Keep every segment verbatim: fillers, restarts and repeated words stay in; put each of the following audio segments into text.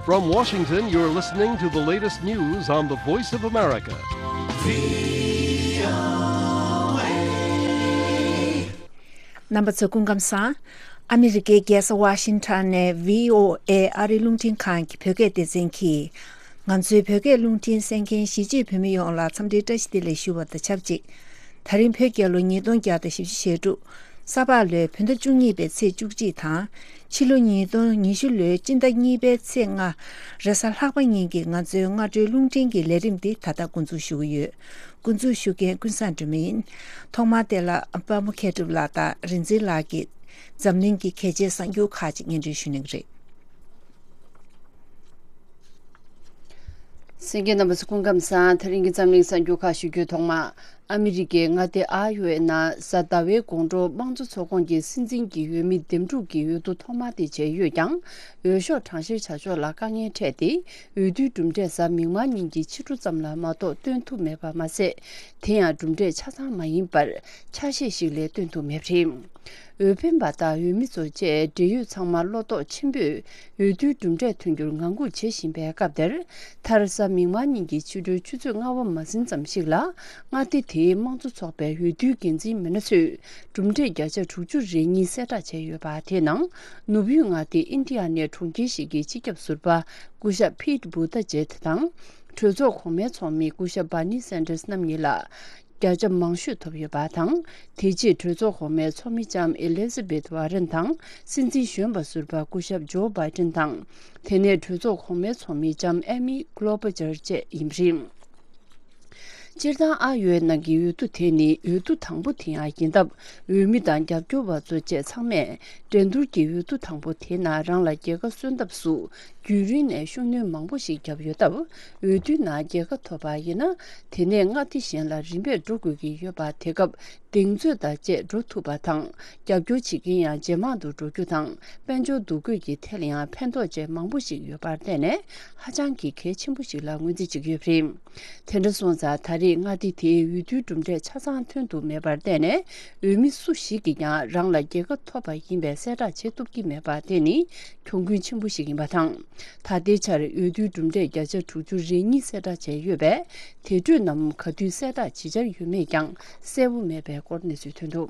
From Washington, you're listening to the latest news on the Voice of America. རྣམ་པ་ཚོ་སྐུ་ཁམས་བཟང་། ཨ་མི་རི་ཀའི་རྒྱལ་ས་ཝ་ཤིང་ཊོན་ནས་བྷི་ཨོ་ཨེ་ཨ་རིའི་རླུང་འཕྲིན་ཁང་གི་བོད་སྐད་སྡེ་ཚན་གྱིས། ང་ཚོའི་བོད་སྐད་རླུང་འཕྲིན་གསན་མཁན་གཞིས་བྱེས་བོད་མི་ཡོངས་ལ་འཚམས་འདྲིའི་བཀྲ་ཤིས་བདེ་ལེགས་ཞུ་བ་དང་ཆབས་ཅིག་ད་རིང་བོད་རྒྱལ་ལོ་ཉིས་སྟོང་བརྒྱ་དང་བཞི་བཅུ་ཞེ་དྲུག་ས་ཕག་ལོའི་བོད་ཟླ་བཅུ་གཉིས་པའི་ཚེས་བཅུ་གཅིག་དང་། ཕྱི་ལོ་ཉིས་སྟོང་ཉི་ཤུ་ལོའི་སྤྱི་ཟླ་གཉིས་པའི་ཚེས་ལྔ། རེས་གཟའ་ལྷག་པ་ཉིན་གྱི་ང་ཚོའི་སྔ་དྲོའི་རླུང་འཕྲིན་གྱི་ལས་རིམ་འདི་ད་ལྟ་འགོ་འཛུགས་ཞུ་གི་ཡོད། འགོ་འཛུགས་ཞུ་མཁན་ཀུན་བཟང་སྒྲོལ་མ་ཡིན། ཐོག་མར་དེ་ལ་དཔའ་མོ་མཁས་གྲུབ་ལགས་དང་རིག་འཛིན་ལགས་ཀྱིས་འཛམ་གླིང་གི་གལ་ཆེའི་གསར་འགྱུར་ཁག་ཅིག་སྙན་སྒྲོན་ཞུ་གནང་གི་རེད། གསན་མཁན་རྣམ་པ་ཚོ་སྐུ་ཁམས་བཟང་། དེ་རིང་གི་འཛམ་གླིང་གསར་འགྱུར་ཁག་ཞུ་རྒྱུའི་ཐོག་མ། ཨ་མི་རི་ཀའི་མངའ་སྡེ་ཨ་ཡོ་ཝེ་ནང་གཟའ་ཟླ་བའི་དགོང་དྲོ་དམངས་གཙོ་ཚོགས་ཁོངས་ཀྱི་སྲིད་འཛིན་གྱི་འོས་མི་འདེམས་སྒྲུག་གི་འོས་བསྡུ་ཐོག་མ་དེ་བྱས་ཡོད་ཀྱང་། འོས་ཤོག་གྲངས་བཤེར་བྱ་ཕྱོགས་ལ་དཀའ་ངལ་འཕྲད་དེ། འོས་བསྡུའི་གྲུབ་འབྲས་གཟའ་མིག་དམར་ཉིན་གྱི་ཕྱི་དྲོ་ཙམ་ལ་མ་གཏོགས་སྟོན་ཐུབ་མེད་པ་མ་ཟད། དེ་ཡང་གྲུབ་འབྲས་ཆ་ཚང་མ་ཡིན་པར་ཆ་ཤས་ཤིག་ལས་སྟོན་ཐུབ་མེད་པ་རེད། འོས་འཕེན་པ་དང་འོས་མི་ཚོ་བཅས་འབྲེལ་ཡོད་ཚང་མ་བློ་དོགས་ཆེན་པོས་འོས་བསྡུའི་གྲུབ་འབྲས་ཐོན་རྒྱུར་ངང་སྒུག་བྱེད་བཞིན་པའི་སྐབས་དེར། མཐར་གཟའ་མིག་དམར་ཉིན་གྱི་ཕྱི་དྲོའི་ཆུ་ཚོད་ལྔ་པ་མ་ཟིན་ཙམ་ཞིག་ལ། མངའ་སྡེ་དེའི་དམངས་གཙོ་ཚོགས་པའི་འོས་བསྡུའི་འགན་འཛིན་མི་སྣ་ཚོས་གྲུབ་འབྲས་བརྒྱ་ཆ་དྲུག་ཅུ་རེ་གཉིས་གསལ་བསྒྲགས་བྱས་ཡོད་པ། དེའི་ནང་ནུབ་ཡུལ་མངའ་སྡེ་ཨིན་ཌི་ཡ་ནའི་གྲོང་ཁྱེར་ཞིག་གི་སྤྱི་ཁྱབ་ཟུར་པ་སྐུ་ཞབས་ཕིད་བྷུ་ཏ་ཇེད་དང་། གྲོས་ཚོགས་གོང་མའི་ཚོགས་མི་སྐུ་ཞབས་བྷར་ནི་སན་ཏར་སི་རྣམ་གཉིས་ལ། བརྒྱ་ཆ་མང་ཤོས་ཐོབ་ཡོད་པ་དང་། དེ་རྗེས་གྲོས་ཚོགས་གོང་མའི་ཚོགས་མི་ལྕམ་ཨེ་ལི་ཛ་བེད་ཝ་རན་དང་། སྲིད་འཛིན་གཞོན་པ་ཟུར་པ་སྐུ་ཞབས་ཇོ་བྷའི་ཏན་དང་། དེ་ནས་གྲོས་ཚོགས་གོང་མའི་ཚོགས་མི་ལྕམ་ཨེ་མི་ཀློ་བྷ་ཇར་བཅས་ཡིན་པ་རེད། སྤྱིར་བཏང་ཨ་ཡོ་ཝེ་ནང་གི་འོས་བསྡུ་དེ་ནི་འོས་བསྡུ་དང་པོ་དེ་ཡང་ཡིན་སྟབས། འོས་མི་དང་རྒྱབ་སྐྱོར་བ་ཚོ་བཅས་ཚང་མས་འགྲན་བསྡུར་གྱི་འོས་བསྡུ་དང་པོ་དེའི་ནང་རང་ལ་རྒྱལ་ཁ་སོན་ཐབས་སུ། རྒྱུན་རིང་ནས་ཤུགས་སྣོན་མང་པོ་ཞིག་བརྒྱབ་ཡོད་སྟབས། འོས་བསྡུའི་ནང་རྒྱལ་ཁ་ཐོབ་པ་ཡིན་ན། དེ་ནས་མངའ་སྡེ་གཞན་ལ་རིམ་པས་འགྲོ་དགོས་ཀྱི་ཡོད་པ། དེ་སྐབས་གདེང་ཚོད་དང་བཅས་འགྲོ་ཐུབ་པ་དང་། རྒྱབ་སྐྱོར་བྱེད་མཁན་ཡང་ཇེ་མང་དུ་འགྲོ་རྒྱུ་དང་། དཔལ་འབྱོར་འདུ་འགོད་ཀྱི་ཐད་ལ་ཡང་ཕན་ཐོགས་བཅས་མང་པོ་ཞིག་ཡོད་པར་བརྟེན་ནས། ཧ་ཅང་གི་གལ་ཆེན་པོ་ཞིག་ལ་ངོས་འཛིན་བྱེད་ཀྱི་ཡོད་པ་རེད། དེ་འདྲ་སོང་ཙང་། ད་རེས་མངའ་སྡེ་དེའི་འོས་བསྡུའི་གྲུབ་འབྲས་ཆ་ཚང་ཐོན་ཐུབ་མེད་པར་བརྟེན་ནས། འོས་མི་སུ་ཞིག་གིས་ཀྱང་རང་ལ་རྒྱལ་ཁ་ཐོབ་པ་ཡིན་པའི་གསལ་བསྒྲགས་བྱེད་ཐུབ་ཀྱི་མེད་པ་དེ་ནི་གྱོང་གུན་ཆེན་པོ་ཞིག་ཡིན་པ་དང་། ད་ལྟའི་ཆར་འོས་བསྡུའི་གྲུབ་འབྲས་བརྒྱ་ཆ་དྲུག་ཅུ་རེ་གཉིས་གསལ་བསྒྲགས་བྱས་ཡོད་པས། དེ་འཕྲོས་ནམ་ག་དུས་གསལ་བསྒྲགས་བྱེད་འཆར་ཡོད་མེད་ཀྱང་གསལ་པོ་མེད་པའི་སྐོར་གནས་ཚུལ་ཐོན་འདུག་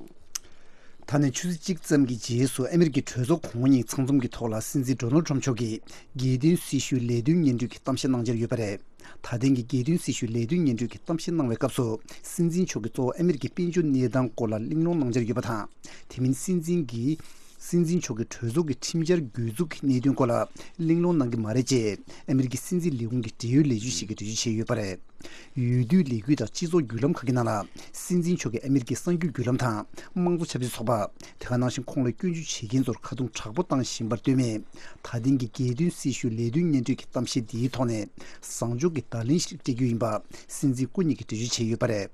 ད་ནས་ཆུ་ཚོད་གཅིག་ཙམ་གྱི་རྗེས་སུ་ཨ་མེ་རི་ཀའི་གྲོས་ཚོགས་གོང་འོག་གཉིས་ཚང་འཛོམས་ཀྱི་ཐོག་ལ་སྲིད་འཛིན་ཌོ་ནལ་ཊམ་མཆོག་གིས་རྒྱལ་དོན་སྲི་ཞུའི་ལས་དོན་སྙན་སྒྲོན་གྱི་གཏམ་བཤད་གནང་འཆར་ཡོད་པ་རེད། ད་ཐེངས་ཀྱི་རྒྱལ་དོན་སྲི་ཞུའི་ལས་དོན་སྙན་སྒྲོན་གྱི་གཏམ་བཤད་གནང་བའི་སྐབས་སུ། སྲིད་འཛིན་མཆོག་གིས་གཙོ་བོ་ཨ་མེ་རི་ཀའི་དཔལ་འབྱོར་གནས་སྟངས་སྐོར་ལ་གླེང་སློང་གནང་འཆར་ཡོད་པ་དང་། དེ་མིན་སྲིད་འཛིན་གྱིས། སྲིད་འཛིན་མཆོག་གིས་གྲོས་ཚོགས་ཀྱི་ཁྲིམས་འཆར་གྱོད་འཛུགས་ཀྱི་གནད་དོན་སྐོར་ལ་གླེང་སློང་གནང་གི་མ་རེད་ཅེས་ཨ་མེ་རི་ཀའི་སྲིད་འཛིན་ལས་ཁུངས་ཀྱི་འབྲེལ་ཡོད་ལས་བྱེད་ཞིག་གིས་འགྲེལ་བརྗོད་བྱས་ཡོད་པ་རེད། འོས་བསྡུའི་ལས་འགུལ་དང་སྤྱི་ཚོགས་བརྒྱུད་ལམ་ཁག་གི་ནང་ལ། སྲིད་འཛིན་མཆོག་གིས་ཨ་མེ་རི་ཀའི་གསར་འགྱུར་བརྒྱུད་ལམ་དང་། དམངས་གཙོ་ཆབ་སྲིད་ཚོགས་པ། དེ་ག་ནང་བཞིན་ཁོང་ལ་སྐྱོན་བརྗོད་བྱེད་མཁན་ཚོར་ཁ་རྡུང་དྲག་པོ་བཏང་བཞིན་པར་ལྟོས་མེད། ད་ཐེངས་ཀྱི་རྒྱལ་དོན་སྲི་ཞུའི་ལས་དོན་སྙན་སྒྲོན་གྱི་གཏམ་བཤད་འདིའི་ཐོག་ནས། བཟང་ཕྱོགས་ཀྱི་བརྡ་ལན་ཞིག་སྤྲད་རྒྱུ་ཡིན་པ། སྲིད་འཛིན་སྐུ་ཉིད་ཀྱིས་འགྲེལ་བརྗོད་བྱས་ཡོད་པ་རེད།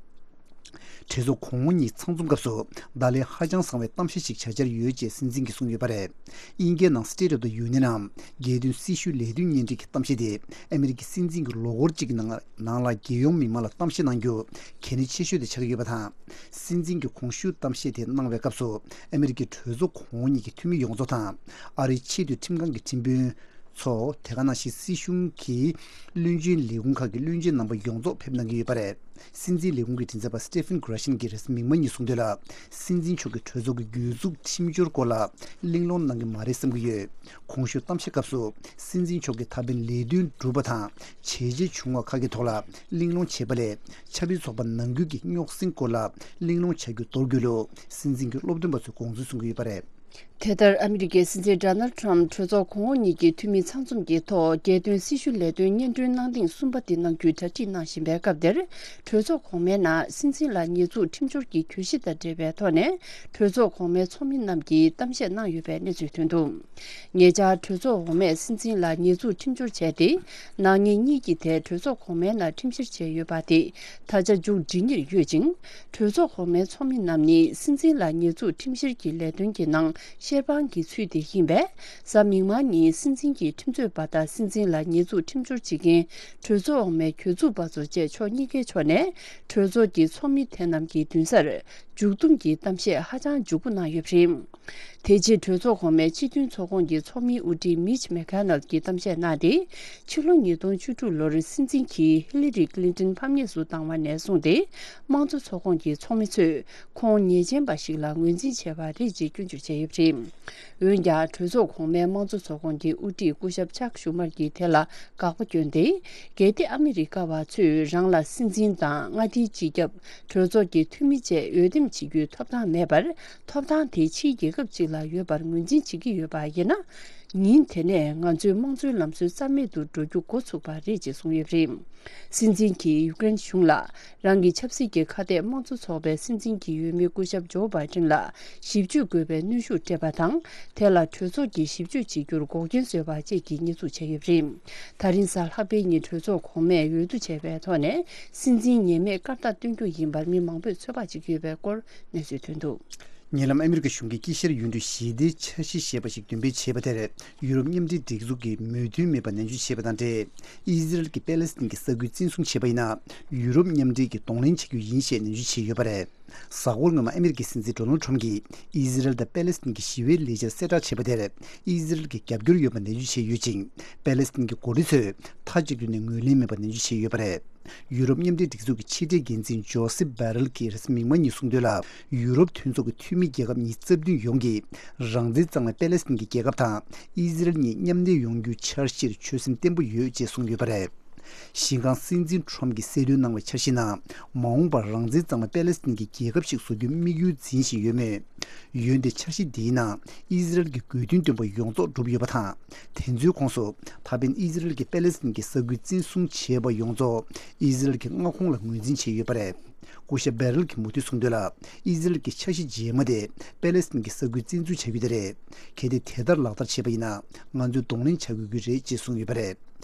གྲོས་ཚོགས་གོང་འོག་གཉིས་ཚང་འཛོམས་སྐབས་སུ། བརྡ་ལན་ཧ་ཅང་བཟང་བའི་གཏམ་བཤད་ཞིག་བྱ་འཆར་ཡོད་ཅེས་སྲིད་འཛིན་གྱིས་གསུངས་ཡོད་པ་རེད། དབྱིན་སྐད་ནང་State of the Union ནམ། རྒྱལ་དོན་སྲི་ཞུའི་ལས་དོན་སྙན་སྒྲོན་གྱི་གཏམ་བཤད་དེ། ཨ་མེ་རི་ཀའི་སྲིད་འཛིན་གྱིས་ལོ་འཁོར་གཅིག་གི་ནང་ནང་ལ་རྒྱལ་ཡོངས་མི་མང་ལ་གཏམ་བཤད་གནང་རྒྱུ། གལ་གནད་ཆེ་ཤོས་དེ་ཆགས་ཀྱི་ཡོད་པ་དང་། སྲིད་འཛིན་གྱིས་གོང་ཞུས་གཏམ་བཤད་དེ་གནང་བའི་སྐབས་སུ། ཨ་མེ་རི་ཀའི་གྲོས་ཚོགས་གོང་འོག་གཉིས་ཀྱི་འཐུས་མི་ཡོངས་རྫོགས་དང་། ཨ་རིའི་ཆེས་མཐོའི་ཁྲིམས་ཁང་གི་ཁྲིམས་དཔོན་ཚོ། དེ་ག་ནང་བཞིན་སྲིད་གཞུང་གི་བློན་ཆེན་ལས་ཁུངས་ཁག་གི་བློན་ཆེན་རྣམ་པ་ཡོངས་རྫོགས་ཕེབས་གནང་གི་ཡོད་པ་རེད། སྲིད་འཛིན་ལས་ཁུངས་ཀྱི་མགྲིན་ཚབ་པ་Stephen Grisham གྱིས་རེས་གཟའ་མིག་དམར་ཉིན་གསུངས་དོན་ལ། སྲིད་འཛིན་མཆོག་གིས་གྲོས་ཚོགས་ཀྱི་གྱོད་འཛུགས་ཁྲིམས་སྦྱོར་སྐོར་ལ་གླེང་སློང་གནང་གི་མ་རེད་བསམ་གྱི་ཡོད། གོང་ཞུས་གཏམ་བཤད་སྐབས་སུ། སྲིད་འཛིན་མཆོག་གིས་ད་ཕན་ལས་དོན་བསྒྲུབས་པ་དང་། བྱས་རྗེས་བྱུང་བ་ཁག་གི་ཐོག་ལ་གླེང་སློང་བྱས་པ་ལས། ཆབ་སྲིད་ཚོགས་པ་ནང་ཁུལ་གྱི་རྙོག་ཟིང་སྐོར་ལ་གླེང་སློང་བྱ་རྒྱུ་འདོར་དགོས་ལུགས། སྲིད་འཛིན་གྱིས་སློབ་སྟོན་པ་ཚོའི་དགོངས་ཚུལ་གསུང་གི་ཡོད་པ་རེད། དེ་ལྟར། ཨ་མི་རི་ཀའི་སྲིད་འཛིན་Donald Trump གྲོས་ཚོགས་གོང་འོག་གཉིས་ཀྱི་འཐུས་མི་ཚང་འཛོམས་ཀྱི་ཐོག་རྒྱལ་དོན་སྲི་ཞུ་ལས་དོན་སྙན་སྒྲོན་གནང་ཐེངས་གསུམ་པ་དེ་གནང་རྒྱུའི་གྲ་སྒྲིག་གནང་བཞིན་པའི་སྐབས་དེར། གྲོས་ཚོགས་གོང་མའི་ནང་སྲིད་འཛིན་ལ་ཉེས་འཛུགས་ཁྲིམས་སྦྱོར་གྱི་གྱོད་གཞི་དང་འབྲེལ་བའི་ཐོག་ནས། གྲོས་ཚོགས་གོང་མའི་ཚོགས་མི་རྣམས་ཀྱིས་གཏམ་བཤད་གནང་ཡོད་པའི་གནས་ཚུལ་ཐོན་འདུག་ཉེ་ཆར། གྲོས་ཚོགས་འོག་མས་སྲིད་འཛིན་ལ་ཉེས་འཛུགས་ཁྲིམས་སྦྱོར་བྱས་ཏེ། ནག་ཉེས་གཉིས་ཀྱི་ཐད་གྲོས་ཚོགས་གོང་མའི་ནང་ཁྲིམས་བཤེར་བྱས་ཡོད་པ་དེ། ད་ཆ་མཇུག་སྒྲིལ་ཉེར་ཡོད་ཅིང་། གྲོས་ཚོགས་གོང་མའི་ཚོགས་མི་རྣམས་ནི་སྲིད་འཛིན་ལ་ཉེས་འཛུགས་ཁྲིམས་བཤེར་གྱི་ལས་དོན་གྱི་ནང་ བཤེར་དཔང་གི་ཚུལ་དེ་ཡིན་པས། གཟའ་མིག་དམར་ཉིན་སྲིད་འཛིན་གྱི་ཁྲིམས་རྩོད་པ་དང་སྲིད་འཛིན་ལ་ཉེས་འཛུགས་ཁྲིམས་སྦྱོར་བྱེད་མཁན་གྲོས་ཚོགས་འོག་མའི་གྱོད་འཛུགས་པ་ཚོ་བཅས་ཕྱོགས་གཉིས་ཀའི་ཕྱོགས་ནས་གྲོས་ཚོགས་ཀྱི་ཚོགས་མི་དེ་རྣམས་ཀྱི་མདུན་སར་མཇུག་བསྡོམས་ཀྱི་གཏམ་བཤད་ཧ་ཅང་མགྱོགས་པོ་གནང་ཡོད་པ་རེད། དེ་རྗེས་གྲོས་ཚོགས་གོང་མའི་སྤྱི་མཐུན་ཚོགས་ཁོངས་ཀྱི་ཚོགས་མི་དབུ་ཁྲིད་མིཆ་མེ་ཁ་ནལ་གྱིས་གཏམ་བཤད་གནང་སྟེ། ཕྱི་ལོ་ཉིས་སྟོང་བཅུ་དྲུག་ལོར་སྲིད་འཛིན་གྱིས་ཧི་ལི་རི་ཀླིན་ཏོན་ཕམ་ཉེས་སུ་བཏང་བ་ནས་བཟུང་སྟེ། དམངས་གཙོ་ཚོགས་ཁོངས་ཀྱི་ཚོགས་མི་ཚོས་ཁོང་ཉེས་ཅན་པ་ཞིག་ལ་ངོས་འཛིན་བྱས་པ་རེད་ཅེས་སྐྱོན་བརྗོད་བྱས་ཡོད་པ་རེད། འོན་ཀྱང་གྲོས་ཚོགས་གོང་མའི་དམངས་གཙོ་ཚོགས་ཁོངས་ཀྱི་དབུ་ཁྲིད་སྐུ་ཞབས་ཅག་ཤུ་མར་གྱིས་དེ་ལ་དགག་པ་བསྐྱོན་ཏེ། གལ་ཏེ་ཨ་མི་རི་ཀ་བ་ཚོས་རང་ལ་སྲིད་འཛིན་དང་མངའ་སྡེའི་སྤྱི་ཁྱབ། གྲོས་ཚོགས་ཀྱི་འཐུས་མི་བཅས་འོས་འདེམས་བྱེད་རྒྱུའི་ཐོབ་ཐང་མེད་པར། ཐོབ་ཐང་དེ་ཕྱིའི་རྒྱལ་ཁབ་ཅིག་ལ་ཡོད་པར་ངོས་འཛིན་བྱེད་ཀྱི་ཡོད་པ་ཡིན་ན། ཉིན་དེ་ནས་ང་ཚོའི་དམངས་གཙོའི་ལམ་སྲོལ་རྩ་མེད་དུ་འགྲོ་རྒྱུ་འགོ་ཚུགས་པ་རེད་ཅེས་གསུངས་ཡོད་པ་རེད། སྲིད་འཛིན་གྱིས་ཡུཀ་རེན་གཞུང་ལ། རང་གི་ཆབ་སྲིད་ཀྱི་ཁ་གཏད་དམངས་གཙོ་ཚོགས་པའི་སྲིད་འཛིན་གྱི་འོས་མི་སྐུ་ཞབས་ཇོ་བྷའི་ཏིན་ལ་ཞིབ་དཔྱོད་དགོས་པའི་གནོན་ཤུགས་སྤྲད་པ་དང་། དེ་ལ་གྲོས་ཚོགས་ཀྱིས་ཞིབ་དཔྱོད་བྱེད་རྒྱུར་འགོག་རྐྱེན་བཟོས་པ་བཅས་ཀྱི་ཉེས་འཛུགས་བྱས་ཡོད་པ་རེད། ད་རིང་གཟའ་ལྷག་པའི་ཉིན་གྲོས་ཚོགས་གོང་མས་འོས་བསྡུ་བྱས་པའི་ཐོག་ནས། སྲིད་འཛིན་ངེས་མེད་སྐར་རྟགས་སྟོན་རྒྱུ་ཡིན་པར་མི་མང་པོས་ཚོད་དཔག་བྱེད་ཀྱི་ཡོད་པའི་སྐོར་གནས་ཚུལ་ཐོན་འདུག། ཉེ་ལམ་ཨ་མི་རི་ཀ་གཞུང་གིས་དཀྱིལ་ཤར་ཡུལ་གྲུའི་ཞི་བདེའི་འཆར་གཞི་ཞེས་པ་ཞིག་འདོན་སྤེལ་བྱས་པ་དེར། ཡུ་རོབ་མཉམ་འབྲེལ་སྒྲིག་འཛུགས་ཀྱིས་མོས་མཐུན་མེད་པ་ནན་བརྗོད་བྱས་པ་དང་འབྲེལ། ཨི་ཟི་རལ་གྱིས་པེ་ལེ་སི་ཐན་གྱི་ས་ཁུལ་བཙན་བཟུང་བྱས་པ་ཡིན་ན། ཡུ་རོབ་མཉམ་འབྲེལ་གྱིས་གདོང་ལེན་བྱ་རྒྱུ་ཡིན་ཞེས་ནན་བརྗོད་བྱས་ཡོད་པ་རེད། གཟའ་འཁོར་སྔོན་མ་ཨ་མི་རི་ཀའི་སྲིད་འཛིན་ཌོ་ནལ་ཁྲོམ་གྱིས་ཨི་ཟི་རལ་དང་པེ་ལེ་སི་ཐན་གྱི་ཞི་བའི་ལས་འཆར་གསལ་བསྒྲགས་བྱས་པ་དེར། ཨི་ཟི་རལ་གྱིས་རྒྱབ་སྐྱོར་ཡོད་པ་ནན་བརྗོད་བྱས་ཡོད་ཅིང་། པེ་ལེ་སི་ཐན་གྱི་འགོ་ཁྲིད་ཚོས་མཐའ་གཅིག་ཏུ་ནས་ངོས་ལེན་མེད་པ་ནན་བརྗོད་བྱས་ཡོད་པ་རེད། ཡུ་རོབ་མཉམ་འབྲེལ་སྒྲིག་འཛུགས་ཀྱི་ཕྱི་དྲིལ་འགན་འཛིན་ཇོ་སེབ་བྷེ་རེལ་གྱིས་རེས་གཟའ་མིག་དམར་ཉིན་གསུངས་དོན་ལ། ཡུ་རོབ་མཐུན་ཚོགས་ཀྱི་འཐུས་མི་རྒྱལ་ཁབ་ཉི་ཤུ་རྩ་བདུན་ཡོངས་ཀྱིས། རང་བཙན་གཙང་མའི་པེ་ལེ་སི་ཐན་གྱི་རྒྱལ་ཁབ་དང་ཨི་ཟི་རལ་གཉིས་མཉམ་གནས་ཡོང་རྒྱུའི་འཆར་གཞིར་ཆོད་སེམས་བརྟན་པོ་ཡོད་ཅེས་གསུངས་ཡོད་པ་རེད། ཞིང་ཁང་སྲིད་འཛིན་ཁྲོམ་གྱིས་གསལ་སྟོན་གནང་བའི་འཆར་གཞིའི་ནང་། མ་འོངས་པར་རང་བཙན་གཙང་མའི་པེ་ལེ་སི་ཐན་གྱི་རྒྱལ་ཁབ་ཞིག་བཟོ་རྒྱུའི་དམིགས་ཡུལ་འཛིན་བཞིན་ཡོད་མོད། འོན་ཏེ་འཆར་གཞི་འདིའི་ནང་ཨི་ཟི་རལ་གྱི་དགོས་འདུན་བཏོན་པ་ཡོངས་རྫོགས་འགྲུབ་ཡོད་པ་དང་། དེ་ཚོའི་ཁོངས་སུ་ད་ཕན་ཨི་ཟི་རལ་གྱིས་པེ་ལེ་སི་ཐན་གྱི་ས་ཁུལ་བཙན་བཟུང་བྱས་པ་ཡོངས་རྫོགས་ཨི་ཟི་རལ་གྱི་མངའ་ཁོངས་ལ་ངོས་འཛིན་བྱས་ཡོད་པ་རེད། སྐུ་ཞབས་བྷེ་རེལ་གྱིས་མུ་མཐུད་གསུངས་དོན་ལ། ཨི་ཟི་རལ་གྱི་འཆར་གཞི་རྗེས་མ་དེ་པེ་ལེ་སི་ཐན་གྱི་ས་ཁུལ་བཙན་འཛུལ་བྱ་རྒྱུ་དེ་རེད། གལ་ཏེ་དེ་ལྟར་ལག་བསྟར་བྱས་པ་ཡིན་ན། ང་ཚོས་གདོང་ལེན་བྱ་དགོས་ཀྱི་རེད་ཅེས་གསུངས་ཡོད་པ་རེད།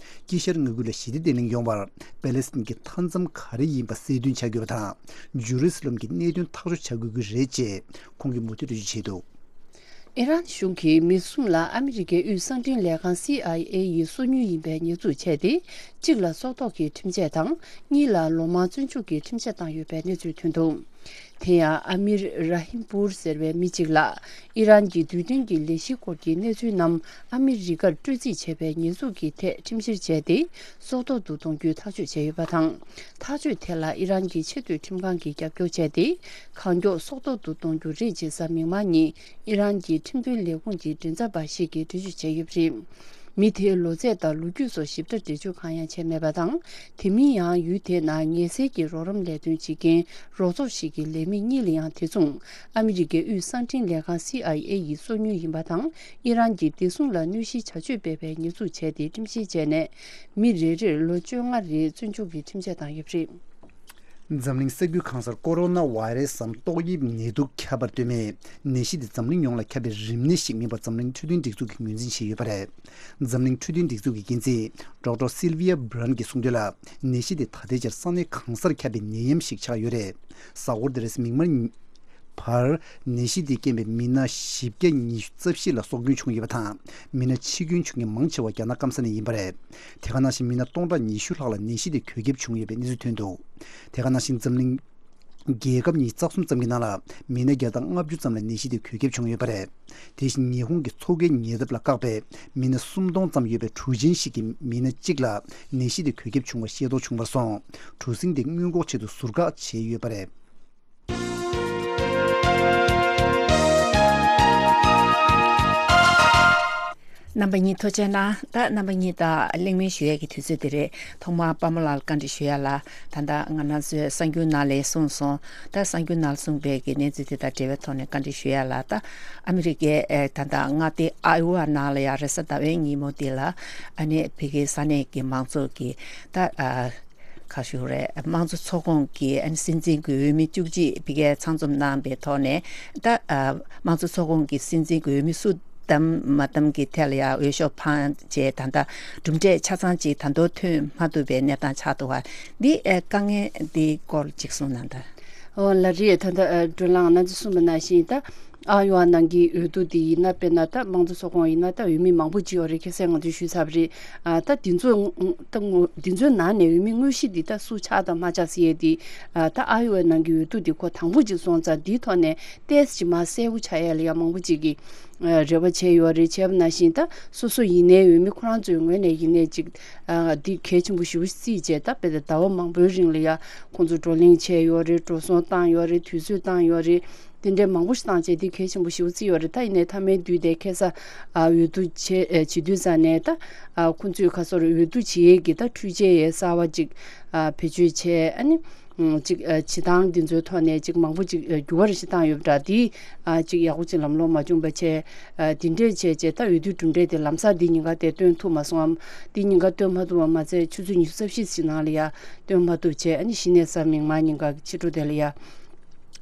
དཀྱིལ་ཤར་མངའ་ཁུལ་ལ་ཞི་བདེ་བརྟན་ལྷིང་ཡོང་བར་པེ་ལེ་སི་ཐན་གྱི་མཐའ་མཚམས་ག་རེ་ཡིན་པ་གསལ་སྟོན་བྱ་དགོས་པ་དང་། ཇུ་རེ་སི་ལམ་གྱི་གནད་དོན་ཐག་གཅོད་བྱ་དགོས་ཀྱི་རེད་ཅེས་ཁོང་གིས་མུ་མཐུད་འགྲེལ་བརྗོད་བྱས་འདུག། ཨི་རན་གཞུང་གིས་མི་གསུམ་ལ་ཨ་མི་རི་ཀའི་དབུས་གསང་འཕྲིན་ལས་ཁང་སི་ཨའི་ཨེ་ཡི་སོ་ཉུལ་ཡིན་པའི་ཉེས་འཛུགས་བྱས་ཏེ། གཅིག་ལ་སྲོག་ཐོག་གི་ཁྲིམས་ཆད་དང་། གཉིས་ལ་ལོ་མང་བཙོན་འཇུག་གི་ཁྲིམས་ཆད་བཏང་ཡོད་པའི་གནས་ཚུལ་ཐོན་འདུག། དེ་ཡང་ཨ་མིར་ར་ཧིམ་པུར་ཟེར་བའི་མི་གཅིག་ལ། ཨི་རན་གྱི་རྡུལ་ཕྲན་གྱི་ལས་གཞིའི་སྐོར་གྱི་གནས་ཚུལ་རྣམས་ཨ་མི་རི་ཀར་སྤྲོད་རྩིས་བྱས་པའི་ཉེས་འཛུགས་ཀྱི་ཐད་ཁྲིམས་བཤེར་བྱས་ཏེ། སྲོག་ཐོག་ཏུ་གཏོང་རྒྱུའི་ཐག་གཅོད་བྱས་ཡོད་པ་དང་། ཐག་གཅོད་དེ་ལ་ཨི་རན་གྱི་ཆེས་མཐོའི་ཁྲིམས་ཁང་གིས་རྒྱབ་སྐྱོར་བྱས་ཏེ། གང་མགྱོགས་སྲོག་ཐོག་ཏུ་གཏོང་རྒྱུ་རེད་ཅེས་གཟའ་མིག་དམར་ཉིན་ཨི་རན་གྱི་ཁྲིམས་དཔོན་ལས་ཁུངས་ཀྱི་མགྲིན་ཚབ་པ་ཞིག་གིས་འགྲེལ་བརྗོད་བྱས་ཡོད་པ་རེད། མི་དེའི་ལོ་ཚད་དང་ལོ་རྒྱུས་སོགས་ཞིབ་ཕྲ་འགྲེལ་བརྗོད་གང་ཡང་བྱས་མེད་པ་དང་། དེ་མིན་ཡང་ཡུལ་དེའི་ནང་ངལ་སེལ་གྱི་རོགས་རམ་ལས་དོན་བྱེད་མཁན་རོགས་ཚོགས་ཤིག་གི་ལས་མི་གཉིས་ལ་ཡང་དེ་མཚུངས་ཨ་མི་རི་ཀའི་དབུས་གསང་འཕྲིན་ལས་ཁང་སི་ཨའི་ཨེ་ཡི་སོ་ཉུལ་ཡིན་པ་དང་། ཨི་རན་གྱི་བདེ་སྲུང་ལ་གནོད་གཞིའི་བྱ་སྤྱོད་སྤེལ་བའི་ཉེས་འཛུགས་བྱས་ཏེ་ཁྲིམས་བཤེར་བྱས་ནས། མི་རེ་རེར་ལོ་བཅོ་ལྔ་རེའི་བཙོན་འཇུག་གི་ཁྲིམས་ཆད་བཏང་ཡོད་པ་རེད། འཛམ་གླིང་ས་རྒྱུས་གང་སར་ཀོ་རོ་ན་བྷ་རེ་སམ་ཏོག་དབྱིབས་ནད་དུག་ཁྱབ་པར་ལྟོས་མེད། ནད་གཞི་དེ་འཛམ་གླིང་ཡོངས་ལ་ཁྱབ་པའི་རིམས་ནད་ཞིག་མིན་པ་འཛམ་གླིང་འཕྲོད་བསྟེན་སྒྲིག་འཛུགས་ཀྱིས་ངོས་འཛིན་བྱས་ཡོད་པ་རེད། འཛམ་གླིང་འཕྲོད་བསྟེན་སྒྲིག་འཛུགས་ཀྱི་འགན་འཛིན་ཌོག་ཊར་སིལ་ཝི་ཡ་བྷི་རན་གྱིས་གསུངས་དོན་ལ། ནད་གཞི་དེ་ད་ལྟའི་ཆར་ས་གནས་གང་སར་ཁྱབ་པའི་ནད་ཡམས་ཤིག་ཆགས་ཡོད་རེད། གཟའ་འཁོར་འདིར་མིག་དམར་བར་ནད་གཞི་དེས་རྐྱེན་པས་མི་སྣ་བཞི་བརྒྱ་ཉི་ཤུ་རྩ་བཞི་ལ་སྲོག་སྐྱོན་བྱུང་ཡོད་པ་དང་། མི་སྣ་འཆི་སྐྱོན་བྱུང་མཁན་མང་ཆེ་བ་རྒྱ་ནག་སྐམ་ས་ནས་ཡིན་པ་རེད། དེ་ག་ནང་བཞིན་མི་སྣ་སྟོང་ཕྲག་ཉི་ཤུ་ལྷག་ལ་ནད་གཞི་དེ་འགོས་ཁྱབ་བྱུང་ཡོད་པའི་གནས་ཚུལ་ཐོན་འདུག། དེ་ག་ནང་བཞིན་འཛམ་གླིང་རྒྱལ་ཁབ་ཉི་ཤུ་རྩ་གསུམ་ཙམ་གྱི་ནང་ལ་མི་སྣ་བརྒྱ་དང་ལྔ་བཅུ་ཙམ་ལ་ནད་གཞི་དེ་འགོས་ཁྱབ་བྱུང་ཡོད་པ་རེད། དེ་བཞིན་ཉི་ཧོང་གི་མཚོ་ཁའི་ཉེ་འདབས་ལ་བཀག་པའི་མི་སྣ་སུམ་སྟོང་ཙམ་ཡོད་པའི་གྲུ་ཆེན་ཞིག་གི་མི་སྣ་གཅིག་ལ་ནད་གཞི་དེ་འགོས་ཁྱབ་བྱུང་བ་ཤེས་རྟོགས་བྱུང་བར་སོང་། གྲུ་གཟིངས་དེ་སྔོན་འགོག་ཆེད་དུ་ཟུར་བཀག་བྱས་ཡོད་པ་རེད། རྣམ་པ་གཉིས་ཐུགས་རྗེ་གནང་། ད་རྣམ་པ་གཉིས་དང་གླེང་མོལ་ཞུ་ཡས་ཀྱི་དུས་ཚོད་དེ་རེད། ཐོག་མར་པདྨ་ལགས་བཀའ་འདྲི་ཞུ་ཡ་ལ། ད་ལྟ་ང་རང་ཚོའི་གསར་འགྱུར་ནང་ལ་གསུངས་སོང་། ད་གསར་འགྱུར་ནང་གསུངས་པའི་གི་གནས་ཚུལ་དེ་དང་འབྲེལ་བའི་ཐོག་ནས་བཀའ་འདྲི་ཞུ་ཡ་ལ། ད་ཨ་མི་རི་ཀའི་ཨེ་ད་ལྟ་མངའ་སྡེ་ཨའི་ཝ་ནང་ལ་ཡང་རེས་གཟའ་ཟླ་བའི་ཉིན་མོ་དེ་ལ་ཨ་ནི་ཕ་གིའི་ས་གནས་ཀྱི་མང་ཚོགས་ཀྱི་ད་ཨ། ཁ་ཤུ་རེད། དམངས་གཙོ་ཚོགས་ཁོངས་ཀྱི་ཨ་ནི་སྲིད་འཛིན་གྱི་འོས་མི་བཅུ་གཅིག་ཕ་གིར་ཚང་འཛོམས་གནང་པའི་ཐོག་ནས། ད་ཨ་དམངས་གཙོ་ཚོགས་ཁོངས་ཀྱི་སྲིད་འཛིན་གྱི་འོས་མི་སུ་བདམས་མ་བདམས་ཀྱི་ཐད་ལ་ཡང་འོས་ཤོག་འཕངས་རྗེས་ད་ལྟ་གྲུབ་འབྲས་ཆ་ཚང་ཅིག་ད་དུང་ཐོན་མ་ཐུབ་པའི་གནས་སྟངས་ཆགས་འདུག་པ། འདི་ཨ་དཀའ་ངལ་འདིའི་སྐོར་ཅིག་གསུངས་གནང་དང་། འོ་ལགས་རེད། ད་ལྟ་ཨ་སྒྲོལ་ལགས་ང་ཚོས་གསུངས་པ་ནང་བཞིན། ད་ ཨ་ཡོ་ཨ་ནང་གི་འོས་བསྡུ་དེ་ཡིན་ན། དཔེར་ན་ད་དམངས་གཙོ་ཚོགས་ཁོངས་ཡིན་ན་ད་འོས་མི་མང་པོ་ཅིག་ཡོད་རེད། ཁ་སང་ང་ཚོས་ཞུས་ཚར་བ་རེད། ཨ་ད་འདི་ཚོ་ད་ངོ་འདི་ཚོའི་ནང་ནས་འོས་མི་དངོས་གཞི་འདི་ད་སུ་ཆགས་དང་མ་ཆགས་ཟེར་ཡས་དེ། ཨ་ད་ཨ་ཡོ་ཨ་ནང་གི་འོས་བསྡུ་དེ་ཁོ་དང་པོ་ཅིག་སོང་ཙང་འདིའི་ཐོག་ནས་ཏོག་ཙམ་ཅིག་མར་གསལ་པོ་ཆགས་ཡས་ལ་ཡ་མང་པོ་ཅིག་གིས་ཨ་རེ་བ་བྱས་ཡོད་རེད། བྱས་པ་ནང་བཞིན་ད་སོ་སོ་ཡིན་ནའི་འོས་མི་ཁོ་རང་ཚོའི་ངོས་ནས་ཡིན་ནའི་ཅིག་ཨ་འདི་གལ་ཆེན་པོ་ཞེ་པོ་བརྩིས་བྱས། ད་དཔེ་ད་ཟླ་བ་མང་པོའི་རིང་ལ་ཡ་ཁོང་ཚོ་བགྲོ་གླེང་བྱས་ཡོད་རེད། འགྲོ་སོང་བཏང་ཡོད་རེད། དུས་ཚོད་བཏང་ཡོད་རེད། དེ་འདྲའི་མང་པོ་ཞིག་བཏང་བྱས་འདི་གལ་ཆེན་པོ་ཞེ་པོ་བརྩིས་ཡོད་རེད། ད་ཡིན་ནའི་མཐའ་མའི་དུས་དེ་ཁ་སང་ཨ་འོས་བསྡུ་བྱས་ཨ་བྱེད་དུས་ཙང་ནས་ད་ཨ་ཁོང་ཚོས་ཁ་སང་འོས་བསྡུ་བྱེད་ཡས་ཀྱི་ད་འཕྲུལ་ཆས་ཡས་གསར་པ་ཅིག་ཨ་བེད་སྤྱོད་བྱས། ཨ་ནི་ཨ་ཅིག་ཨ་བྱེད་སྟངས་འདི་ཚོའི་ཐོག་ནས་ཅིག་མང་པོ་ཅིག་ཨ་འགྱུར་བ་རེ་ཞིག་བཏང་ཡོད་པ་འདྲ། དེ་ཨ་ཅིག་ཡག་པོ་ཅིག་ལམ་ལྷོང་མ་བྱུང་བ་བྱས། ཨ་དེ་འདྲས་བྱས་བྱས་ད་འོས་བསྡུའི་གྲུབ་འབྲས་དེ་ལམ་སང་འདི་ཉིན་ཀ་དེ་སྟོན་ཐུབ་མ་སོང་ངམ། འདི་ཉིན་ཀ་སྟོན་མ་ཐུབ་པ་མ་ཚད་ཆུ་ཚོད་ཉི་ཤུ་རྩ་བཞི་ཞིག་ནང་ལ་ཡ་སྟོན་མ་ཐུབ་བྱས། ཨ་ནི་གཞི་ནས་གཟའ་མིག་དམར་ཉིན་ཀ་ཕྱི་དྲོ་དེ་ལ་ཡ།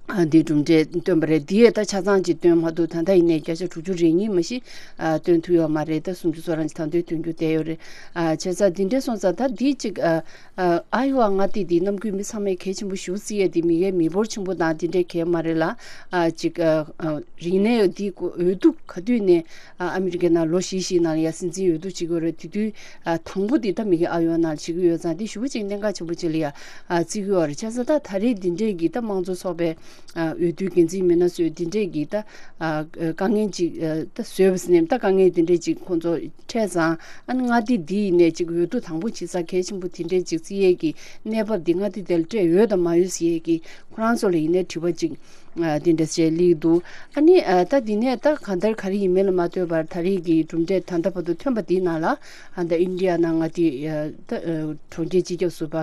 ཨ་འདིའི་གྲུབ་འབྲས་བཏོན་པ་རེད། འདི་ཡས་ད་ཆ་ཚང་ཅིག་སྟོན་མ་ཐུབ། ད་ལྟ་ཡིན་ནའི་བརྒྱ་ཆ་དྲུག་ཅུ་རེ་གཉིས་མ་གཞི་ཨ་སྟོན་ཐུབ་ཡོད་མ་རེད། ད་སུམ་ཅུ་སོ་རང་ཅིག་ད་དུང་སྟོན་རྒྱུ་བསྡད་ཡོད་རེད། ཨ་བྱས་ཙང་འདི་འདྲས་སོང་ཙང་ད་འདི་ཅིག་ཨ་ཨ་ཨ་ཡོ་ཨ་མངའ་སྡེ་འདི་གནམ་བསྐོས་མི་ཚང་མས་གལ་ཆེན་པོ་ཞེ་པོ་བརྩི་ཡས་འདི་མི་སྒེར་མི་འབོར་ཆེན་པོ་དང་འདི་འདྲས་གལ་མ་རེད་ལ། ཨ་ཅིག་ཨ་ཨ་རིག་གནས་འདི་འོས་བསྡུ་ག་དུས་ནས་ཨ་ཨ་མི་རི་ཀའི་ནང་ལོ་བཞི་བཞིའི་ནང་ལ་ཡ་སྲིད་འཛིན་འོས་བསྡུ་བྱེད་ཀྱི་ཡོད་རེད། དེ་དུས་ཨ་དང་པོ་འདི་ད་མི་སྒེར་ཨ་ཡོ་ཨ་ནང་ལ་བྱེད་ཀྱི་ཡོད་ཙང་འདི་ཞེ་པོ་ཅིག་གནད་འགག་ཆེན་པོ་ཅིག་ལ་ཡ་ཨ་བརྩི་གི་ཡོད་རེད། བྱས་ཙང་ད་ད་རེས་འདི་འདྲས་ཀྱི་ད་དམངས་གཙོ་ཚོགས་པའི་ཨ་འོས་བསྡུའི་འགན་འཛིན་མི་སྣ་ཚོས་འདི་འདྲས་ཀྱི་ད་ཨ་དཀའ་ངལ་ཅིག་ཨ་ད་བཟོས་པ་ཟེར་ནས་ད་དཀའ་ངལ་འདི་འདྲས་ཅིག་ཁོང་ཚོ་འཕྲད་ཙང་། ཨ་ནི་མངའ་སྡེ་འདི་ཡིན་ནས་ཅིག་འོས་བསྡུ་དང་པོ་བྱེད་ས་གལ་ཆེན་པོ་དེ་འདྲས་ཅིག་བརྩི་ཡས་ཀྱི་གནས་བབ་འདི་མངའ་སྡེ་དེར་སྤྲད་ཡོད་དམ་མ་ཡོད་ཟེར་ཡས་ཀྱི་ཁོ་རང་ཚོ་ལ་ཡིན་ནའི་དྲི་བ་ཅིག་ཨ་དེ་འདྲ་བྱས་སླེབས་འདུག་ཨ་ནི་ཨ་ད་འདི་ནས་ད་གང་ལྟར་ག་རེ་ཡིན་མིན་ལ་མ་ལྟོས་པར་ད་རེས་ཀྱི་གྲུབ་འབྲས་ད་ལྟ་བར་དུ་ཐོན་པ་འདིའི་ནང་ལ་ཨ་ད་ཨིན་ཌི་ཡ་ནང་མངའ་སྡེ་ཨ་ད་ཨ་གྲོང་ཁྱེར་སྤྱི་ཁྱབ་ཟུར་པ་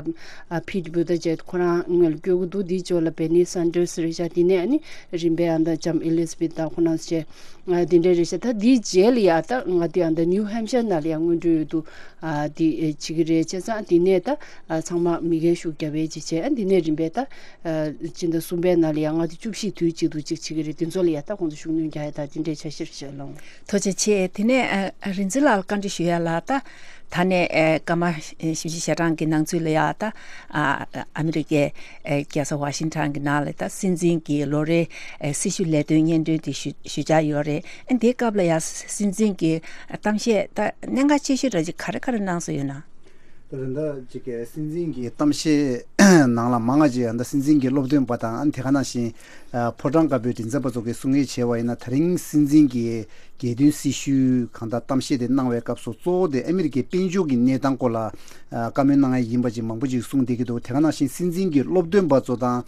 ཨ་ཕིཊ་བུ་ཏ་ཇེཊ་ཁོ་རང་སྔོན་ལ་བསྐོས་ཀྱི་འདུག་འདིའི་ཕྱོགས་ལ་བེར་ནི་སན་ཌར་སི་རེད་ཤག་དེ་ནས་ཨ་ནི་རིམ་པས་ཨ་ད་ལྕམ་ཨེ་ལི་ཛ་བེཐ་དང་ཁོ་རང་ཚོ་བྱས། ཨ་དེ་འདྲ་རེད་ཤག་ད་འདིའི་རྗེས་ལ་ཡ་ད་མངའ་སྡེ་ཨ་ད་ནིའུ་ཧེམ་ཤར་ནང་ལ་ཡ་སྔོན་འགྲོའི་འོས་བསྡུ་ཨ་དེ་ཨེ་བྱེད་ཀྱི་རེད། བྱས་ཙང་དེ་ནས་ད་ཨ་ཚང་མ་མི་སྒེར་ཤུགས་རྒྱབ་པའི་ཅིག་བྱས། ཨ་དེ་ནས་རིམ་པས་ད་ཨ་སྤྱི་ཟླ་གསུམ་པའི་ནང་ལ་ཡ་མངའ་སྡེ་བཅུ་བཞི་དུས་གཅིག་ཏུ་ཅིག་བྱེད་ཀྱི་རེད། དེ་ཚོ་ལ་ཡ་ད་ཁོང་ཚོ་ཤུགས་སྣོན་རྒྱག་ཡ་ད་དེ་འདྲའི་འཆར་གཞིར་བཞག་ལོང་། ཐུགས་རྗེ་ཆེ། དེ་ནས་ཨ་ཨ་རིག་འཛིན་ལགས་ལ་བཀའ་འདྲི་ཞུ་ཡ་ལ། ད་ད་ནས་ཨ་སྐར་མ་བཞི་བཅུ་ཞེ་གྲངས་ཀྱི་ནང་ཚུད་ལ་ཡ་ད་ཨ་ཨ་མི་རི་ཀའི་ཨ་རྒྱལ་ས་ཝ་ཤིང་ཊོན་གྱི་ནང་ལ་ད་སྲིད་འཛིན་གྱི་ལོ་རེའི་ཨ་སྲི་ཞུ་ལས་དོན་སྙན་སྒྲོན་དེ་ཞུ་ཞུ་འཆར་ཡོད་རེད། ཨ་འདིའི་སྐབས་ལ་ཡ་སྲིད་འཛིན་གྱི་གཏམ་བཤད་ད་གནད་འགག་ཆེ་ཤོས་འདྲ་ཅིག་ག་རེ་ག་རེ་གནང་སྲོལ་ཡོད་ན། ད་རེས་ད་ཅིག་གི་སྲིད་འཛིན་གྱི་གཏམ་བཤད་ནང་ལ་མང་ང་ཅིག་ད་སྲིད་འཛིན་གྱི་སློབ་སྟོན་པ་དང་། ཨ་དེ་ག་ནང་བཞིན་ཨ་ཕོ་བྲང་དཀར་པོའི་མགྲིན་ཚབ་པ་ཚོ་གིས་གསུང་ངེས་བྱས་པ་ཡིན་ན། ད་རིང་སྲིད་འཛིན་གྱི་རྒྱལ་དོན་སྲི་ཞུའི་གང་ལྟར་གཏམ་བཤད་དེ་གནང་བའི་སྐབས་སུ་གཙོ་བོ་དེ་ཨ་མི་རི་ཀའི་དཔལ་འབྱོར་གྱི་གནས་སྟངས་སྐོར་ལ་ཨ་བཀའ་མོལ་གནང་ཡ་ཡིན་པ་ཅིག་མང་པོ་ཅིག་གསུངས་བསྡད་ཀྱི་འདུག་དེ་ག་ནང་བཞིན་སྲིད་འཛིན་གྱི་སློབ་སྟོན་པ་ཚོ་དང་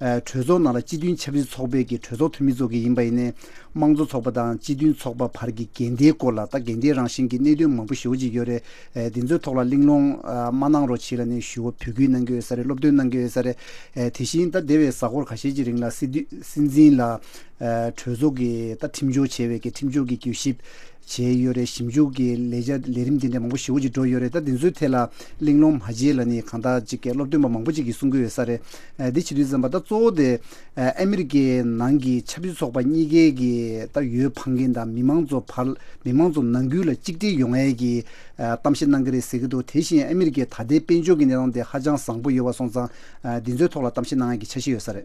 ཨ་གྲོས་ཚོགས་ནང་ལ་སྤྱི་མཐུན་ཆབ་སྲིད་ཚོགས་པའི་གི་གྲོས་ཚོགས་འཐུས་མི་ཚོ་གིས་ཡིན་པ་ཡིན་ནའི་དམངས་གཙོ་ཚོགས་པ་དང་སྤྱི་མཐུན་ཚོགས་པ་བར་གྱི་འགལ་ཟླའི་སྐོར་ལ། ད་འགལ་ཟླའི་རང་བཞིན་གྱི་གནད་དོན་མང་པོ་ཞེ་པོ་ཅིག་ཡོད་རེད། ཨ་འདི་ཚོའི་ཐོག་ལ་གླེང་སློང་ཨ་མ་གནང་རོགས་བྱེད་ལབ་ནས་ཞུ་བ་འབོད་སྐུལ་གནང་གི་ཡོད་ས་རེད། སློབ་སྟོན་གནང་གི་ཡོད་ས་རེད། ཨ་དེ་བཞིན་ད་འདས་པའི་གཟའ་འཁོར་ཁ་ཤས་ཀྱི་རིང་ལ་སྲིད་དུ་སྲིད་འཛིན་ལ་ཨ་གྲོས་ཚོགས་ཀྱི་ད་ཁྲིམས་སྦྱོར་བྱས་པའི་གི་ཁྲིམས་སྦྱོར་གྱི་གྱོད་ཞིབ་བྱས་ཡོད་རེད། ཞིབ་འཇུག་གི་ལས་བྱ་ལས་རིམ་དེ་འདྲ་མང་པོ་ཞེ་པོ་ཅིག་འགྲོ་ཡོད་རེད། ད་འདི་ཚོའི་ཐད་ལ་གླེང་སློང་མ་བྱེད་ལབ་ནས་གང་ལྟར་ཅིག་གི་སློབ་སྟོན་པ་མང་པོ་ཅིག་གིས་གསུང་གི་ཡོད་ས་རེད། ཨ་འདི་བྱེད་དུས་ཙམ་པ་ད་གཙོ་བོ་དེ་ཨ་ཨ་མི་རི་ཀའི་ནང་གི་ཆབ་སྲིད་ཚོགས་པ་གཉིས་ཀའི་གི་ད་འོས་འཕང་མཁན་དང་མི་མང་ཚོ་བར། མི་མང་ཚོ་ནང་ཁུལ་ལ་གཅིག་སྒྲིལ་ཡོང་ཡས་ཀྱི་ཨ་གཏམ་བཤད་གནང་གི་རེད་ཟེར་གྱི་འདུག་དེ་བཞིན་ཨ་མི་རི་ཀའི་ད་ལྟའི་དཔལ་འབྱོར་གྱི་གནས་སྟངས་དེ་ཧ་ཅང་བཟང་པོ་ཡོད་པ་སོང་ཙང་། ཨ་འདི་ཚོའི་ཐོག་ལ་གཏམ་བཤད་གནང་ཡས་ཀྱི་འཆར་གཞི་ཡོད་ས་རེད།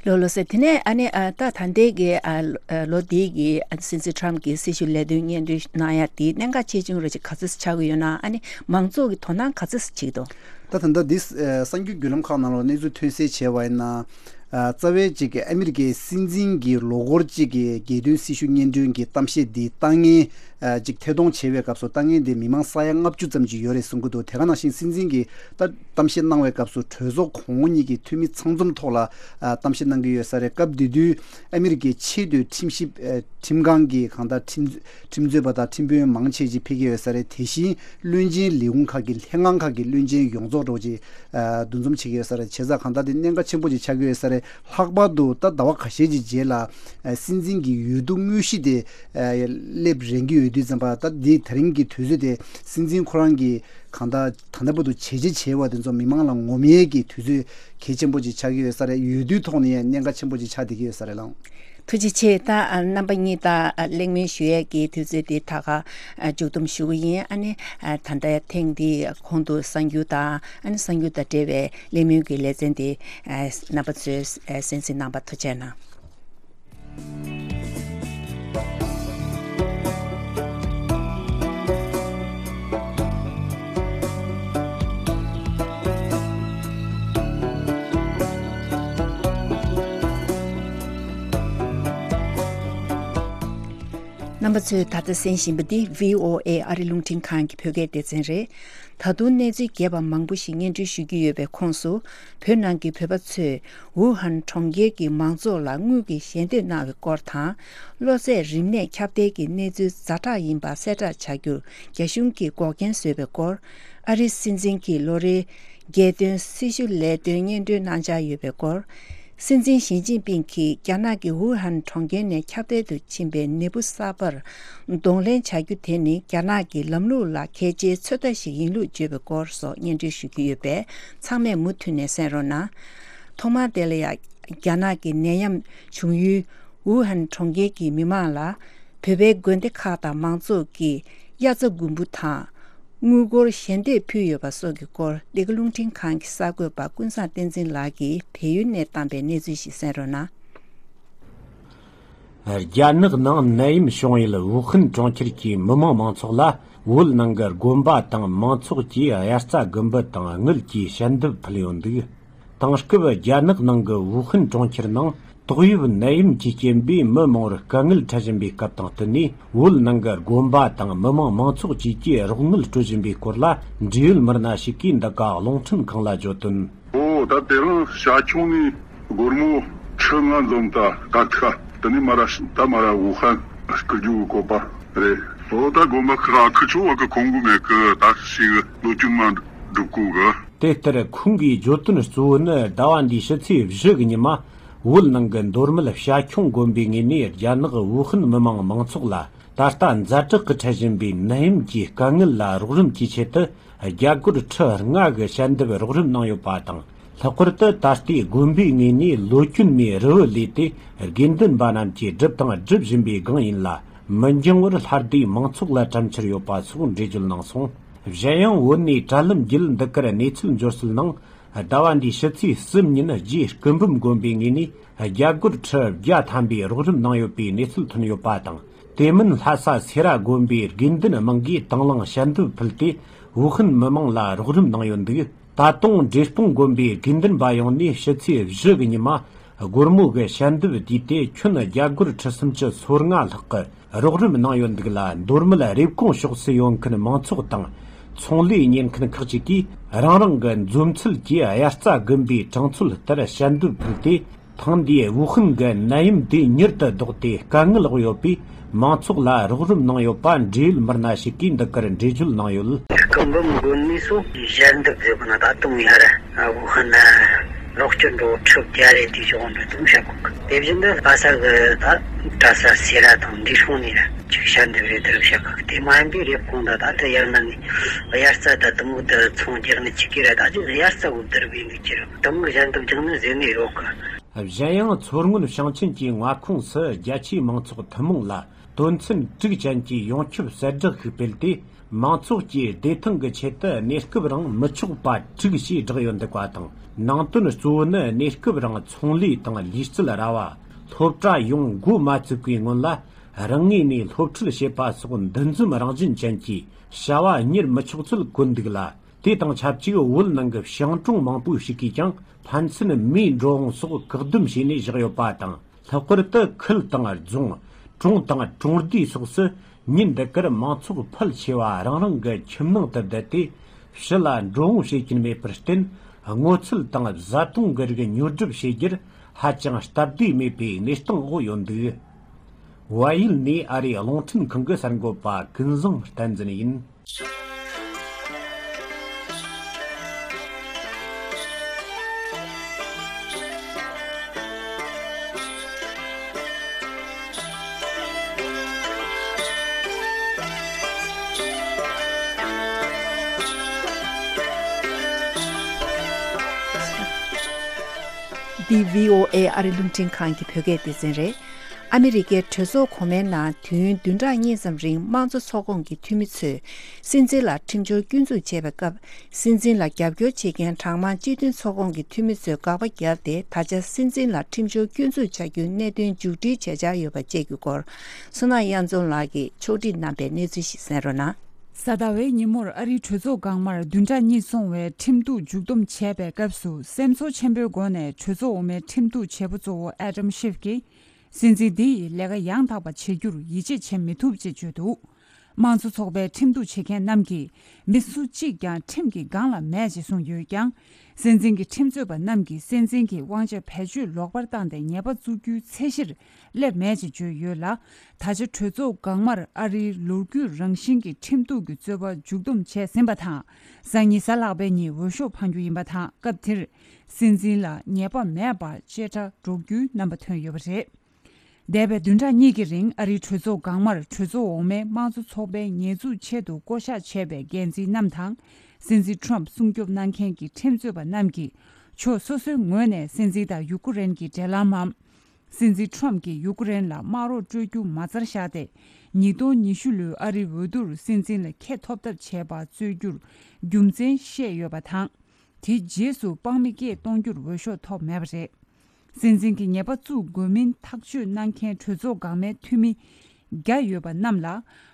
ལགས་ལགས་སོ། དེ་ནས་ཨ་ནི་ཨ་ད་ད་ལྟའི་གི་ཨ་ལོ་འདིའི་གི་ཨ་སྲིད་འཛིན་ཊམ་གྱི་སྲི་ཞུ་ལས་དོན་སྙན་སྒྲོན་གནང་ཡ་དེ་གནད་འགག་ཆེ་ཆུང་རེ་ཅིག་ག་ཚོད་ཆགས་ཀྱི་ཡོད་ན། ཨ་ནི་མང་ཚོགས་ཀྱི་དོ་སྣང་ག་ཚོད་བྱེད་ཀྱི་འདུག་ད་ད་ལྟ་འདི་ཨ་གསར་འགྱུར་བརྒྱུད་ལམ་ཁག་ནང་ལ་གནས་ཚུལ་ཐོན་གསལ་བྱས་པ་ཡིན་ན། ཨ་རྩ་བའི་ཅིག་ཨ་མི་རི་ཀའི་སྲིད་འཛིན་གྱི་ལོ་འཁོར་གཅིག་གི་རྒྱལ་དོན་སྲི་ཞུ་སྙན་སྒྲོན་གྱི་གཏམ་བཤད་འདི་ལྟ་མཁན་ཨ་ཅིག་ཐད་གཏོང་བྱེད་པའི་སྐབས་སུ་ལྟ་མཁན་དེ་མི་མང་ས་ཡ་ལྔ་བཅུ་ཙམ་ཅིག་ཡོད་རེད་གསུང་གི་འདུག་དེ་ག་ནང་བཞིན་སྲིད་འཛིན་གྱིས་ད་གཏམ་བཤད་གནང་བའི་སྐབས་སུ་གྲོས་ཚོགས་གོང་འོག་གཉིས་ཀྱི་འཐུས་མི་ཚང་འཛོམས་ཐོག་ལ་ཨ་གཏམ་བཤད་གནང་གི་ཡོད་ས་རེད། སྐབས་དེ་དུས་ཨ་མི་རི་ཀའི་ཆེས་མཐོའི་ཁྲིམས་ཞིབ་ཨ་ཁྲིམས་ཁང་གི་གང་ལྟར་ཁྲིམས་ཁྲིམས་རྩོད་པ་དང་ཁྲིམས་དཔོན་མང་ཆེ་ཅིག་ཕེབས་ཀྱི་ཡོད་ས་རེད། དེ་བཞིན་བློན་ཆེན་ལས་ཁུངས་ཁག་གི་ལྷན་ཁང་ཁག་གི་བློན་ཆེན་ཡོངས་རྫོགས་འདྲ་བོ་ཅིག་ཨ་འདུ་འཛོམས་བྱེད་ཀྱི་ཡོད་ས་རེད། བྱས་ཙང་གང་ལྟར་དེ་གནད་འགག་ཆེན་པོ་ཅིག་ཆགས་ཀྱི་ཡོད་ས་རེད། ལྷག་པར་དུ་ད་ཟླ་བ་ཁ་ཤས་ཀྱི་རྗེས་ལ་ཨ་སྲིད་འཛིན་གྱི་འོས་བསྡུ་དངོས་གཞི་དེ་ཨ་སླེབས་རན་གྱི་ཡོད་དུས་ཙམ་པ། ད་འདི་ད་རིང་གི་དུས་ཚོད་དེ་སྲིད་འཛིན་ཁོ་རང་གིས་གང་ལྟར་ད་ལྟ་བར་དུ་བྱས་རྗེས་བྱས་པ་དེ་ཚོ་མི་མང་ལ་ངོམ་ཡས་ཀྱི་དུས་ཚོད་གལ་ཆེན་པོ་ཅིག་ཆགས་ཀྱི་ཡོད་ས་རེད། འོས་བསྡུའི་ཐོག་ནས་ཡང་གནད་འགག་ཆེན་པོ་ཅིག་ཆགས་བསྡད་ཀྱི་ཡོད་ས་རེད་ལགས། ཐུགས་རྗེ་ཆེ། ད་ཨ་རྣམ་པ་གཉིས་དང་ཨ་གླེང་མོལ་ཞུ་ཡས་ཀྱི་དུས་ཚོད་འདི་ད་ག་ཨ་མཇུག་བསྡོམས་ཞུ་གི་ཡིན། ཨ་ནི་ཨ་ད་ལྟ་ཐེངས་འདིའི་གོང་དུ་གསར་འགྱུར་དང་ཨ་ནི་གསར་འགྱུར་དང་འབྲེལ་བའི་གླེང་མོལ་གྱི་ལེ་ཚན་འདི་ཨ་རྣམ་པ་ཚོས་ཨ་གསན་གཟིགས་གནང་བར་ཐུགས་རྗེ་གནང་། ཚོས་ད་ལྟ་གསན་བཞིན་པ་འདི་བྷི་ཨོ་ཨེ་ཨ་རི་རླུང་འཕྲིན་ཁང་གི་བོད་སྐད་སྡེ་ཚན་རེད། ད་དུང་གནས་ཚུལ་རྒྱས་པ་མང་པོ་ཞིག་སྙན་སྒྲོན་ཞུ་རྒྱུ་ཡོད་པའི་ཁོངས་སུ། བོད་ནང་གི་བོད་པ་ཚོས་ཝུ་ཧན་གྲོང་ཁྱེར་གྱི་མང་ཚོགས་ལ་དངུལ་གྱི་ཞལ་འདེབས་གནང་བའི་སྐོར་དང་། གློ་ཚད་རིམས་ནད་ཁྱབ་གདལ་གྱི་གནས་ཚུལ་ཛ་དྲག་ཡིན་པ་གསལ་བསྒྲགས་བྱ་རྒྱུར་རྒྱ་གཞུང་གིས་འགོག་རྐྱེན་བཟོས་པའི་སྐོར། ཨ་རིའི་སྲིད་འཛིན་གྱི་ལོ་རེའི་རྒྱལ་དོན་སྲི་ཞུ་ལས་དོན་སྙན་སྒྲོན་གནང་འཆར་ཡོད་པའི་སྐོར། སྲིད་འཛིན་ཞི་ཅིན་ཕིང་གིས་རྒྱ་ནག་གི་ཝུ་ཧན་གྲོང་ཁྱེར་ནས་ཁྱབ་གདལ་དུ་ཕྱིན་པའི་ནད་འབུ་གསར་པར་གདོང་ལེན་བྱ་རྒྱུ་དེ་ནི་རྒྱ་ནག་གི་ལམ་ལུགས་ལ་གལ་ཆེའི་ཚོད་ལྟ་ཞིག་ཡིན་ལུགས་བརྗོད་པའི་སྐོར་སོགས་སྙན་སྒྲོན་ཞུ་རྒྱུ་ཡོད་པས། ཚང་མས་མུ་མཐུད་ནས་གསན་རོགས་གནང་། ཐོག་མར་དེ་ལ་ཡང་རྒྱ་ནག་གི་ནད་ཡམས་བྱུང་ཡུལ་ཝུ་ཧན་གྲོང་ཁྱེར་གྱི་མི་མང་ལ་བོད་པའི་དགོན་སྡེ་ཁག་དང་མང་ཚོགས་ཀྱིས་དབྱར་རྩྭ་དགུན་འབུ་དང་། དངུལ་སྒོར་ཞལ་འདེབས་ཕུལ་ཡོད་པ་སོགས་ཀྱི་སྐོར། འདི་ག་རླུང་འཕྲིན་ཁང་གི་གསར་འགོད་པ་ཀུན་བཟང་བསྟན་འཛིན་ལགས་ཀྱིས་བལ་ཡུལ་ནས་བཏང་པའི་གནས་ཚུལ་ཞིག་གསན་རོགས་གནང་། རྒྱ་ནག་ནང་ནད་ཡམས་བྱུང་ཡུལ་ཝུ་ཧན་གྲོང་ཁྱེར་གྱི་མི་མང་མང་ཚོགས་ལ། བོད་ནང་གི་དགོན་པ་དང་མང་ཚོགས་ཀྱིས་དབྱར་རྩྭ་དགུན་འབུ་དང་དངུལ་གྱི་ཞལ་འདེབས་ཕུལ་ཡོད་འདུག། དེང་སྐབས་རྒྱ་ནག་ནང་གི་ཝུ་ཧན་གྲོང་ཁྱེར་ནང་ཏོག་དབྱིབས་ནད་ཡམས་ཀྱི་རྐྱེན་པས་མི་མང་བོར་དཀའ་ངལ་འཕྲད་བཞིན་པའི་སྐབས་དང་བསྟུན་ནས། བོད་ནང་གི་དགོན་པ་དང་མི་མང་མང་ཚོགས་བཅས་ཀྱིས་རོགས་དངུལ་སྤྲོད་བཞིན་པའི་སྐོར་ལ། འབྲེལ་ཡོད་མི་སྣ་ཞིག་གིས་འདི་ག་རླུང་འཕྲིན་ཁང་ལ་བརྗོད་དོན། ཨོ་ད་དེ་རིང་ཤར་ཕྱོགས་ནས་སྒོར་མོ་ཁྲི་ལྔ་འཛོམས་ད་ད་ཁ་དེ་ནས་མ་ར་ད་མ་ར་ཝུ་ཧན་སྐུར་རྒྱུ་གི་བཀོད་པ་རེད། ཨོ་ད་དགོན་པ་ཁག་ཁུ་ཆོ་བ་གི་ཁོང་གི་མེད་གི་ད་ཞིག་ལོ་རྒྱུས་མ་འགྲུབ་གོ་གི། དེ་ལྟར་ཁོང་གིས་བརྗོད་དོན་གཙོ་བོ་ནི། ཟླ་བ་འདིའི་ཕྱི་ཚེས་བཞི་གི་ཉི་མ། བོད་ནང་གི་མདོ་སྨད་བྱ་ཁྱུང་དགོན་པའི་ངོས་ནས་རྒྱ་ནག་ཝུ་ཧན་མི་མང་མང་ཚོགས་ལ་ད་ལྟ་ཛ་དྲག་གི་འཕྲད་བཞིན་པའི་ནད་ཡམས་ཀྱི་དཀའ་ངལ་ལ་རོགས་རམ་གྱི་ཆེད་དུ། རྒྱ་སྒོར་ཁྲི་ལྔ་གི་ཞལ་འདེབས་རོགས་རམ་གནང་ཡོད་པ་དང་། ལྷག་པར་དུ་ད་ལྟའི་དགོན་པའི་ངོས་ནས་ལོ་རྒྱུས་མའི་རུ་བ་ལས་ཏེ། དགེ་འདུན་པ་རྣམས་ཀྱིས་བསྒྲུབས་དང་སྒྲུབ་བཞིན་པའི་སྒང་ཡིན་ལ། མི་འགྱང་བར་ལྷ་སྡེའི་མང་ཚོགས་ལ་དྲན་འཆར་ཡོད་པ་སོགས་འགྲེལ་བརྗོད་གནང་སོང་། གཞན་ཡང་བོད་ནས་དྲ་ལམ་བརྒྱུད་འདི་གར་གནས་ཚུལ་འབྱོར་སྲོལ་ནང་། ཟླ་བ་འདིའི་ཕྱི་ཚེས་གསུམ་ཉིན་རྗེ་སྐུ་འབུམ་དགོན་པའི་ངོས་ནས་རྒྱ་སྒོར་ཁྲི་བརྒྱ་ཐམ་པའི་རོགས་རམ་གནང་ཡོད་པའི་གནས་ཚུལ་ཐོན་ཡོད་པ་དང་། དེ་མིན་ལྷ་ས་སེ་ར་དགོན་པའི་དགེ་འདུན་དམངས་ཀྱིས་དང་བླངས་ཞལ་འདེབས་ཕུལ་ཏེ། ཝུ་ཧན་མི་མང་ལ་རོགས་རམ་གནང་ཡོད་འདུག། ད་དུང་འབྲས་སྤུངས་དགོན་པའི་དགེ་འདུན་པ་ཡོངས་ནས་ཕྱི་ཚེས་བཞི་གི་ཉི་མ། སྒོར་མོ་གི་ཞལ་འདེབས་བསྡུས་ཏེ་ཁྱོན་རྒྱ་སྒོར་ཁྲི་སུམ་ཅུ་སོ་ལྔ་ལྷག་གི་རོགས་རམ་གནང་ཡོད་འདུག་ལ། མདོ་སྨད་རེབ་གོང་ཕྱོགས་སུ་ཡོད་མཁན་མང་ཚོགས་དང་ཚོང་ལས་གཉེར་མཁན་ཁག་ཅིག་གིས་རང་རང་གི་འཛོམས་ཚུལ་གྱིས་དབྱར་རྩྭ་དགུན་འབུའི་གྲངས་ཚོད་ལྟར་ཞལ་འདེབས་ཕུལ་ཏེ། ཐེངས་འདིའི་ཝུ་ཧན་གྱི་ནད་ཡམས་འདི་མྱུར་དུ་ལྡོག་སྟེ་དཀའ་ངལ་འོག་ཡོད་པའི་མང་ཚོགས་ལ་རོགས་རམ་གནང་ཡོད་པ་འབྲེལ་ཡོད་མི་སྣ་ཞིག་གིས་འདི་གར་འགྲེལ་བརྗོད་གནང་ཡོད། སྐུ་འབུམ་དགོན་ནས་སུ་ཞལ་འདེབས་བཟོས་པ་ན་ད་དུང་ཡར་ཝུ་ཧན་ལོག་སྤྱོད་འགྲོ་ཁྲི་བརྒྱ་རེ་དེ་བཞག་འགྲོ་དུང་བྱ་གོ་གི། དེ་བཞིན་དུ་ལྷ་ས་གི་ད་གྲྭ་ས་སེ་ར་དང་འབྲས་སྤུངས་ནས་ར་ཅིག་ཞལ་འདེབས་རེ་དེར་བྱ་གི། དེ་མ་ཡིན་པའི་རེབ་གོང་ད་ད་ལྟ་ཡར་ན་ནས་དབྱར་རྩྭ་ད་དུ་མོ་དུ་ཚོང་རྒྱག་ནི་ཅིག་གི་ར་ད་ཅིག་དབྱར་རྩྭ་འུབ་དར་བའི་འདུག་ཅི་ར་དུ་མོ་ཞལ་འདེབས་རྒྱག་ནི་ཟེར་ནས་ཡོད་གི། གཞན་ཡང་མཚོ་སྔོན་ཞིང་ཆེན་གྱི་མངའ་ཁོངས་སུ་རྒྱ་ཆེའི་མང་ཚོགས་ཐུན་མོང་ལ་དོན་ཚན་དྲུག་ཅན་གྱི་ཡོངས་ཁྱབ་གསལ་བསྒྲགས་ཤིག་སྤེལ་ཏེ། མང་ཚོགས་ཀྱིས་བདེ་ཐང་གི་ཆེད་དུ་གནས་སྐབས་རིང་མི་ཆོག་པ་དྲུག་ཞེས་བསྒྲགས་ཡོད་འདུག་པ་དང་། ནང་དོན་གཙོ་བོ་ནི་གནས་སྐབས་རིང་ཚོང་ལས་དང་ལུས་རྩལ་ར་བ། སློབ་གྲྭ་ཡོང་འགོ་མ་བཙུགས་པའི་སྔོན་ལ་རང་ངོས་ནས་སློབ་ཁྲིད་བྱེད་པ་སོགས་འདུ་འཛོམས་རང་བཞིན་ཅན་གྱི་བྱ་བ་གཉེར་མི་ཆོག་ཚུལ་བཀོད་འདུག་ལ། དེ་དང་ཆབས་ཅིག་བོད་ནང་གི་ཞིང་གྲོང་མང་པོ་ཞིག་གིས་ཀྱང་ཕན་ཚུན་མིའི་འགྲོ་འོང་སོགས་བཀག་སྡོམ་བྱས་ནས་བཞག་ཡོད་པ་དང་། ལྷག་པར་དུ་ཁུལ་དང་རྫོང་། གྲོང་དང་གྲོང་སྡེ་སོགས་སུ་ཉིན་འདི་གར་མང་ཚོགས་ཕལ་ཆེ་བ་རང་རང་གི་ཁྱིམ་ནང་དུ་བསྡད་དེ། ཕྱི་ལ་འགྲོ་འོང་བྱེད་ཀྱིན་མེད་པར་བརྟེན། སྔོ་ཚལ་དང་བཟའ་བཏུང་གི་རིགས་ཉོ་སྒྲུབ་བྱེད་རྒྱུར་ཧ་ཅང་སྟབས་བདེ་མེད་པའི་གནས་སྟངས་འོག་ཡོད་འདུག། བལ་ཡུལ་ནས་ཨ་རིའི་རླུང་འཕྲིན་ཁང་གི་གསར་འགོད་པ་ཀུན་བཟང་བསྟན་འཛིན་ཡིན། འདི་བྷི་ཨོ་ཨེ་ཨ་རི་རླུང་འཕྲིན་ཁང་གི་བོད་སྐད་སྡེ་ཚན་རེད། ཨ་མི་རི་ཀའི་གྲོས་ཚོགས་གོང་མའི་ནང་དུས་ཡུན་བདུན་ཕྲག་གཉིས་ཙམ་རིང་དམངས་གཙོ་ཚོགས་ཁོངས་ཀྱི་འཐུས་མི་ཚོས་སྲིད་འཛིན་ལ་ཁྲིམས་སྦྱོར་སྐྱོན་འཛུགས་བྱས་པའི་སྐབས། སྲིད་འཛིན་ལ་རྒྱབ་སྐྱོར་བྱེད་མཁན་གྲངས་མང་སྤྱི་མཐུན་ཚོགས་ཁོངས་ཀྱི་འཐུས་མི་ཚོས་དགག་པ་བརྒྱབ་སྟེ། ད་ཆ་སྲིད་འཛིན་ལ་ཁྲིམས་སྦྱོར་སྐྱོན་འཛུགས་བྱ་རྒྱུའི་གནད་དོན་མཇུག་སྒྲིལ་བྱེད་འཆར་ཡོད་པ་བཅས་ཀྱི་སྐོར། བསོད་ནམས་དབྱངས་འཛོམས་ལགས་ཀྱིས་ཕྱོགས་སྒྲིག་གནང་པའི་གནས་ཚུལ་ཞིག་གསན་རོགས་གནང་། གཟའ་ཟླ་བའི་ཉིན་མོར་ཨ་རིའི་གྲོས་ཚོགས་སྒང་མར་བདུན་ཕྲག་གཉིས་སོང་བའི་ཁྲིམས་གཏུག་མཇུག་བསྡོམས་བྱས་པའི་སྐབས་སུ། སེམས་ཚོར་ཆེན་པོའི་སྒོ་ནས་གྲོས་ཚོགས་འོག་མའི་ཁྲིམས་གཏུག་བྱེད་པོ་གཙོ་བོ་ཨེ་ཌམ་ཤིབ་ཀྱིས། སྲིད་འཛིན་འདི་ཡིས་ལས་ཀ་ཡང་དག་པ་བྱེད་རྒྱུར་ཡིད་ཆེས་བྱེད་མི་ཐུབ་ཅེས་བརྗོད་འདུག། དམངས་གཙོ་ཚོགས་པའི་ཁྲིམས་གཏུག་བྱེད་མཁན་རྣམས་ཀྱིས་མི་སུ་གཅིག་ཀྱང་ཁྲིམས་ཀྱི་སྒང་ལ་མེད་ཅེས་གསུངས་ཡོད་ཀྱང་། སྲིད་འཛིན་གྱི་ཁྲིམས་རྩོད་པ་རྣམས་ཀྱིས་སྲིད་འཛིན་གྱི་དབང་ཆ་བེད་སྤྱོད་ལོག་པར་བཏང་སྟེ་ཉེས་པ་བཙུགས་རྒྱུའི་ཚད་གཞིར་སླེབས་མེད་ཅེས་བརྗོད་ཡོད་ལ། ད་ཆ་གྲོས་ཚོགས་སྒང་མར་ཨ་རིའི་ལོ་རྒྱུས་རང་བཞིན་གྱི་ཁྲིམས་གཏུག་གི་རྩོད་པ་མཇུག་བསྡོམས་བྱས་ཟིན་པ་དང་། སང་ཉིན་གཟའ་ལྷག་པའི་ཉིན་འོས་ཤོག་འཕང་རྒྱུ་ཡིན་པ་དང་། སྐབས་དེར་སྲིད་འཛིན་ལ་ཉེས་པ་མེད་པར་བཅད་ཁྲ་སྒྲོག་རྒྱུའི་རྣམ་པ་ཐོན་ཡོད་པ་རེད། འདས་པའི་བདུན་ཕྲག་གཉིས་ཀྱི་རིང་ཨ་རིའི་གྲོས་ཚོགས་སྒང་མར་གྲོས་ཚོགས་འོག་མའི་དམངས་གཙོ་ཚོགས་པའི་ཉེས་འཛུགས་ཆེད་དུ་བསྐོ་གཞག་བྱས་པའི་འགན་འཛིན་རྣམས་དང་། སྲིད་འཛིན་ཁྲོམ་སྲུང་སྐྱོབ་གནང་མཁན་གྱི་ཁྲིམས་རྩོད་པ་རྣམས་ཀྱིས་ཕྱོགས་སོ་སོའི་ངོས་ནས་སྲིད་འཛིན་དང་ཡུ་ཀེ་རེན་གྱི་འབྲེལ་ལམ་མམ། སྲིད་འཛིན་ཁྲོམ་གྱིས་ཡུ་ཀེ་རེན་ལ་དམག་རོགས་སྤྲོད་རྒྱུ་མ་རྩར་བཞག་སྟེ། ཉིས་སྟོང་ཉི་ཤུ་ལོའི་ཨ་རིའི་འོས་བསྡུར་སྲིད་འཛིན་ལ་ཁེ་ཐོབ་ཐབས་བྱས་པ་རྩོད་རྒྱུར་རྒྱུ་མཚན་བཤད་ཡོད་པ་དང་། དེའི་རྗེས་སུ་དཔང་མི་སྐད་གཏོང་རྒྱུར་འོས་ཤོག་ཐོབ་མེད་པ་རེད། སྲིད་འཛིན་གྱི་ཉེས་པ་བཙུགས་དགོས་མིན་ཐག་གཅོད་གནང་མཁན་གྲོས་ཚོགས་སྒང་མའི་འཐུས་མི་བརྒྱ་ཡོད་པ་རྣམས་ལ།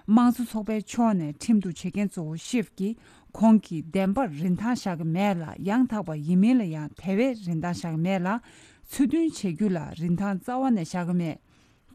དམངས་གཙོ་ཚོགས་པའི་ཕྱོགས་ནས་ཁྲིམས་གཏུག་བྱེད་མཁན་གཙོ་བོ་ཤིབ་ཀྱིས་ཁོང་གིས་བདེན་པར་རིན་ཐང་བཞག་གི་མེད་ལ། ཡང་དག་པ་ཡིན་མིན་ལ་ཡང་དེ་བས་རིན་ཐང་བཞག་གི་མེད་ལ། ཚུལ་མཐུན་བྱེད་རྒྱུ་ལ་རིན་ཐང་རྩ་བ་ནས་བཞག་གི་མེད།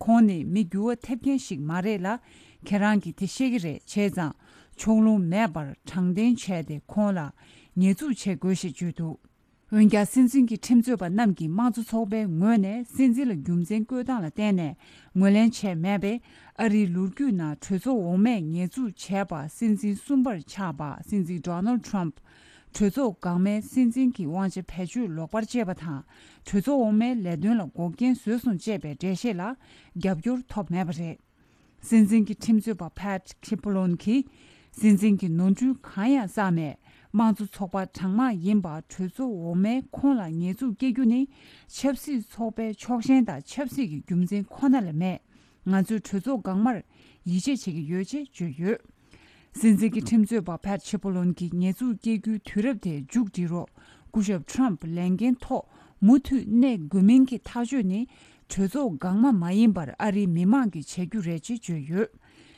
ཁོང་ནི་མི་འགྱུར་བ་ཐེབས་མཁན་ཞིག་མ་རེད་ལ། ཁྱེད་རང་གིས་དེ་ཤེས་ཀྱི་རེད། བྱས་ཙང་ཕྱོགས་ལྷུང་མེད་པར་དྲང་བདེན་བྱས་ཏེ་ཁོང་ལ་ཉེས་འཛུགས་བྱེད་དགོས་ཞེས་བརྗོད་འདུག། འོན་ཀྱང་སྲིད་འཛིན་གྱི་ཁྲིམས་རྩོད་པ་རྣམས་ཀྱིས་དམངས་གཙོ་ཚོགས་པའི་ངོས་ནས་སྲིད་འཛིན་ལ་རྒྱུ་མཚན་བཀོད་སྟངས་ལ་བརྟེན་ནས་ངོས་ལེན་བྱས་མེད་པས། ཨ་རིའི་ལོ་རྒྱུས་ནང་གྲོས་ཚོགས་འོག་མས་ཉེས་འཛུགས་བྱས་པ་སྲིད་འཛིན་གསུམ་པར་ཆགས་པ་སྲིད་འཛིན་ཌོ་ནལ་ཌི་ཊརམ་ཕི། གྲོས་ཚོགས་འགག་མའི་སྲིད་འཛིན་གྱི་དབང་ཆ་བེད་སྤྱོད་ལོག་པར་སྤྱད་པ་དང་། གྲོས་ཚོགས་འོག་མའི་ལས་དོན་ལ་འགོག་རྐྱེན་བཟོས་སོང་ཅེས་པའི་འགྲེལ་བཤད་ལ་རྒྱབ་སྐྱོར་ཐོབ་མེད་པ་རེད། སྲིད་འཛིན་གྱི་ཁྲིམས་རྩོད་པ་ཕེཊ་ཁི་པོ་ལོན་གྱིས། སྲིད་འཛིན་གྱིས་ནོར་འཁྲུལ་གང་ཡང་བསགས་མེད། དམངས་གཙོ་ཚོགས་པ་གྲངས་མང་ཡིན་པ་གྲོས་ཚོགས་འོག་མས་ཁོང་ལ་ཉེས་འཛུགས་སྐྱེལ་རྒྱུ་ནི། ཆབ་སྲིད་ཚོགས་པའི་ཕྱོགས་ཞེན་དང་ཆབ་སྲིད་ཀྱི་རྒྱུ་མཚན་ཁོ་ན་ལས་མེད། ང་ཚོས་གྲོས་ཚོགས་འགག་མར་ཡིད་ཆེས་བྱེད་ཀྱི་ཡོད་ཅེས་བརྗོད་ཡོད། སྲིད་འཛིན་གྱི་ཁྲིམས་རྩོད་པ་ཕེཊ་ཆི་པོ་ལོན་གྱིས་ཉེས་འཛུགས་སྐྱེལ་རྒྱུའི་དུས་རབས་དེ་མཇུག་སྒྲིལ་རོགས། སྐུ་ཞབས་ཊརམ་ཕི་ལས་འགན་ཐོག་མུ་མཐུད་གནས་དགོས་མིན་གྱི་ཐག་གཅོད་ནི། གྲོས་ཚོགས་འགག་མ་མ་ཡིན་པར་ཨ་རིའི་མི་མང་གིས་བྱེད་རྒྱུ་རེད་ཅེས་བརྗོད་ཡོད།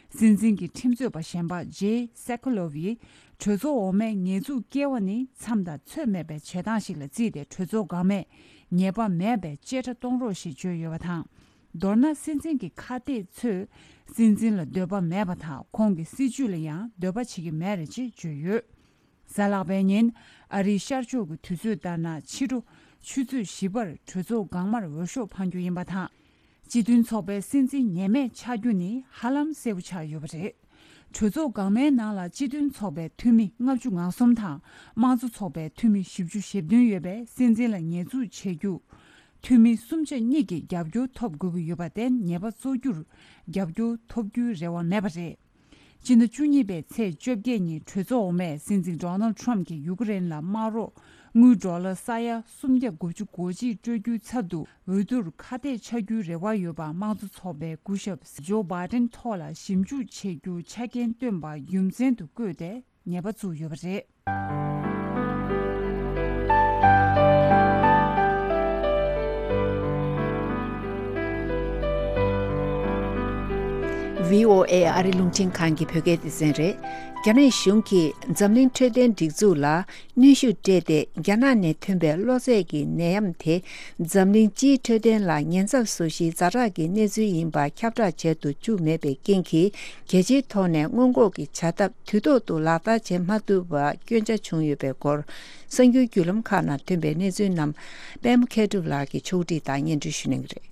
སྲིད་འཛིན་གྱི་ཁྲིམས་རྩོད་པ་གཞན་པ་ཇེ་སེ་ཁོ་ལོབ་ཡིས། གྲོས་ཚོགས་འོག་མས་ཉེས་འཛུགས་བཀལ་བ་ནི་མཚམས་དང་ཚོད་མེད་པའི་བྱེད་སྟངས་ཤིག་ལ་བརྩིས་ཏེ། གྲོས་ཚོགས་འགག་མས་ཉེས་པ་མེད་པའི་བཅད་ཁྲ་གཏོང་རོགས་ཞེས་བརྗོད་ཡོད་པ་དང་། མདོར་ན། སྲིད་འཛིན་གྱི་ཁ་གཏད་ཚོས་སྲིད་འཛིན་ལ་འདོད་པ་མེད་པ་དང་། ཁོང་གི་སྲིད་བྱུས་ལ་ཡང་འདོད་པ་བྱེད་ཀྱི་མེད་རེད་ཅེས་བརྗོད་ཡོད། གཟའ་ལྷག་པའི་ཉིན་ཨ་རིའི་ཤར་ཕྱོགས་ཀྱི་དུས་ཚོད་ལྟར་ན་ཕྱི་དྲོ་ཆུ་ཚོད་བཞི་པར་གྲོས་ཚོགས་འགག་མར་འོས་ཤོག་འཕང་རྒྱུ་ཡིན་པ་དང་། སྤྱི་མཐུན་ཚོགས་པའི་སྲིད་འཛིན་ཉེས་མེད་ཆགས་རྒྱུ་ནི་ཧ་ལམ་གསལ་པོ་ཆགས་ཡོད་པ་རེད། གྲོས་ཚོགས་འགག་མའི་ནང་ལ་སྤྱི་མཐུན་ཚོགས་པའི་འཐུས་མི་ལྔ་བཅུ་ང་གསུམ་དང་དམངས་གཙོ་ཚོགས་པའི་འཐུས་མི་བཞི་བཅུ་ཞེ་བདུན་ཡོད་པས། སྲིད་འཛིན་ལ་ཉེས་འཛུགས་བྱེད་རྒྱུ། འཐུས་མི་སུམ་ཆ་གཉིས་ཀྱི་རྒྱབ་སྐྱོར་ཐོབ་དགོས་ཀྱི་ཡོད་པར་བརྟེན། ཉེས་པ་བཙུགས་རྒྱུར་རྒྱབ་སྐྱོར་ཐོབ་རྒྱུའི་རེ་བ་མེད་པ་རེད། སྤྱི་ཟླ་བཅུ་གཉིས་པའི་ཚེས་བཅོ་བརྒྱད་ཉིན་གྲོས་ཚོགས་འོག་མས་སྲིད་འཛིན་ཌོ་ནལ་ཌི་ཊརམ་ཕི་གྱིས་ཡུ་ཀེ་རེན་ལ་དམག་རོགས་དངུལ་ཌོ་ལར་ས་ཡ་སུམ་བརྒྱ་དགུ་བཅུ་གོ་གཅིག་སྤྲོད་རྒྱུའི་ཚབ་ཏུ། འོས་བསྡུར་ཁ་གཏད་ཆགས་རྒྱུའི་རེ་བ་ཡོད་པ། དམངས་གཙོ་ཚོགས་པའི་སྐུ་ཞབས་ཇོ་བྷའི་ཌེན་ཐོག་ལ་ཞིབ་འཇུག་བྱེད་རྒྱུ་ཆ་རྐྱེན་བཏོན་པ་རྒྱུ་མཚན་དུ་བཀོད་དེ་ཉེས་པ་བཙུགས་ཡོད་པ་རེད། བྷི་ཨོ་ཨེ་ཨ་རི་རླུང་འཕྲིན་ཁང་གི་བོད་སྐད་སྡེ་ཚན་རེད། རྒྱ་ནག་གཞུང་གིས་འཛམ་གླིང་འཕྲོད་བསྟེན་སྒྲིག་འཛུགས་ལ་གནོན་ཤུགས་སྤྲད་དེ། རྒྱ་ནག་ནས་ཐོན་པའི་གློ་ཚད་ཀྱི་ནད་ཡམས་དེ་འཛམ་གླིང་སྤྱིའི་འཕྲོད་བསྟེན་ལ་ཉེན་ཚབས་བཟོ་གཞིའི་ཛ་དྲག་གི་གནས་ཚུལ་ཡིན་པ་ཁྱབ་བསྒྲགས་བྱེད་དུ་བཅུག་མེད་པའི་རྐྱེན་གྱིས། རྒྱལ་སྤྱིའི་ཐོག་ནས་སྔོན་འགོག་གི་བྱ་ཐབས་དུས་ཐོག་ཏུ་ལག་བསྟར་བྱེད་མ་ཐུབ་པ་སྐྱོན་ཆ་བྱུང་ཡོད་པའི་སྐོར། གསར་འགྱུར་བརྒྱུད་ལམ་ཁག་ནང་ཐོན་པའི་གནས་ཚུལ་རྣམས་པད་མ་མཁས་གྲུབ་ལགས་ཀྱིས་ཕྱོགས་སྒྲིག་དང་སྙན་སྒྲོན་ཞུ་གནང་གི་རེད།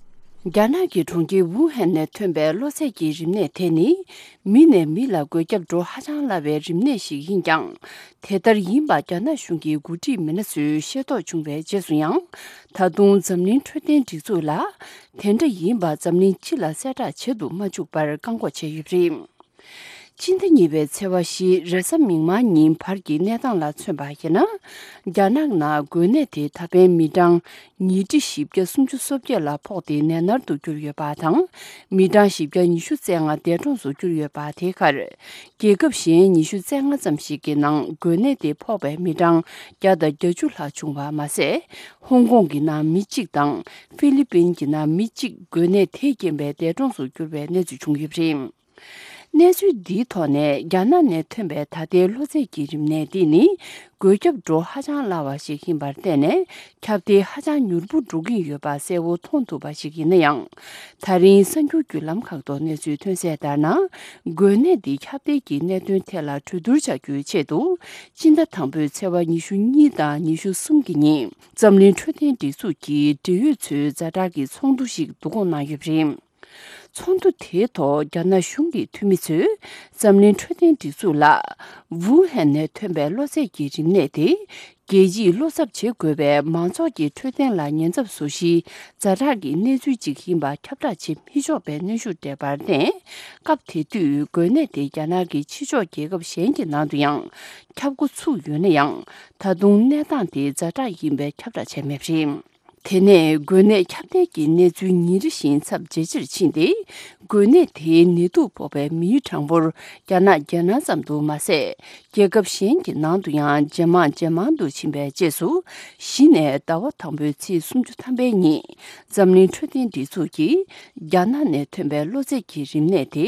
རྒྱ་ནག་གི་གྲོང་ཁྱེར་ཝུ་ཧན་ནས་ཐོན་པའི་གློ་ཚད་ཀྱི་རིམས་ནད་དེ་ནི། མི་ནས་མི་ལ་འགོས་ཁྱབ་འགྲོ་ཧ་ཅང་སླ་བའི་རིམས་ནད་ཞིག་ཡིན་ཀྱང་། དེ་ལྟར་ཡིན་པ་རྒྱ་ནག་གཞུང་གི་འགོ་ཁྲིད་མི་སྣ་ཚོས་ཤེས་རྟོགས་བྱུང་བའི་རྗེས་སུ་ཡང་། ད་དུང་འཛམ་གླིང་འཕྲོད་བསྟེན་སྒྲིག་འཛུགས་ལ། དེ་འདྲ་ཡིན་པ་འཛམ་གླིང་སྤྱི་ལ་གསལ་བསྒྲགས་བྱེད་དུ་མ་བཅུག་པར་བཀག་འགོག་བྱས་ཡོད་པ་རེད། སྤྱི་ཟླ་གཉིས་པའི་ཚེས་པ་བཞི་རེས་གཟའ་མིག་དམར་ཉིན་བར་གྱི་གནས་སྟངས་ལ་མཚོན་པ་ཡིན་ན། རྒྱ་ནག་ནང་འགོས་ནད་དེ་ད་ཕན་མི་གྲངས་ཉིས་ཁྲི་བཞི་བརྒྱ་སུམ་ཅུ་སོ་བརྒྱད་ལ་ཕོག་སྟེ་ནད་མནར་དུ་གྱུར་ཡོད་པ་དང་། མི་གྲངས་བཞི་བརྒྱ་ཉི་ཤུ་རྩ་ལྔ་འདས་གྲོངས་སུ་གྱུར་ཡོད་པ། དེའི་ཁར། རྒྱལ་ཁབ་གཞན་ཉི་ཤུ་རྩ་ལྔ་ཙམ་ཞིག་གི་ནང་འགོས་ནད་དེ་ཕོག་པའི་མི་གྲངས་བརྒྱ་དང་བརྒྱད་ཅུ་ལྷག་བྱུང་བ་མ་ཟད། ཧོང་ཀོང་གི་ནང་མི་གཅིག་དང་། ཧྥི་ལི་པིན་གྱི་ནང་མི་གཅིག་འགོས་ནད་དེས་རྐྱེན་པས་འདས་གྲོངས་སུ་གྱུར་བའི་གནས་ཚུལ་བྱུང་ཡོད་པ་རེད། གནས་ཚུལ་འདིའི་ཐོག་ནས་རྒྱ་ནག་ནས་ཐོན་པའི་ད་ལྟའི་གློ་ཚད་ཀྱི་རིམས་ནད་འདི་ནི་འགོས་ཁྱབ་འགྲོ་ཧ་ཅང་སླ་བ་ཞིག་ཡིན་པར་བརྟེན་ནས། ཁྱབ་གདལ་ཧ་ཅང་མྱུར་པོ་འགྲོ་གིན་ཡོད་པ་གསལ་བོ་མཐོང་ཐུབ་པ་ཞིག་ཡིན་ན་ཡང་། ད་རིང་གསར་འགྱུར་བརྒྱུད་ལམ་ཁག་ཏུ་གནས་ཚུལ་ཐོན་གསལ་ལྟར་ན། འགོས་ནད་འདི་ཁྱབ་གདལ་གྱི་གནད་དོན་ཐད་ལ་གྲོས་བསྡུར་བྱ་རྒྱུའི་ཆེད་དུ། སྤྱི་ཟླ་དང་པོའི་ཚེས་པ་ཉི་ཤུ་གཉིས་དང་ཉི་ཤུ་གསུམ་གྱི་ཉིན། འཛམ་གླིང་འཕྲོད་བསྟེན་སྒྲིག་འཛུགས་ཀྱི་འབྲེལ་ཡོད་ཚོའི་ཛ་དྲག་གི་ཚོགས་འདུ་ཞིག་བསྡུ་སྐོང་གནང་ཡོད་པ་རེད། ཚོགས་འདུ་དེའི་ཐོག་རྒྱ་ནག་གཞུང་གི་འཐུས་མི་ཚོས་འཛམ་གླིང་འཕྲོད་བསྟེན་སྒྲིག་འཛུགས་ལ། ཝུ་ཧན་ནས་ཐོན་པའི་གློ་ཚད་ཀྱི་རིམས་ནད་དེ། རྒྱལ་སྤྱིས་བློ་འཚབ་བྱེད་དགོས་པའི་མང་ཚོགས་ཀྱི་འཕྲོད་བསྟེན་ལ་ཉེན་ཚབས་བཟོ་གཞིའི་ཛ་དྲག་གི་གནས་ཚུལ་ཅིག་ཡིན་པ་ཁྱབ་བསྒྲགས་བྱེད་མི་ཆོག་པའི་གནོན་ཤུགས་སྤྲད་པར་བརྟེན། སྐབས་དེ་དུས་འགོས་ནད་དེ་རྒྱ་ནག་གི་ཕྱི་ཕྱོགས་རྒྱལ་ཁབ་གཞན་གྱི་ནང་དུ་ཡང་ཁྱབ་འགོ་ཚུགས་ཡོད་ན་ཡང་། ད་དུང་གནས་སྟངས་དེ་ཛ་དྲག་ཡིན་པའི་ཁྱབ་བསྒྲགས་བྱས་མེད་པ་རེད། དེ་ནས་འགོས་ནད་ཁྱབ་གདལ་གྱི་གནས་ཚུལ་ཉིན་རེ་བཞིན་ཚབས་ཇེ་ཆེར་ཕྱིན་ཏེ། འགོས་ནད་དེའི་ནད་དུག་ཕོག་པའི་མིའི་གྲངས་འབོར་རྒྱ་ནག་རྒྱལ་ནང་ཙམ་དུ་མ་ཟད། རྒྱལ་ཁབ་གཞན་གྱི་ནང་དུ་ཡང་ཇེ་མང་ཇེ་མང་དུ་ཕྱིན་པའི་རྗེས་སུ། གཞི་ནས་ཟླ་བ་དང་པོའི་ཚེས་སུམ་ཅུ་ཐམ་པའི་ཉིན། འཛམ་གླིང་འཕྲོད་བསྟེན་སྒྲིག་འཛུགས་ཀྱིས། རྒྱ་ནག་ནས་ཐོན་པའི་གློ་ཚད་ཀྱི་རིམས་ནད་དེ།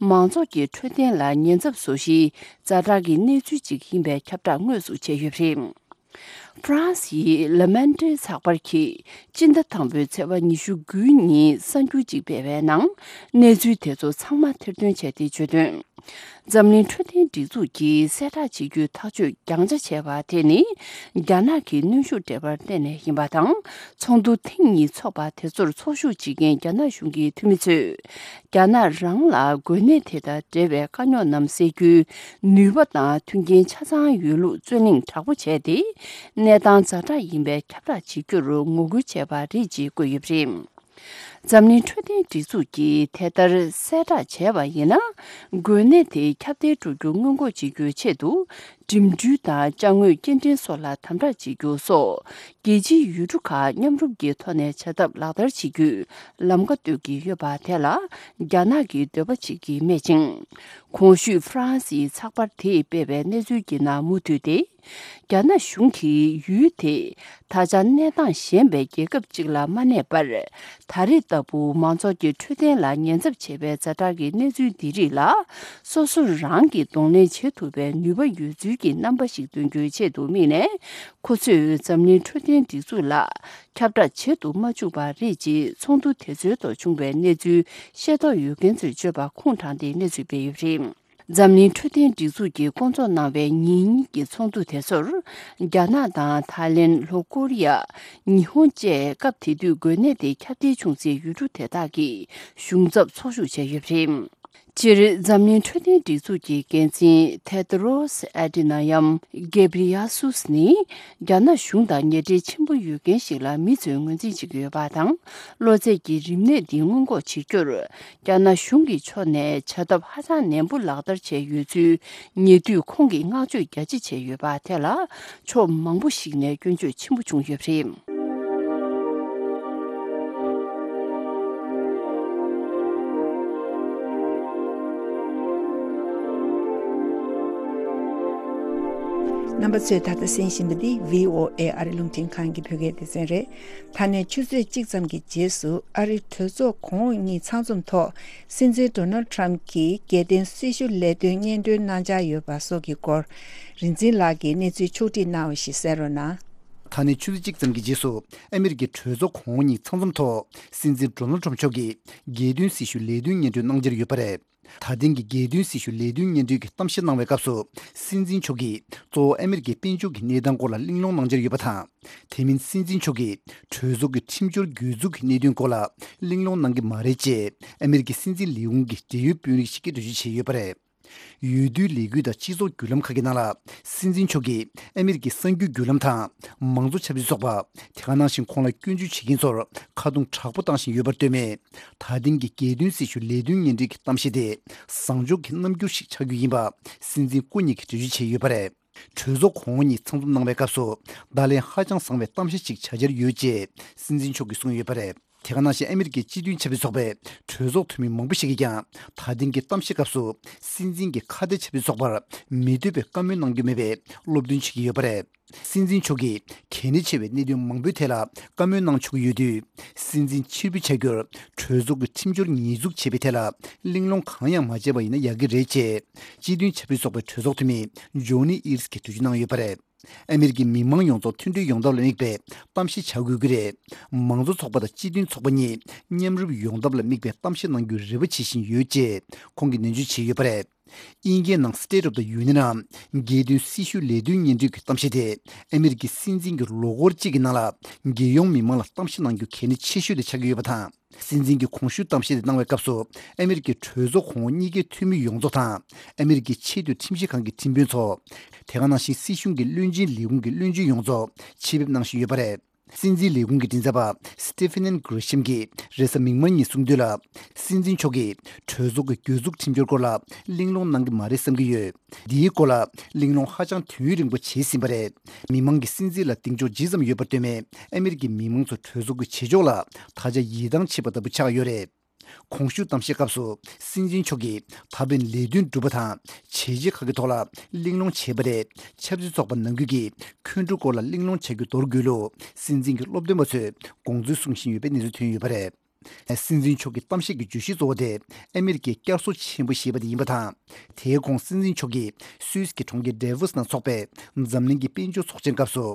མང་ཚོགས་ཀྱི་འཕྲོད་བསྟེན་ལ་ཉེན་ཚབས་བཟོ་གཞིའི་ཛ་དྲག་གི་གནས་ཚུལ་ཅིག་ཡིན་པའི་ཁྱབ་བསྒྲགས་དངོས་སུ་བྱས་ཡོད་པ་རེད། ཧྥ་རན་སིའི་ལ་མན་ཏྲེ་ཚགས་པར་གྱིས་སྤྱི་ཟླ་དང་པོའི་ཚེས་པ་ཉི་ཤུ་དགུའི་ཉིན་གསར་འགྱུར་ཅིག་སྤེལ་བའི་ནང་། གནས་ཚུལ་དེ་ཚོ་ཚང་མ་ཐེར་འདོན་བྱས་ཏེ་བརྗོད་དོན། འཛམ་གླིང་འཕྲོད་བསྟེན་སྒྲིག་འཛུགས་ཀྱིས་གསལ་བསྒྲགས་བྱེད་རྒྱུའི་ཐག་གཅོད་རྒྱང་ཆ་བྱས་པ་དེ་ནི། རྒྱ་ནག་གིས་གནོན་ཤུགས་སྤྲད་པར་བརྟེན་ནས་ཡིན་པ་དང་། ཚོགས་འདུ་ཐེངས་གཉིས་འཚོགས་པ་དེ་ཚོར་ཚོགས་ཞུགས་བྱེད་མཁན་རྒྱ་ནག་གཞུང་གི་འཐུས་མི་ཚོས། རྒྱ་ནག་རང་ལ་འགོས་ནད་དེ་དང་འབྲེལ་བའི་དཀའ་རྙོག་རྣམས་སེལ་རྒྱུའི་ནུས་པ་དང་མཐུན་རྐྱེན་ཆ་ཚང་ཡོད་ལུགས་རྩོད་གླེང་དྲག་པོ་བྱས་ཏེ། གནས་སྟངས་ཛ་དྲག་ཡིན་པའི་ཁྱབ་བསྒྲགས་བྱེད་རྒྱུར་ངོ་རྒོལ་བྱས་པ་རེད་ཅེས་བཀོད་ཡོད་པ་རེད། འཛམ་གླིང་འཕྲོད་བསྟེན་སྒྲིག་འཛུགས་ཀྱིས་དེ་ལྟར་གསལ་བསྒྲགས་བྱས་པ་ཡིན་ན། འགོས་ནད་དེ་ཁྱབ་གདལ་འགྲོ་རྒྱུ་སྔོན་འགོག་བྱེད་རྒྱུའི་ཆེད་དུ། འགྲིམ་འགྲུལ་དང་ཅ་དངོས་སྐྱེལ་འདྲེན་སོགས་ལ་དམ་དྲག་བྱེད་རྒྱུ་སོགས། རྒྱལ་སྤྱིའི་ཡུལ་གྲུ་ཁག་མཉམ་རུབ་ཀྱི་ཐོག་ནས་བྱ་ཐབས་ལག་བསྟར་བྱེད་རྒྱུའི་ལམ་ཁ་གཏོད་ཀྱི་ཡོད་པ་དེ་ལ། རྒྱ་ནག་གིས་འདོད་པ་བྱེད་ཀྱི་མེད་ཅིང་། གོང་ཞུས་ཧྥ་རན་སིའི་ཚགས་པར་དེས་སྤེལ་བའི་གནས་ཚུལ་གྱི་ནང་མུ་མཐུད་དེ། རྒྱ་ནག་གཞུང་གིས་ཡུལ་དེ་ད་ཆ་གནས་སྟངས་ཞན་པའི་རྒྱལ་ཁབ་ཅིག་ལ་མ་གནས་པར། ད་རེས་ལྟ་བུ་མང་ཚོགས་ཀྱི་འཕྲོད་བསྟེན་ལ་ཉེན་ཚབས་ཆེ་བའི་ཛ་དྲག་གི་གནས་ཚུལ་འདི་རིགས་ལ། སོ་སོ་རང་གིས་གདོང་ལེན་བྱེད་ཐུབ་པའི་ནུས་པ་ཡོད་ཚུལ་གྱི་རྣམ་པ་ཞིག་སྟོན་རྒྱུའི་ཆེད་དུ་དམིགས་ནས། ཁོ་ཚོས་འཛམ་གླིང་འཕྲོད་བསྟེན་སྒྲིག་འཛུགས་ལ་ཁྱབ་བསྒྲགས་བྱེད་དུ་མ་བཅུག་པ་རེད་ཅེས་ཚོགས་འདུ་དེ་ཚོའི་ཐོག་བྱུང་བའི་གནས་ཚུལ་ཤེས་རྟོགས་ཡོད་མཁན་ཚོས་བརྗོད་པ་ཁུངས་དྲངས་ཏེ་གནས་ཚུལ་སྤེལ་ཡོད་པ་རེད། འཛམ་གླིང་འཕྲོད་བསྟེན་སྒྲིག་འཛུགས་ཀྱིས་བསྐོང་ཚོགས་གནང་བའི་ཉིན་གཉིས་ཀྱི་ཚོགས་འདུ་དེ་ཚོར། རྒྱ་ནག་དང་ཐའི་ལེན། ལྷོ་ཀོ་རི་ཡ། ཉི་ཧོང་བཅས་སྐབས་དེ་དུས་འགོས་ནད་དེ་ཁྱབ་གདལ་བྱུང་སའི་ཡུལ་གྲུ་དེ་དག་གི་གཞུང་ཚབ་ཚོགས་ཞུགས་བྱས་ཡོད་པ་རེད། སྤྱིར། འཛམ་གླིང་འཕྲོད་བསྟེན་སྒྲིག་འཛུགས་ཀྱི་འགན་འཛིན་ཐེ་ཏྲོ་སི་ཨེ་ཏི་ན་ཡམ་གེབ་རི་ཡ་སུས་ནི། རྒྱ་ནག་གཞུང་དང་ཉེ་འབྲེལ་ཆེན་པོ་ཡོད་མཁན་ཞིག་ལ་མི་ཚོས་ངོས་འཛིན་བྱེད་ཀྱི་ཡོད་པ་དང་། གློ་ཚད་ཀྱི་རིམས་ནད་འདི་སྔོན་འགོག་བྱེད་རྒྱུར། རྒྱ་ནག་གཞུང་གི་ཕྱོགས་ནས་བྱ་ཐབས་ཧ་ཅང་ནན་པོ་ལག་བསྟར་བྱས་ཡོད་ཚུལ། ཉེ་དུས་ཁོང་གིས་བསྔགས་བརྗོད་རྒྱ་ཆེ་བྱས་ཡོད་པ་དེ་ལ། ཕྱོགས་མང་པོ་ཞིག་ནས་སྐྱོན་བརྗོད་ཆེན་པོ་བྱུང་ཡོད་པ་རེད། རྣམ་པ་ཚོས་ད་ལྟ་གསན་བཞིན་པ་འདི་བྷི་ཨོ་ཨེ་ཨ་རི་རླུང་འཕྲིན་ཁང་གི་བོད་སྐད་སྡེ་ཚན་རེད། ད་ནས་ཆུ་ཚོད་གཅིག་ཙམ་གྱི་རྗེས་སུ་ཨ་རི་གྲོས་ཚོགས་གོང་འོག་གཉིས་ཚང་འཛོམས་ཐོག་སྲིད་འཛིན་ཌོ་ནལ་ཊམ་གྱིས་རྒྱལ་དོན་སྲི་ཞུ་ལས་དོན་སྙན་སྒྲོན་གནང་འཆར་ཡོད་པ་སོགས་ཀྱི་སྐོར། རིག་འཛིན་ལགས་ཀྱིས་གནས་ཚུལ་ཕྱོགས་སྒྲིག་གནང་བ་ཞིག་གསན་རོགས་གནང་། ད་ནས་ཆུ་ཚོད་གཅིག་ཙམ་གྱི་རྗེས་སུ་ཨ་མི་རི་ཀའི་གྲོས་ཚོགས་གོང་འོག་གཉིས་ཚང་འཛོམས་ཐོག་སྲིད་འཛིན་ཌོ་ནལ་ཊམ་མཆོག་གིས་རྒྱལ་དོན་སྲི་ཞུ་ལས་དོན་སྙན་སྒྲོན་གནང་འཆར་ཡོད་པ་རེད། ད་ཐེངས་ཀྱི་རྒྱལ་དོན་སྲི་ཞུ་ལས་དོན་སྙན་སྒྲོན་གྱི་གཏམ་བཤད་གནང་བའི་སྐབས་སུ། སྲིད་འཛིན་མཆོག་གིས་གཙོ་བོ་ཨ་མི་རི་ཀའི་དཔལ་འབྱོར་གྱི་གནས་སྟངས་སྐོར་ལ་གླེང་སློང་གནང་འཆར་ཡོད་པ་དང་། དེ་མིན་སྲིད་འཛིན་མཆོག་གིས་གྲོས་ཚོགས་ཀྱི་ཁྲིམས་སྦྱོར་གྱོད་འཛུགས་ཀྱི་གནད་དོན་སྐོར་ལ་གླེང་སློང་གནང་གི་མ་རེད་ཅེས་ཨ་མི་རི་ཀའི་སྲིད་འཛིན་ལས་ཁུངས་ཀྱི་འབྲེལ་ཡོད་དཔོན་རིགས་ཤིག་གིས་འགྲེལ་བརྗོད་བྱས་ཡོད་པ་རེད། འོས་བསྡུའི་ལས་འགུལ་དང་སྤྱི་ཚོགས་བརྒྱུད་ལམ་ཁག་གི་ནང་ལ། སྲིད་འཛིན་མཆོག་གིས་ཨ་མི་རི་ཀའི་གསར་འགྱུར་བརྒྱུད་ལམ་དང་། མང་གཙོ་ཆབ་སྲིད་ཚོགས་པ། དེ་ག་ནང་བཞིན་ཁོང་ལ་སྐྱོན་བརྗོད་བྱེད་མཁན་ཚོར་ཁ་རྡུང་དྲག་པོ་བཏང་བཞིན་ཡོད་པར་ལྟོས་ནས། ད་ཐེངས་ཀྱི་རྒྱལ་དོན་སྲི་ཞུ་ལས་དོན་སྙན་སྒྲོན་གྱི་གཏམ་བཤད་དེ། བཟང་ཕྱོགས་ཀྱི་རྣམ་འགྱུར་ཞིག་ཆགས་རྒྱུ་ཡིན་པ། སྲིད་འཛིན་སྐུ་ཉིད་ཀྱིས་འགྲེལ་བརྗོད་བྱས་ཡོད་པ་རེད། གྲོས་ཚོགས་གོང་འོག་གཉིས་ཚང་འཛོམས་གནང་བའི་སྐབས་སུ། བརྡ་ལན་ཧ་ཅང་བཟང་བའི་གཏམ་བཤད་ཅིག་བྱ་འཆར་ཡོད་ཅེས་སྲིད་འཛིན་མཆོག་གིས་གསུངས་ཡོད་པ་རེད། དེ་ག་ནང་བཞིན་ཨ་མི་རི་ཀའི་སྤྱི་མཐུན་ཆབ་སྲིད་ཚོགས་པའི་གྲོས་ཚོགས་འཐུས་མི་མང་པོ་ཞིག་གིས་ཀྱང་ད་ཐེངས་ཀྱི་གཏམ་བཤད་སྐབས་སུ་སྲིད་འཛིན་གྱིས་ཁ་གཏད་ཆབ་སྲིད་ཚོགས་པར་མི་འདོད་པའི་བཀའ་མོལ་གནང་རྒྱུ་མེད་པའི་སློབ་སྟོན་བྱེད་ཀྱི་ཡོད་པ་རེད། སྲིད་འཛིན་མཆོག་གིས་གལ་གནད་ཆེ་བའི་གནད་དོན་མང་པོའི་ཐད་ལ་བཀའ་མོལ་གནང་ཆོག་གི་ཡོད་དུས། སྲིད་འཛིན་ཕྱིར་འབུད་བྱ་རྒྱུར་གྲོས་ཚོགས་ཀྱི་ཁྲིམས་སྦྱོར་ཉེས་འཛུགས་བྱས་པའི་ཐད་ལ་གླེང་སློང་གང་ཡང་མ་བྱས་པ་ཡིན་ན་ཡག་གི་རེད་ཅེས་སྤྱི་མཐུན་ཆབ་སྲིད་ཚོགས་པའི་གྲོས་ཚོགས་འཐུས་མི་ཇོ་ནི་ཨིར་སི་གིས་གྲོས་ཆོད་གནང་ཡོད་པ་རེད། ཨ་མི་རི་ཀའི་མི་མང་ཡོངས་རྫོགས་མཐུན་སྒྲིལ་ཡོང་ཐབས་ལ་དམིགས་པའི་གཏམ་བཤད་བྱ་དགོས་ཀྱི་རེད། མང་གཙོ་ཚོགས་པ་དང་སྤྱི་མཐུན་ཚོགས་པ་གཉིས་མཉམ་རུབ་ཡོང་ཐབས་ལ་དམིགས་པའི་གཏམ་བཤད་གནང་རྒྱུའི་རེ་བ་བྱེད་བཞིན་ཡོད་ཅེས་ཁོང་གིས་ནན་བརྗོད་བྱས་ཡོད་པ་རེད། དབྱིན་སྐད་ནང་State of the Union ནམ་རྒྱལ་དོན་སྲི་ཞུ་ལས་དོན་སྙན་སྒྲོན་གྱི་གཏམ་བཤད་དེ་ཨ་མི་རི་ཀའི་སྲིད་འཛིན་གྱིས་ལོ་འཁོར་གཅིག་གི་ནང་ལ་རྒྱལ་ཡོངས་མི་མང་ལ་གཏམ་བཤད་གནང་རྒྱུ་གལ་གནད་ཆེ་ཤོས་དེ་ཆགས་ཀྱི་ཡོད་པ་དང་། སྲིད་འཛིན་གྱིས་གོང་ཞུས་གཏམ་བཤད་དེ་གནང་བའི་སྐབས་སུ་ཨ་མི་རི་ཀའི་གྲོས་ཚོགས་གོང་འོག་གཉིས་ཀའི་འཐུས་མི་ཡོངས་རྫོགས་དང་ཨ་མི་རི་ཀའི་ཆེས་མཐོའི་ཁྲིམས་ཞིབ་ཁང་གི་ཁྲིམས་དཔོན་ཚོ། དེ་ག་ནང་བཞིན་སྲིད་གཞུང་གི་བློན་ཆེན་ལས་ཁུངས་ཀྱི་བློན་ཆེན་ཡོངས་རྫོགས་ཆེད་ཕེབས་གནང་བཞིན་ཡོད་པ་རེད། སྲིད་འཛིན་ལས་ཁུངས་ཀྱི་མགྲིན་ཚབ་པ་Stephen Grisham གྱིས་རེས་གཟའ་མིག་དམར་ཉིན་གསུངས་དོན་ལ། སྲིད་འཛིན་མཆོག་གིས་གྲོས་ཚོགས་ཀྱི་གྱོད་འཛུགས་ཁྲིམས་སྦྱོར་སྐོར་ལ་གླེང་སློང་གནང་གི་མ་རེད་བསམ་གྱི་ཡོད། འདིའི་སྐོར་ལ་གླེང་སློང་ཧ་ཅང་དུས་ཡུན་རིང་པོ་བྱས་ཟིན་པ་རེད། མི་མང་གིས་སྲིད་འཛིན་ལ་གདེང་འཇོག་ཇི་ཙམ་ཡོད་པར་ལྟོས་མེད་ཨ་མི་རི་ཀའི་མི་མང་ཚོ་གྲོས་ཚོགས་ཀྱི་བྱེད་ཕྱོགས་ལ་ད་ཆ་ཡིད་ཐང་ཆད་པ་ལྟ་བུ་ཆགས་ཡོད་རེད། གོང་ཞུས་གཏམ་བཤད་སྐབས་སུ་སྲིད་འཛིན་མཆོག་གིས་ད་ཕན་ལས་དོན་སྒྲུབ་པ་དང་བྱས་རྗེས་ཁག་གི་ཐོག་ལ་གླེང་སློང་བྱས་པ་རེད། ཆབ་སྲིད་ཚོགས་པ་ནང་ཁུལ་གྱི་འཁོན་འཁྲུག་སྐོར་ལ་གླེང་སློང་བྱ་རྒྱུ་མདོར་བསྡུས་ལུགས་སྲིད་འཛིན་གྱི་སློབ་སྟོན་པ་ཚོས་དགོངས་ཚུལ་གསུང་བཞིན་ཡོད་པའི་གནས་ཚུལ་ཐོན་ཡོད་པ་རེད། སྲིད་འཛིན་མཆོག་གི་གཏམ་བཤད་ཀྱི་བརྗོད་གཞི་གཙོ་བོ་དེ་ཨ་མི་རི་ཀའི་བསྐྱར་གསོ་ཆེན་པོ་ཞེས་པ་དེ་ཡིན་པ་དང་། དེའི་གོང་སྲིད་འཛིན་མཆོག་གིས་སུད་སི་གི་གྲོང་ཁྱེར་ཌེ་ཝོ་སི་ནང་འཚོགས་པའི་འཛམ་གླིང་གི་དཔལ་འབྱོར་ཚོགས་ཆེན་སྐབས་སུ་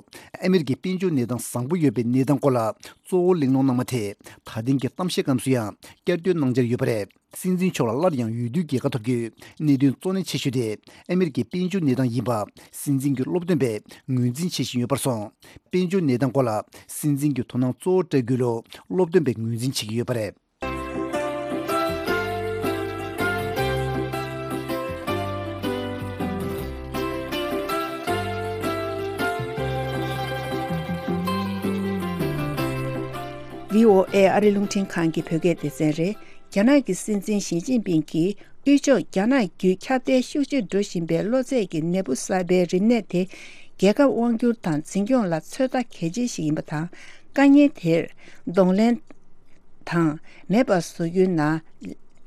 ཨ་མི་རི་ཀའི་དཔལ་འབྱོར་གནས་སྟངས་བཟང་པོ་ཡོད་པའི་གནས་སྟངས་སྐོར་ལ་གཙོ་བོ་གླེང་སློང་གནང་བ་དེ་ད་ཐེངས་ཀྱི་གཏམ་བཤད་སྐབས་སུ་ཡང་བསྐྱར་ཟློས་གནང་འཆར་ཡོད་པ་རེད། སྲིད་འཛིན་མཆོག་ལ་སླར་ཡང་འོས་བསྡུའི་རྒྱལ་ཁ་ཐོབ་རྒྱུའི་གནད་དོན་གཙོ་གནད་ཆེ་ཤོས་དེ་ཨ་མི་རི་ཀའི་དཔལ་འབྱོར་གནས་སྟངས་ཡིན་པ་སྲིད་འཛིན་གྱི་སློབ་སྟོན་པས་ངོས་འཛིན་བྱེད་བཞིན་ཡོད་པར་སོང་། དཔལ་འབྱོར་གནས་སྟངས་སྐོར་ལ་སྲིད་འཛིན་གྱི་དོ་སྣང་གཙོ་བོ་སྤྲད་དགོས་ལུགས་སློབ་སྟོན་པས་ངོས་འཛིན་བྱེད་ཀྱི་ཡོད་པ་རེད། བྷི་ཨོ་ཨེ་ཨ་རི་རླུང་འཕྲིན་ཁང་གི་བོད་སྐད་སྡེ་ཚན་རེད། རྒྱ་ནག་གི་སྲིད་འཛིན་ཞི་ཅིན་ཕིང་གིས་དབུས་ཕྱོགས་རྒྱ་ནག་བརྒྱུད་ཁྱབ་གདལ་ཤུགས་ཆེ་འགྲོ་བཞིན་པའི་གློ་ཚད་ཀྱི་ནད་འབུ་གསར་པའི་རིམས་ནད་དེ། རྒྱལ་ཁབ་དབང་སྒྱུར་དང་འཛིན་སྐྱོང་ལ་ཚོད་ལྟ་གལ་ཆེ་ཞིག་ཡིན་པ་དང་། དཀའ་ངལ་དེར་གདོང་ལེན་དང་མེད་པར་བཟོ་རྒྱུའི་ནང་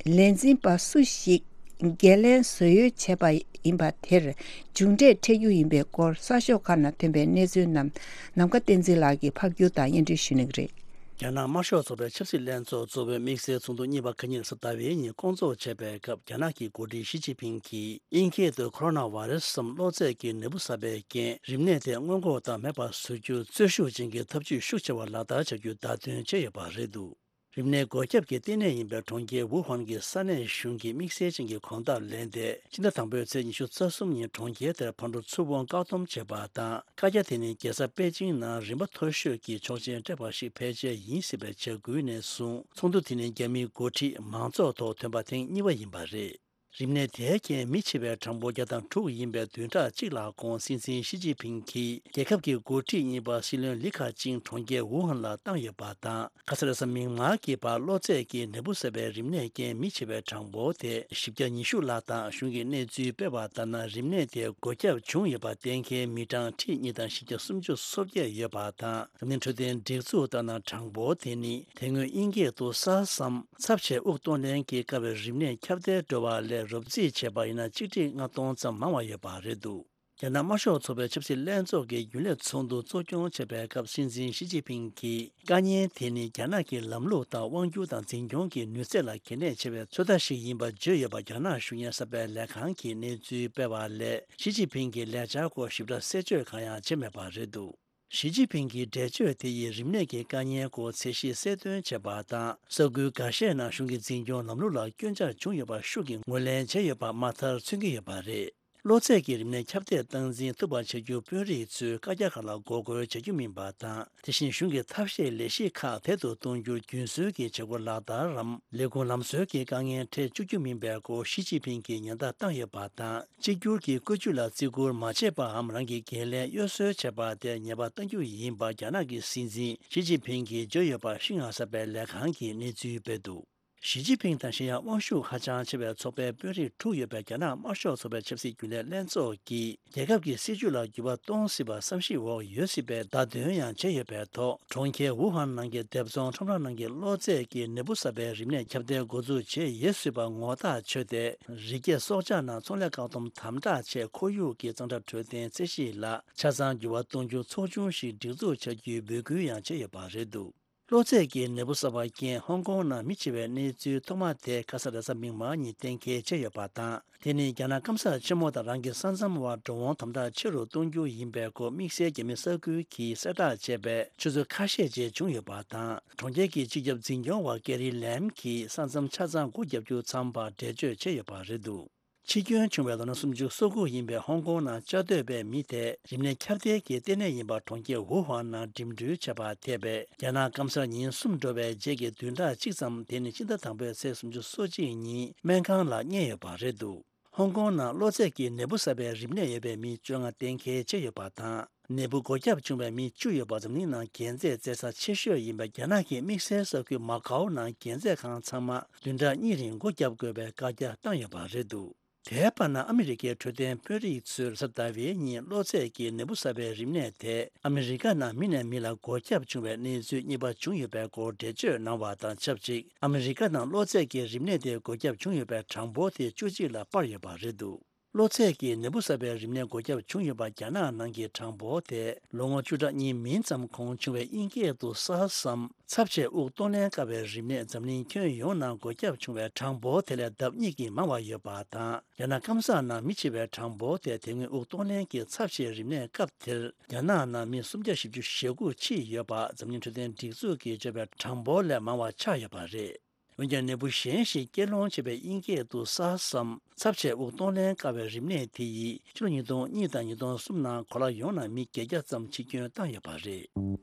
ལས་འཛིན་པ་སུ་ཞིག་འགན་ལེན་བཟོ་ཡོད་བྱས་པ་ཡིན་པ་དེར་མཇུག་འབྲས་འཕྲད་རྒྱུ་ཡིན་པའི་སྐོར་གསར་ཤོག་ཁག་ནང་ཐོན་པའི་གནས་ཚུལ་རྣམས་ནམ་མཁའ་བསྟན་འཛིན་ལགས་ཀྱིས་ཕབ་སྒྱུར་དང་སྙན་སྒྲོན་ཞུ་གནང་གི་རེད། རྒྱ་ནག་དམར་ཤོག་ཚོགས་པའི་ཆབ་སྲིད་ལྷན་ཚོགས་གཙོ་བོའི་དམིགས་བསལ་ཚོགས་འདུ་གཉིས་པ་ཁ་ཉིན་རེས་གཟའ་ཟླ་བའི་ཉིན་སྐོང་ཚོགས་བྱས་པའི་སྐབས། རྒྱ་ནག་གི་འགོ་ཁྲིད་ཞི་ཅིན་ཕིང་གིས་དབྱིན་སྐད་དུ་Coronavirus སམ་གློ་ཚད་ཀྱི་ནད་འབུ་གསར་པའི་རྐྱེན་རིམས་ནད་དེ་སྔོན་འགོག་དང་མེད་པར་བཟོ་རྒྱུར་རྩོལ་ཤུགས་ཅན་གྱི་ཐབས་ཇུས་ཤུགས་ཆེ་བ་ལག་བསྟར་བྱ་རྒྱུའི་བརྡ་སྟོན་བྱས་ཡོད་པ་རེད་འདུག་རིམས་ནད་འགོས་ཁྱབ་ཀྱི་ལྟེ་གནས་ཡིན་པའི་གྲོང་ཁྱེར་ཝུ་ཧན་གྱི་ས་གནས་གཞུང་གིས་དམིགས་བསལ་ཅན་གྱི་གོམ་སྟབས་ལེན་ཏེ། ཕྱི་ཟླ་དང་པོའི་ཚེས་ཉི་ཤུ་རྩ་གསུམ་ཉིན་གྲོང་ཁྱེར་དེར་ཕར་འགྲོ་ཚུར་འོང་བཀག་སྡོམ་བྱས་པ་དང་། བཀའ་རྒྱ་དེ་ནི་རྒྱལ་ས་པེ་ཅིང་ནང་རིམ་པ་མཐོ་ཤོས་ཀྱི་ཆོག་མཆན་སྤྲད་པ་ཞིག་ཕལ་ཆེར་ཡིན་སྲིད་པའི་བྱ་འགུལ་ནས་བཟུང་། ཚོགས་འདུ་དེ་ནི་རྒྱ་མིའི་འགོ་ཁྲིད་མང་ཚོགས་ཐོག་ཐོན་པ་ཐེངས་གཉིས་པ་ཡིན་པ་རེད། རིམས་ནད་དེའི་རྐྱེན་མི་འཆི་བའི་གྲངས་འབོར་བརྒྱ་དང་དྲུག་ཡིན་པའི་བདུན་ཕྲག་གཅིག་ལ་དགོངས། སྲིད་འཛིན་ཞི་ཅིན་ཕིང་གིས་རྒྱལ་ཁབ་ཀྱི་འགོ་ཁྲིད་གཉིས་པ་སྲིད་བློན་ལི་ཁེ་ཆིང་གྲོང་ཁྱེར་ཝུ་ཧན་ལ་བཏང་ཡོད་པ་དང་། ཁ་སང་མིག་དམར་གྱི་བར་གློ་ཚད་ཀྱི་ནད་འབུ་གསར་པའི་རིམས་ནད་རྐྱེན་མི་འཆི་བའི་གྲངས་འབོར་དེ་བཞི་བརྒྱ་ཉི་ཤུ་ལ་བཏང་། གཞུང་གིས་གནས་ཚུལ་སྤེལ་བ་ལྟར་ན། རིམས་ནད་དེ་འགོས་ཁྱབ་བྱུང་ཡོད་པ་གཏན་འཁེལ་མི་གྲངས་ཁྲི་གཉིས་དང་བཞི་བརྒྱ་སུམ་ཅུ་སོ་བརྒྱད་ཡོད་པ་དང་། འཛམ་གླིང་འཕྲོད་བསྟེན་སྒྲིག་འཛུགས་ལྟར་ན། གྲངས་འབོར་དེ་ནི་དེ་སྔོན་དབྱིན་སྐད་དུ་SARS སམ་ཚབས་ཆེ་དབུགས་གཏོང་ལེན་གྱི་སྐབས་རིམས་ནད་ཁྱབ་གདལ་འགྲོ་བ་ལས་རོབ་རྩིས་བྱས་པ་ཡིན་ན། གཅིག་ཁྲི་ལྔ་སྟོང་ཙམ་མང་བ་ཡོད་པ་རེད་འདུག་རྒྱ་ནག་དམར་ཤོག་ཚོགས་པའི་ཆབ་སྲིད་ལྷན་ཚོགས་ཀྱི་རྒྱུན་ལས་ཚོགས་འདུ་གཙོ་སྐྱོང་བྱས་པའི་སྐབས། སྲིད་འཛིན་ཞི་ཅིན་ཕིང་གིས། དཀའ་ངལ་དེ་ནི་རྒྱ་ནག་གི་ལམ་ལུགས་དང་། དབང་སྒྱུར་དང་འཛིན་སྐྱོང་གི་ནུས་ཚད་ལ་གལ་གནད་ཆེ་བའི་ཚོད་ལྟ་ཞིག་ཡིན་པ་བརྗོད་ཡོད་པ། རྒྱ་ནག་གཞུང་གཉེར་གསར་པའི་ལས་ཁང་གིས་གནས་ཚུལ་སྤེལ་བ་ལས། ཞི་ཅིན་ཕིང་གི་ལས་འཆར་སྐོར་ཞིབ་ཕྲ་གསལ་བརྗོད་གང་ཡང་བྱས་མེད་པ་རེད་འདུག་ཞི་ཅིན་ཕིང་གི་འགྲེལ་བརྗོད་དེ་ཡིས་རིམས་ནད་ཀྱི་དཀའ་ངལ་སྐོར་ཚད་གཞི་གསལ་སྟོན་བྱས་པ་དང་། ས་ཁུལ་འགའ་ཤས་ནང་གཞུང་གི་འཛིན་སྐྱོང་ལམ་ལུགས་ལ་སྐྱོན་ཆ་བྱུང་ཡོད་པ་ཤུགས་ཀྱིས་ངོས་ལེན་བྱས་ཡོད་པ་མ་མཐར་མཚོན་གྱི་ཡོད་པ་རེད། གློ་ཚད་ཀྱི་རིམས་ནད་ཁྱབ་གདལ་སྟངས་འཛིན་ཐུབ་པ་བྱ་རྒྱུར་དཔོན་རིགས་ཚོས་བཀའ་རྒྱ་ཁག་ལ་འགོག་རྒོལ་བྱ་རྒྱུ་མིན་པ་དང་། དེ་བཞིན་གཞུང་གི་ཐབས་ཤེས་ལས་གཞི་ཁག་དལ་དུ་གཏོང་རྒྱུར་རྒྱུན་སྲོལ་གྱི་བྱེད་སྒོ་ལག་བསྟར་རམ། ལས་ཁུངས་ལམ་སྲོལ་གྱི་དཀའ་ངལ་འཕྲད་བཅུག་རྒྱུ་མིན་པའི་སྐོར་ཞི་ཅིན་ཕིང་གིས་ཉེན་བརྡ་བཏང་ཡོད་པ་དང་། གཅིག་གྱུར་གྱི་བཀོད་ཇུས་ལ་བརྩི་བཀུར་མ་བྱས་པའམ། རང་གི་འགན་ལེན་གཡོ་ཟོལ་བྱས་པ་དེར་ཉེས་པ་གཏང་རྒྱུ་ཡིན་པ་རྒྱ་ནག་གི་སྲིད་འཛིན་ཞི་ཅིན་ཕིང་གིས་བརྗོད་ཡོད་པ་ཤིན་ཧྭ་གསར་པའི་ལས་ཁང་གིས་གནས་ཚུལ་སྤེལ་འདུག་ཞི་ཅིན་ཕིང་དང་གཞན་ཡང་དབང་ཤུགས་ཧ་ཅང་ཆེ་བའི་ཚོགས་པའི་དཔོན་རིགས་དྲུག་ཡོད་པའི་རྒྱ་ནག་དམར་ཤོག་ཚོགས་པའི་ཆབ་སྲིད་རྒྱུན་ལས་ལྷན་ཚོགས་ཀྱིས། རྒྱལ་ཁབ་ཀྱི་སྲིད་བྱུས་ལ་འགྱུར་བ་གཏོང་སྲིད་པ་བསམ་གཞིག་འོག་ཡོད་སྲིད་པའི་བརྡ་སྟོན་ཡང་བྱས་ཡོད་པའི་ཐོག་གྲོང་ཁྱེར་ཝུ་ཧན་ནང་གི་སྡེབ་ཚོང་ཁྲོམ་ར་ནང་གི་གློ་ཚད་ཀྱི་ནད་འབུ་གསར་པའི་རིམས་ནད་ཁྱབ་གདལ་འགོ་འཛུགས་བྱས་ཡོད་སྲིད་པ་ངོ་ཐག་ཆོད་དེ། རི་སྐྱེས་སྲོག་ཆགས་ནང་ཚོང་ལས་བཀག་སྡོམ་དམ་དྲག་ཆེད་ཁོར་ཡུག་གི་གཙང་སྦྲ་འཕྲོད་བསྟེན་ཚད་གཞི་ལ་ཆ་ཚང་འགྱུར་བ་གཏོང་རྒྱུ་ཚོགས་ཆུང་ཞིག་སྒྲིག་འཛུགས་བྱ་རྒྱུའི་འབོད་སྐུལ་ཡང་བྱས་ཡོད་པ་རེད་འདུག་གློ་ཚད་ཀྱི་ནད་འབུ་གསར་པ་རྐྱེན་ཧོང་ཀོང་ནང་མི་འཆི་བའི་གནས་ཚུལ་ཐོག་མ་དེ་ཁ་ས་རེས་གཟའ་མིག་དམར་ཉིན་གཏན་འཁེལ་བྱས་ཡོད་པ་དང་། དེ་ནི་རྒྱ་ནག་སྐམ་ས་ཆེན་མོ་དང་རང་གི་ས་མཚམས་བར་འགྲོ་འོང་དམ་དྲག་ཆེ་རུ་གཏོང་རྒྱུ་ཡིན་པའི་སྐོར་དམིགས་བསལ་རྒྱ་མི་གསར་འགོད་ཀྱིས་གསལ་བསྒྲགས་བྱས་པའི་ཆུ་ཚོད་ཁ་ཤས་རྗེས་བྱུང་ཡོད་པ་དང་། གྲོང་ཁྱེར་གྱི་སྤྱི་ཁྱབ་འཛིན་སྐྱོང་བ་ཀེ་རི་ལེམ་གྱིས་ས་མཚམས་ཆ་ཚང་སྒོ་བརྒྱབ་རྒྱུ་མཚམས་པ་འགྲེལ་བརྗོད་བྱས་ཡོད་པ་རེད་འདུག་འཆི་སྐྱོན་བྱུང་བའི་ལོ་ན་སུམ་ཅུ་སོ་དགུ་ཡིན་པའི་ཧོང་ཀོང་ནང་བཅའ་སྡོད་པའི་མི་དེ་རིམས་ནད་ཁྱབ་གདལ་གྱི་ལྟེ་གནས་ཡིན་པ་གྲོང་ཁྱེར་ཝུ་ཧན་ནང་འགྲིམ་འགྲུལ་བྱས་པ་ཐེ་བའི་རྒྱ་ནག་སྐམ་སར་ཉིན་གསུམ་འགྲོ་བའི་རྗེས་ཀྱི་བདུན་ཕྲག་གཅིག་ཙམ། དེ་ནི་ཕྱི་ཟླ་དང་པོའི་ཚེས་སུམ་ཅུ་སོ་གཅིག་ཉིན་སྨན་ཁང་ལ་བསྙལ་ཡོད་པ་རེད་འདུག་ཧོང་ཀོང་ནང་གློ་ཚད་ཀྱི་ནད་འབུ་གསར་པའི་རིམས་ནད་ཡོད་པའི་མི་བཅོ་ལྔ་གཏན་འཁེལ་བྱས་ཡོད་པ་དང་། ནད་འབུ་འགོས་ཁྱབ་བྱུང་བའི་མི་བཅུ་ཡོད་པ་འཛམ་གླིང་ནང་འགན་རྩོད་བྱེད་ས་ཆེ་ཤོས་ཡིན་པའི་རྒྱ་ནག་གི་དམིགས་བསལ་ས་ཁུལ་མ་ཀའོ་ནང་འགན་རྩོད་ཁང་ཚང་མ་བདུན་ཕྲག་གཉིས་རིང་སྒོ་བརྒྱབ་དགོས་པའི་བཀའ་རྒྱ་བཏང་ཡོད་པ་རེད་འདུག་དེའི་བར་ན་ཨ་མི་རི་ཀའི་འཕྲོད་བསྟེན་དཔོན་རིགས་ཚོས་རེས་གཟའ་ཟླ་བའི་ཉིན་གློ་ཚད་ཀྱི་ནད་འབུ་གསར་པའི་རིམས་ནད་དེ་ཨ་མི་རི་ཀ་ནང་མི་ནས་མི་ལ་འགོས་ཁྱབ་བྱུང་བའི་གནས་ཚུལ་གཉིས་པ་བྱུང་ཡོད་པའི་སྐོར་འགྲེལ་བརྗོད་གནང་བ་དང་ཆབས་ཅིག་ཨ་མི་རི་ཀ་ནང་གློ་ཚད་ཀྱི་རིམས་ནད་དེ་འགོས་ཁྱབ་བྱུང་ཡོད་པའི་གྲངས་འབོར་དེ་བཅུ་གཅིག་ལ་སྤར་ཡོད་པ་རེད་འདུག་གློ་ཚད་ཀྱི་ནད་འབུ་གསར་པའི་རིམས་ནད་འགོས་ཁྱབ་བྱུང་ཡོད་པ་རྒྱ་ནག་ནང་གི་གྲངས་འབོར་དེ་ལོ་ངོ་བཅུ་ཕྲག་གཉིས་མིན་ཙམ་གོང་བྱུང་བའི་དབྱིན་སྐད་དུ་སཱར་སམ་ཚབས་ཆེ་དབུགས་གཏོང་ལེན་དཀའ་བའི་རིམས་ནད་འཛམ་གླིང་ཁྱོན་ཡོངས་ནང་འགོས་ཁྱབ་བྱུང་བའི་གྲངས་འབོར་དེ་ལས་ལྡབ་གཉིས་ཀྱིས་མང་བ་ཡོད་པ་དང་། རྒྱ་ནག་སྐམ་ས་ནང་མི་འཆི་བའི་གྲངས་འབོར་དེ་དེ་སྔོན་དབུགས་གཏོང་ལེན་གྱི་ཚབས་ཆེའི་རིམས་ནད་སྐབས་དེར་རྒྱ་ནག་ནང་མི་སུམ་བརྒྱ་བཞི་བཅུ་ཞེ་དགུ་འཆི་ཡོད་པ་འཛམ་གླིང་འཕྲོད་བསྟེན་སྒྲིག་འཛུགས་ཀྱིས་བརྗོད་པའི་གྲངས་འབོར་ལས་མང་བ་ཆགས་ཡོད་པ་རེད། འོན་ཀྱང་ནད་འབུ་གཞན་ཞིག་སྐྱེད་སློང་བྱེད་པའི་དབྱིན་སྐད་དུ་སཱར་སམ་ཚབས་ཆེ་དབུགས་གཏོང་ལེན་དཀའ་བའི་རིམས་ནད་དེ་ཡིས་ཕྱི་ལོ་ཉིས་སྟོང་གཉིས་དང་ཉིས་སྟོང་གསུམ་ནང་གོ་ལ་ཡོངས་ནང་མི་བརྒྱད་བརྒྱ་ཙམ་འཆི་སྐྱོན་བཏང་ཡོད་པ་རེད།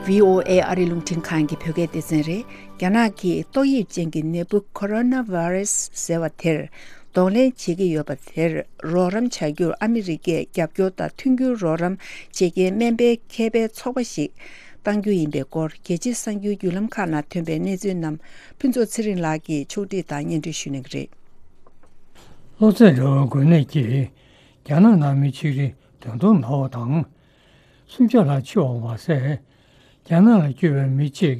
བྷི་ཨོ་ཨེ་ཨ་རི་རླུང་འཕྲིན་ཁང་གི་བོད་སྐད་སྡེ་ཚན་རེད། རྒྱ་ནག་གིས་ཏོག་དབྱིབས་ཅན་གྱི་ནད་འབུ་ཁོ་རོ་ན་ཝེ་རུ་སི་ཟེར་བ་དེར་གདོང་ལེན་བྱེད་ཀྱི་ཡོད་པ་དེར་རོགས་རམ་བྱ་རྒྱུར་ཨ་མི་རི་ཀས་རྒྱབ་སྐྱོར་དང་མཐུན་འགྱུར་རོགས་རམ་བྱེད་མཁན་སྨན་པའི་མཁས་པའི་ཚོགས་པ་ཞིག་གཏང་རྒྱུ་ཡིན་པའི་སྐོར་རྒྱལ་སྤྱིའི་གསར་འགྱུར་བརྒྱུད་ལམ་ཁག་ནང་ཐོན་པའི་གནས་ཚུལ་རྣམས་ཕུན་ཚོགས་ཚེ་རིང་ལགས་ཀྱིས་ཕྱོགས་སྒྲིག་དང་སྙན་སྒྲོན་ཞུ་གནང་གི་རེད། གློ་ཚད་འདྲ་བའི་འགོས་ནད་ཀྱིས་རྒྱ་ནག་ནང་མི་ཆིག་ཁྲི་བདུན་སྟོང་ན་བ་དང་། སུམ་བརྒྱ་ལྷག་འཆི་བ་མ་ཟད། རྒྱ་ནག་ལ་སྐྱོད་པའི་མི་གཅིག་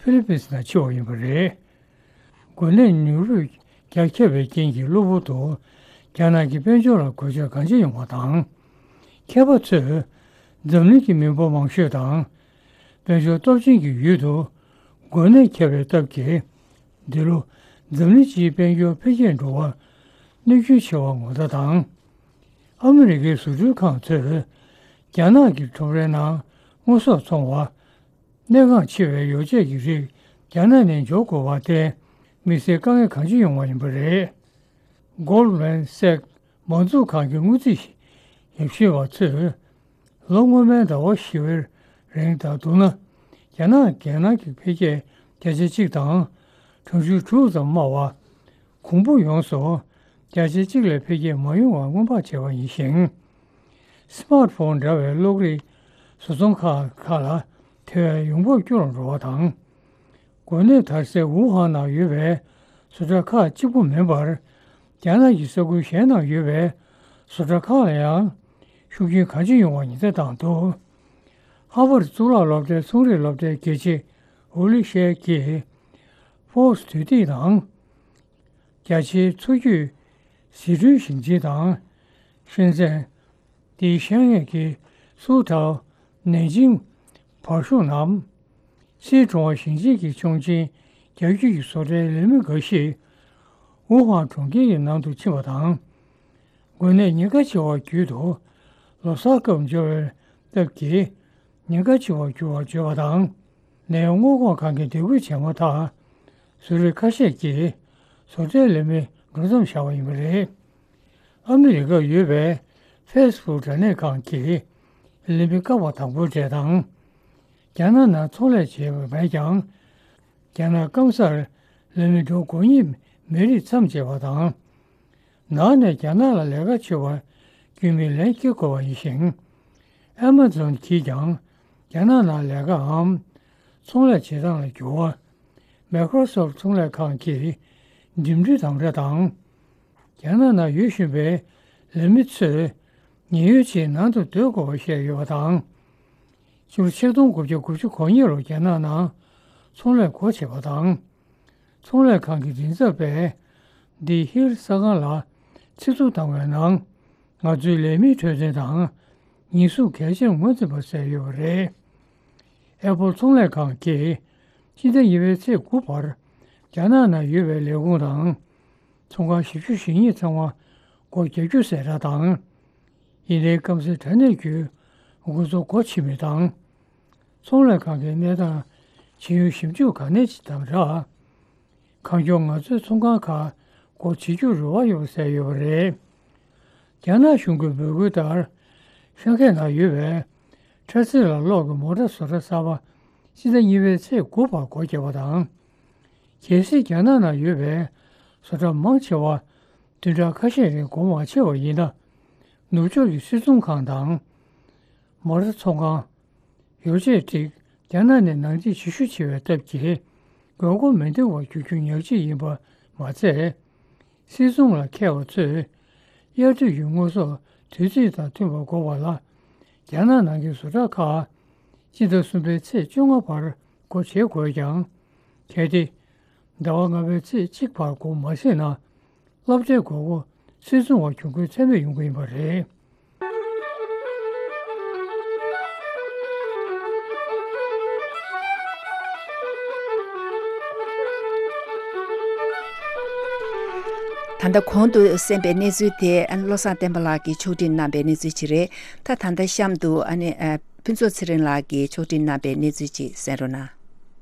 ཧྥི་ལི་པིན་སི་ནང་འཆི་བ་ཡིན་པ་རེད། འགོས་ནད་ནུས་པ་རྒྱ་ཁྱབ་པའི་རྐྱེན་གྱིས་གློ་བུར་དུ་རྒྱ་ནག་གི་དཔལ་འབྱོར་ལ་གོད་ཆག་གང་ཆེ་ཡོང་བ་དང་། མཁས་པ་ཚོས་འཛམ་གླིང་གི་མི་འབོར་མང་ཤོས་དང་། དཔལ་འབྱོར་སྟོབས་ཆེན་གྱི་ཡུལ་དུ་འགོས་ནད་ཁྱབ་པའི་སྟབས་ཀྱིས། འདི་ལོ་འཛམ་གླིང་སྤྱིའི་དཔལ་འབྱོར་འཕེལ་རྒྱས་འགྲོ་བར་གནོད་སྐྱོན་ཆེ་བ་ངོ་ཚ་དང་། ཨ་མི་རི་ཀའི་བཟོ་སྐྲུན་ཁང་ཚོས་རྒྱ་ནག་གི་ཁྲོམ་རའི་ནང་དངོས་ཟོག་འཚོང་བ། གནས་འགག་ཆེ་བའི་ཡོ་བྱད་ཀྱི་རིགས་རྒྱ་ནག་ནས་འཇོག་དགོས་པར་བརྟེན། དམིགས་བསལ་དཀའ་ངལ་གང་ཅི་ཡོང་བ་ཡིན་པ་རེད། Goldman Sachs མང་གཙོ་ཁང་གི་དངུལ་རྩིས་ཞིབ་བཤེར་བ་ཚོས། ལོ་སྔོན་མའི་ཟླ་བ་བཞི་པའི་རིང་དང་བསྡུར་ན། རྒྱ་ནག་རྒྱལ་ནང་གི་འཕེལ་རྒྱས་བརྒྱ་ཆ་གཅིག་དང་གྲངས་ཆུང་དྲུག་ཙམ་དམའ་བ། གོང་འཕེལ་ཡོངས་སུ་བརྒྱ་ཆ་གཅིག་ལས་འཕེལ་རྒྱས་མ་ཡོང་བར་སྔོན་དཔག་བྱས་པ་ཡིན་ཞིང་། སི་མཱར་ཕོན་འདྲ་བའི་གློག་རིག་བཟོ་ཚོང་ཁང་ཁག་ལ་དེ་བས་ཡོང་འབབ་སྐྱོ་རུ་འགྲོ་བ་དང་། འགོས་ནད་དར་སའི་ཝུ་ཧན་ནང་ཡོད་པའི་བཟོ་གྲྭ་ཁག་གཅིག་པུ་མིན་པར། རྒྱ་ནག་གི་ས་ཁུལ་གཞན་ནང་ཡོད་པའི་བཟོ་གྲྭ་ཁག་ལ་ཡང་ཤུགས་རྐྱེན་གང་ཅི་ཡོང་བ་ཉེན་བརྡ་བཏང་འདུག་ཧར་ཝར་གཙུག་ལག་སློབ་གྲྭའི་ཚོང་རིག་སློབ་གྲྭའི་དགེ་ཆེ་ཧུ་ལི་ཤེ་གིས་ཧྥོག་སི་དུས་དེབ་དང་། རྒྱ་ཆེའི་མཚོ་རྒྱུད་ཟི་ཁྲོན་ཞིང་ཆེན་དང་། ཧྲེན་ཙེན། ཏེ་ཤན་ཡན་གྱི་སུའུ་ཐའོ། ནན་ཅིང་། བར་ཤུག་ནམ། སིའི་ཀྲུང་ཧྭ་ཞིང་ཆེན་གྱི་ཆུང་ཆེན་རྒྱ་ཁྱོན་གྱི་བཟོ་གྲྭའི་ལས་མི་འགའ་ཞིག་ཝུ་ཧན་གྲོང་ཁྱེར་གྱི་ནང་དུ་ཕྱིན་པ་དང་། འགོས་ནད་ཉེན་ཁ་ཆེ་བ་བརྒྱུད་དུ་ལོ་གསར་སྐབས་འབྱོར་བའི་སྟབས་ཀྱིས། ཉེན་ཁ་ཆེ་བར་གྱུར་བར་བརྗོད་པ་དང་། ནད་ཡམས་སྔོན་འགོག་ཁང་གིས་འདེད་སྐུལ་བྱས་མ་ཐག་བཟོ་རིགས་ཁ་ཤས་ཀྱིས་བཟོ་གྲྭའི་ལས་མི་འགྲོ་མཚམས་བཞག་པ་ཡིན་པ་རེད། ཨ་མི་རི་ཀར་ཡོད་པའི་ཧྥེ་སི་བུག་དྲ་གནས་ཁང་གི་ལས་མི་བཀག་པ་དང་པོའི་གྲས་དང་། རྒྱ་ནག་ནང་ཚོང་ལས་བྱས་པ་མེད་ཀྱང་། རྒྱ་ནག་སྐམ་སར་ ལས་མི་གྲངས་དགུ་གཉིས་མེ་རིས་མཚམས་བཅད་པ་དང་། ནང་ནས་རྒྱ་ནག་ལ་ལས་ཀ་བྱེད་པར་རྒྱུས་མེད་ལན་བསྐྱེད་དགོས་པ་ཡིན་ཞིང་། ཨེ་མ་ཛོན་གྱིས་ཀྱང་རྒྱ་ནག་ནང་ལས་ཀའམ་ཚོང་ལས་བྱེད་སྟངས་ལ་འགྱུར་བ། མའི་ཀྲོ་སོབ་ཚོང་ལས་ཁང་གིས་འགྲིམ་འགྲུལ་དམ་དྲག་དང་། རྒྱ་ནག་ནང་ཡོད་བཞིན་པའི་ལས་མི་ཚོས་ཉེན་གཡོལ་ཆེད་ནང་དུ་སྡོད་དགོས་པ་བཤད་ཡོད་པ་དང་། ཕྱི་ལོ་ཆིག་སྟོང་དགུ་བརྒྱ་དགུ་བཅུ་གོ་གཉིས་ལོར་རྒྱ་ནག་ནང་ཚོང་ལས་སྒོ་ཕྱེ་བ་དང་། ཚོང་ལས་ཁང་གི་མགྲིན་ཚབ་པས་The Hill གསར་ཁང་ལ་ཚིག་ཐོ་བཏང་བའི་ནང་། ང་ཚོའི་ལས་མིའི་འཕྲོད་བསྟེན་དང་ཉེན་སྲུང་གལ་ཆེར་ངོས་འཛིན་པ་གསལ་ཡོད་པ་རེད། ཨེ་པོལ་ཚོང་ལས་ཁང་གིས་སྤྱི་ཟླ་གཉིས་པའི་ཚེས་དགུ་བར་རྒྱ་ནག་ནང་ཡོད་པའི་ལས་ཁུངས་དང་ཚོང་ཁང་བཞི་བཅུ་ཞེ་གཉིས་ཚང་མ་སྒོ་རྒྱག་རྒྱུ་གསལ་བསྒྲགས་དང་། ཡིན་ནའི་སྐམ་སའི་དྲ་གནས་བརྒྱུད་དགོས་ཚོ་སྒོ་ཕྱེ་མུས་དང་། ཚོང་ལས་ཁང་གི་གནས་སྟངས་ཇི་ཡོང་ཞིབ་འཇུག་ག་ནས་ཅི་དང་སྦྲགས། གང་མགྱོགས་ང་ཚོའི་ཚོང་ཁང་ཁག་སྒོ་འབྱེད་རྒྱུར་རེ་བ་ཡོད་པ་གསལ་ཡོད་པ་རེད། རྒྱ་ནག་གཞུང་གི་འབོད་སྐུལ་ལྟར། ཤང་ཧའེ་ནང་ཡོད་པའི་ཁྲ་ཚིལ་ལ་གློག་གི་མོ་ཊ་བཟོ་གྲྭ་གསར་པ་སྤྱི་ཟླ་གཉིས་པའི་ཚེས་དགུ་བར་སྒོ་བརྒྱབ་པ་དང་། གལ་སྲིད་རྒྱ་ནག་ནང་ཡོད་པའི་བཟོ་གྲྭ་མང་ཆེ་བ་བདུན་ཕྲག་ཁ་ཤས་རིང་སྒོ་མ་ཕྱེ་བ་ཡིན་ན། ནུབ་ཕྱོགས་ཀྱི་སིལ་སྲུང་ཁང་དང་། མོ་ཊ་ཚོང་ཁང་། ཡོ་བྱད་ཀྲིག་རྒྱ་ནག་ནས་ནང་འདྲེན་བྱེད་ཤུགས་ཆེ་བའི་སྟབས་ཀྱིས། དགོས་མཁོ་མི་འདང་བར་འགྱུར་རྒྱུ་ཉག་གཅིག་ཡིན་པ་མ་ཚད། སིལ་སྲུང་ལ་མཁས་པ་ཚོས། དབྱར་དུས་ཀྱི་དངོས་ཟོག་དུས་ཚོད་དང་མཐུན་པར་དགོས་པ་ལ། རྒྱ་ནག་ནང་གི་བཟོ་གྲྭ་ཁག་སྤྱི་ཟླ་གསུམ་པའི་ཚེས་བཅོ་ལྔ་བར་སྒོ་འབྱེད་དགོས་ཀྱང་། གལ་ཏེ། ཟླ་བ་ལྔ་པའི་ཚེས་གཅིག་བར་སྒོ་མ་ཕྱེ་ན། སློབ་གྲྭའི་དགོས་མཁོ་ཕྱིར་ཚོང་བ་གྱོང་གུན་ཚད་མེད་ཡོང་གི་ཡིན་པ་རེད། ད་ལྟ་གོང་དུ་གསན་པའི་གནས་ཚུལ་དེ་ཨ་ནི་བློ་བཟང་བསྟན་པ་ལགས་ཀྱིས་ཕྱོགས་སྒྲིག་གནང་པའི་གནས་ཚུལ་ཅིག་རེད། ད་ད་ལྟ་གཤམ་དུ་ཨ་ནི་ཨ་ཕུན་ཚོགས་ཚེ་རིང་ལགས་ཀྱིས་ཕྱོགས་སྒྲིག་གནང་པའི་གནས་ཚུལ་ཅིག་གསན་རོགས་གནང་།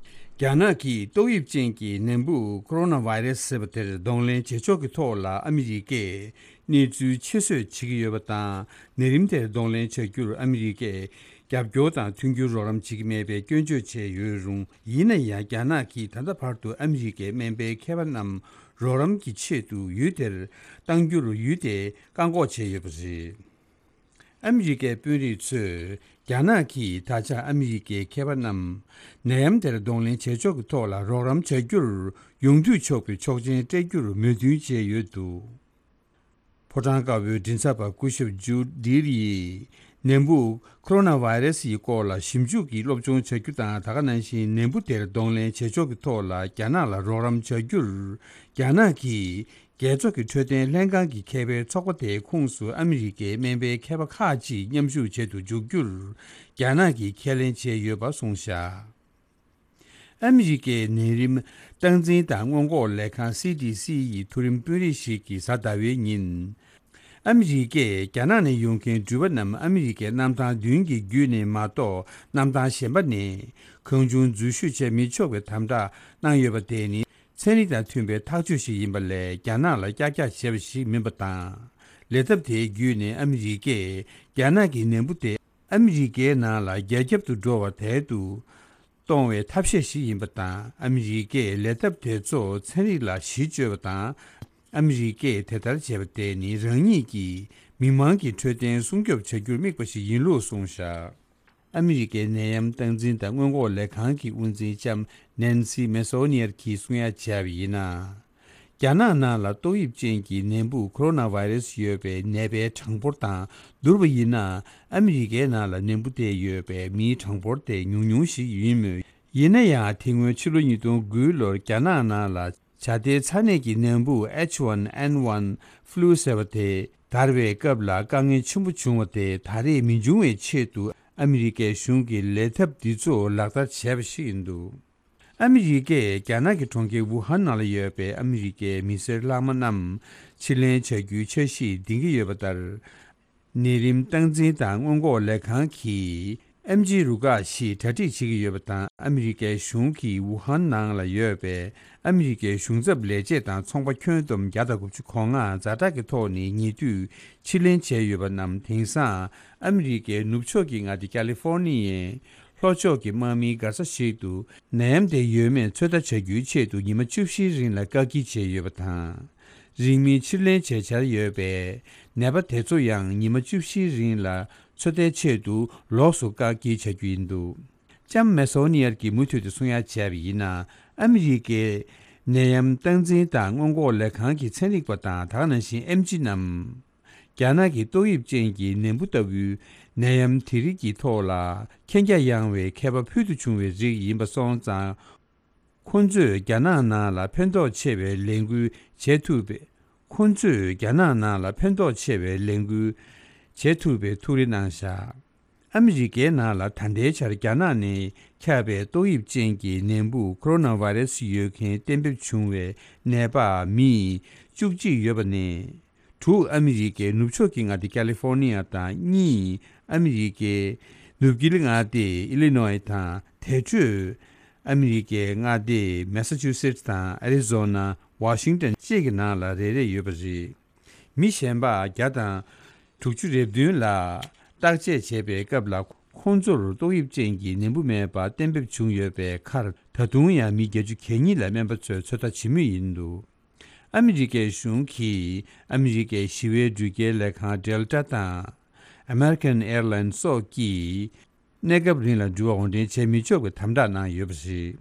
རྒྱ་ནག་གིས་ཏོག་དབྱིབས་ཅན་གྱི་ནད་འབུ་ཁོ་རོ་ན་བྷའི་རེ་སི་ཟེར་བ་དེར་གདོང་ལེན་བྱེད་ཕྱོགས་ཀྱི་ཐོག་ལ་ཨ་མི་རི་ཀས་གནས་ཚུལ་ཕྱིར་བཟོས་བྱེད་ཀྱི་ཡོད་པ་དང་། ནད་རིམས་དེར་གདོང་ལེན་བྱ་རྒྱུར་ཨ་མི་རི་ཀས་རྒྱབ་སྐྱོར་དང་མཐུན་འགྱུར་རོགས་རམ་བྱེད་ཀྱི་མེད་པའི་སྐྱོན་བརྗོད་བྱས་ཡོད་རུང་། ཡིན་ན་ཡང་རྒྱ་ནག་གིས་ད་ལྟ་བར་དུ་ཨ་མི་རི་ཀའི་སྨན་པའི་མཁས་པ་རྣམས་རོགས་རམ་གྱི་ཆེད་དུ་ཡུལ་དེར་གཏང་རྒྱུར་ཡུལ་དེས་བཀག་འགོག་བྱས་ཡོད་པ་རེད། ཨ་མི་རི་ཀའི་དཔོན་རིགས་ཚོས་རྒྱ་ནག་གིས་ད་ཆ་ཨ་མི་རི་ཀའི་མཁས་པ་རྣམས་ནད་ཡམས་དེར་གདོང་ལེན་བྱེད་ཕྱོགས་ཀྱི་ཐོག་ལ་རོགས་རམ་བྱ་རྒྱུར་ཡོང་དུས་ཆོག་པའི་ཆོག་མཆན་སྤྲད་རྒྱུར་མོས་མཐུན་བྱས་ཡོད་འདུག་ཕོ་བྲང་དཀར་པོའི་མགྲིན་ཚབ་པ་སྐུ་ཞབས་ཇུ་ཌིར་ཡིས་ནད་འབུ་ཁོ་རོ་ན་བྷའི་རེ་སི་ཡི་སྐོར་ལ་ཞིབ་འཇུག་གི་སློབ་སྦྱོང་བྱ་རྒྱུ་དང་། ད་ག་ནང་བཞིན་ནད་འབུ་དེར་གདོང་ལེན་བྱེད་ཕྱོགས་ཀྱི་ཐོག་ལ་རྒྱ་ནག་ལ་རོགས་རམ་བྱ་རྒྱུར་རྒྱ་ནག་གིས། རྒྱལ་ཚོགས་ཀྱི་འཕྲོད་བསྟེན་ལྷན་ཁང་གི་མཁས་པའི་ཚོགས་པ་དེའི་ཁོངས་སུ་ཨ་མི་རི་ཀའི་སྨན་པའི་མཁས་པ་ཁག་ཅིག་མཉམ་ཞུགས་བྱེད་དུ་འཇུག་རྒྱུར་རྒྱ་ནག་གིས་ཁས་ལེན་བྱས་ཡོད་པ་གསུངས་བཞག་ཨ་མི་རི་ཀའི་ནད་རིམས་སྟངས་འཛིན་དང་སྔོན་འགོག་ལས་ཁང་སི་ཌི་སི་ཡི་མཐོ་རིམ་དཔོན་རིགས་ཤིག་གིས་གཟའ་ཟླ་བའི་ཉིན། ཨ་མི་རི་ཀས་རྒྱ་ནག་ནས་ཡོང་མཁན་འགྲུལ་པ་རྣམས་ཨ་མི་རི་ཀའི་གནམ་ཐང་བདུན་གྱི་བརྒྱུད་ནས་མ་གཏོགས་གནམ་ཐང་གཞན་པ་ནས་གང་བྱུང་འཛུལ་ཞུགས་བྱེད་མི་ཆོག་པའི་དམ་དྲག་གནང་ཡོད་པ་དེ་ནི། ཚན་རིག་དང་མཐུན་པའི་ཐག་གཅོད་ཞིག་ཡིན་པ་ལས་རྒྱ་ནག་ལ་ཀྱག་ཀྱག་བྱས་པ་ཞིག་མིན་པ་དང་། ལས་ཐབས་དེའི་བརྒྱུད་ནས་ཨ་མི་རི་ཀས་རྒྱ་ནག་གི་ནད་འབུ་དེ་ཨ་མི་རི་ཀའི་ནང་ལ་རྒྱ་ཁྱབ་ཏུ་འགྲོ་བར་དལ་དུ་གཏོང་བའི་ཐབས་ཤེས་ཤིག་ཡིན་པ་དང་། ཨ་མི་རི་ཀས་ལས་ཐབས་དེ་ཚོ་ཚན་རིག་ལ་གཞི་བཅོལ་བ་དང་། ཨ་མི་རི་ཀས་དེ་ལྟར་བྱས་པ་དེ་ནི་རང་ཉིད་ཀྱིས་མི་མང་གི་འཕྲོད་བསྟེན་སྲུང་སྐྱོབ་བྱ་རྒྱུར་དམིགས་པ་ཞིག་ཡིན་ལུགས་གསུངས་བཞག་ཨ་མི་རི་ཀའི་ནད་ཡམས་སྟངས་འཛིན་དང་སྔོན་འགོག་ལས་ཁང་གི་དབུ་འཛིན་ལྕམ་ནན་སི་མེ་སོ་ནིར་གྱིས་གསུང་ཡ་བྱས་པ་ཡིན་ན། རྒྱ་ནག་ནང་ལ་ཏོག་དབྱིབས་ཅན་གྱི་ནད་འབུ་ཁོ་རོ་ན་བྷའི་རེ་སི་ཡོད་པའི་ནད་པའི་གྲངས་འབོར་དང་བསྡུར་བ་ཡིན་ན། ཨ་མི་རི་ཀའི་ནང་ལ་ནད་འབུ་དེ་ཡོད་པའི་མིའི་གྲངས་འབོར་དེ་ཉུང་ཉུང་ཞིག་ཡིན་མོད། ཡིན་ན་ཡང་དེ་སྔོན་ཕྱི་ལོ་ཉིས་སྟོང་དགུ་ལོར་རྒྱ་ནག་ནང་ལ་བྱ་དེའི་ཚ་ནད་ཀྱི་ནད་འབུ་ཨེཆ་ཝན་ཨེན་ཝན་ཕུ་ལུ་ཟེར་བ་དེ་དར་བའི་སྐབས་ལ་དཀའ་ངལ་ཆེན་པོ་བྱུང་བ་དེ་ད་རེས་མི་འབྱུང་བའི་ཆེད་དུ་ཨ་མི་རི་ཀའི་གཞུང་གིས་ལས་ཐབས་འདི་ཚོ་ལག་བསྟར་བྱས་པ་ཞིག་ཡིན་འདུག་ཨ་མི་རི་ཀས་རྒྱ་ནག་གི་གྲོང་ཁྱེར་ཝུ་ཧན་ནང་ལ་ཡོད་པའི་ཨ་མི་རི་ཀའི་མི་སེར་ལྷག་མ་རྣམས་ཕྱིར་ལེན་བྱ་རྒྱུའི་འཆར་གཞི་འདིང་གི་ཡོད་པ་ལྟར། ནད་རིམས་སྟངས་འཛིན་དང་སྔོན་འགོག་ལས་ཁང་གིས་ཨེམ་ཆི་རུ་ཁག་ཞེས་གྲ་སྒྲིག་བྱེད་ཀྱི་ཡོད་པ་དང་། ཨ་མི་རི་ཀའི་གཞུང་གིས་ཝུ་ཧན་ནང་ལ་ཡོད་པའི་ཨ་མི་རི་ཀའི་གཞུང་ཚབ་ལས་བྱེད་དང་ཚོང་པ་ཁྱོན་བསྡོམས་བརྒྱ་དང་དགུ་བཅུ་གོ་ལྔ་ཛ་དྲག་གི་ཐོག་ནས་ཉེ་དུས་ཕྱིར་ལེན་བྱས་ཡོད་པ་རྣམས་དེང་སང་ཨ་མི་རི་ཀའི་ནུབ་ཕྱོགས་ཀྱི་མངའ་སྡེ་ཀ་ལི་ཧྥོར་ནི་ཡའི་ ལྷོ་ཕྱོགས་ཀྱི་དམག་མིའི་མགར་ས་ཞིག་ཏུ་ནད་ཡམས་དེ་ཡོད་མེད་ཚོད་ལྟ་བྱ་རྒྱུའི་ཆེད་དུ་ཉི་མ་བཅུ་བཞིའི་རིང་ལ་བཀག་སྐྱིལ་བྱས་ཡོད་པ་དང་། རིང་མིན་ཕྱིར་ལེན་བྱེད་འཆར་ཡོད་པས། ནད་པ་དེ་ཚོ་ཡང་ཉི་མ་བཅུ་བཞིའི་རིང་ལ་ཚོད་ལྟའི་ཆེད་དུ་ལོགས་སུ་བཀག་སྐྱིལ་བྱ་རྒྱུ་ཡིན་འདུག་ལྕམ་མེ་སོ་ནི་ཡར་གྱིས་མུ་མཐུད་དུ་གསུང་ཡ་བྱས་པ་ཡིན་ན། ཨ་མི་རི་ཀས་ནད་ཡམས་སྟངས་འཛིན་དང་སྔོན་འགོག་ལས་ཁང་གི་ཚན་རིག་པ་དང་། ད་ག་ནང་བཞིན་ཨེམ་ཆི་རྣམས། རྒྱ་ནག་གི་ཏོག་དབྱིབས་ཅན་གྱི་ནད་འབུ་ལྟ་བུའི་ནད་ཡམས་དེ་རིགས་ཀྱི་ཐོག་ལ་མཁྱེན་རྒྱ་ཡངས་པའི་མཁས་པ་ཕུལ་དུ་བྱུང་བའི་རིགས་ཡིན་པ་སོང་ཙང་། ཁོང་ཚོས་རྒྱ་ནག་ནང་ལ་ཕན་ཐོགས་ཆེ་བའི་ལས་འགུལ་བྱེད་ཐུབ་པའི། ཁོང་ཚོས་རྒྱ་ནག་ནང་ལ་ཕན་ཐོགས་ཆེ་བའི་ལས་འགུལ་བྱེད་ཐུབ་པའི་ཐུགས་རེ་གནང་བཞག་ཨ་མི་རི་ཀའི་ནང་ལ་ད་ལྟའི་ཆར་རྒྱ་ནག་ནས་ཁྱབ་པའི་ཏོག་དབྱིབས་ཅན་གྱི་ནད་འབུ་ཁོ་རོ་ན་བྷ་རེ་སི་ཡོད་མཁན་གཏན་འབེབས་བྱུང་བའི་ནད་པ་མི་བཅུ་གཅིག་ཡོད་པ་ནས། དྲུག་ཨ་མི་རི་ཀའི་ནུབ་ཕྱོགས་ཀྱི་མངའ་སྡེ་ཀ་ལི་ཧྥོར་ནི་ཡ་དང་། གཉིས་ཨ་མི་རི་ཀའི་ནུབ་དཀྱིལ་མངའ་སྡེ་ཨི་ལི་ནོའི་དང་། དེ་འཕྲོས་ཨ་མི་རི་ཀའི་མངའ་སྡེ་མེ་ས་ཆུ་སེ་ཊི་དང་ཨ་རི་ཛོ་ན། ཝ་ཤིང་ཊོན་བཅས་ཀྱི་ནང་ལ་རེ་རེ་ཡོད་པ་རེད། མི་གཞན་པ་བརྒྱ་དང་དྲུག་ཅུ་རེ་བདུན་ལ་བརྟག་དཔྱད་བྱས་པའི་སྐབས་ལ། ཁོང་ཚོར་ཏོག་དབྱིབས་ཅན་གྱི་ནད་འབུ་མེད་པ་གཏན་འབེབས་བྱུང་ཡོད་པའི་ཁར། ད་དུང་ཡང་མི་བརྒྱད་ཅུ་གྱ་གཉིས་ལ་སྨན་པ་ཚོས་ཚོད་ལྟ་བྱེད་མུས་ཡིན་འདུག་ཨ་མི་རི་ཀའི་གཞུང་གིས་ཨ་མི་རི་ཀའི་ཞི་བའི་འགྲུལ་སྐྱེལ་ལས་ཁང་Delta དང་American Airlines སོགས་ཀྱིས་གནས་སྐབས་རིང་ལ་འགྲུལ་བ་དབོར་འདྲེན་བྱེད་མི་ཆོག་པའི་དམ་དྲག་གནང་ཡོད་པ་རེད།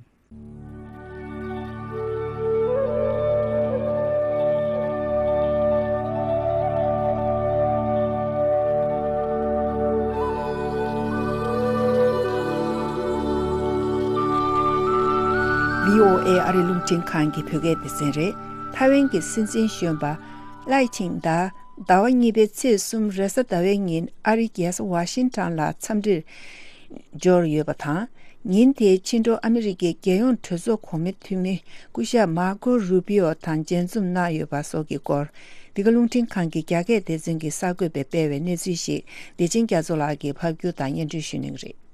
བྷི་ཨོ་ཨེ་ཨ་རི་རླུང་འཕྲིན་ཁང་གི་བོད་སྐད་སྡེ་ཚན་རེད། ཐའེ་ཝན་གྱི་སྲིད་འཛིན་གཞོན་པ་ལའེ་ཆིང་ཏེ་ཟླ་བ་གཉིས་པའི་ཚེས་གསུམ་རེས་གཟའ་ཟླ་བའི་ཉིན་ཨ་རིའི་རྒྱལ་ས་ཝ་ཤིང་ཊོན་ལ་འཚམས་འདྲིར་འབྱོར་ཡོད་པ་དང་། ཉིན་དེའི་ཕྱི་དྲོ་ཨ་མི་རི་ཀའི་རྒྱལ་ཡོངས་གྲོས་ཚོགས་གོང་མའི་འཐུས་མི་སྐུ་ཞབས་མར་ཀོ་རུ་པི་ཨོ་དང་མཇལ་འཛོམས་གནང་ཡོད་པ་སོགས་ཀྱི་སྐོར། འདི་ག་རླུང་འཕྲིན་ཁང་གི་རྒྱ་སྐད་སྡེ་ཚན་གྱི་གསར་འགོད་པས་སྤེལ་བའི་གནས་ཚུལ་ཞིག་བདེ་ཆེན་རྒྱ་མཚོ་ལགས་ཀྱིས་ཕབ་སྒྱུར་དང་སྙན་སྒྲོན་ཞུ་གནང་གི་རེད།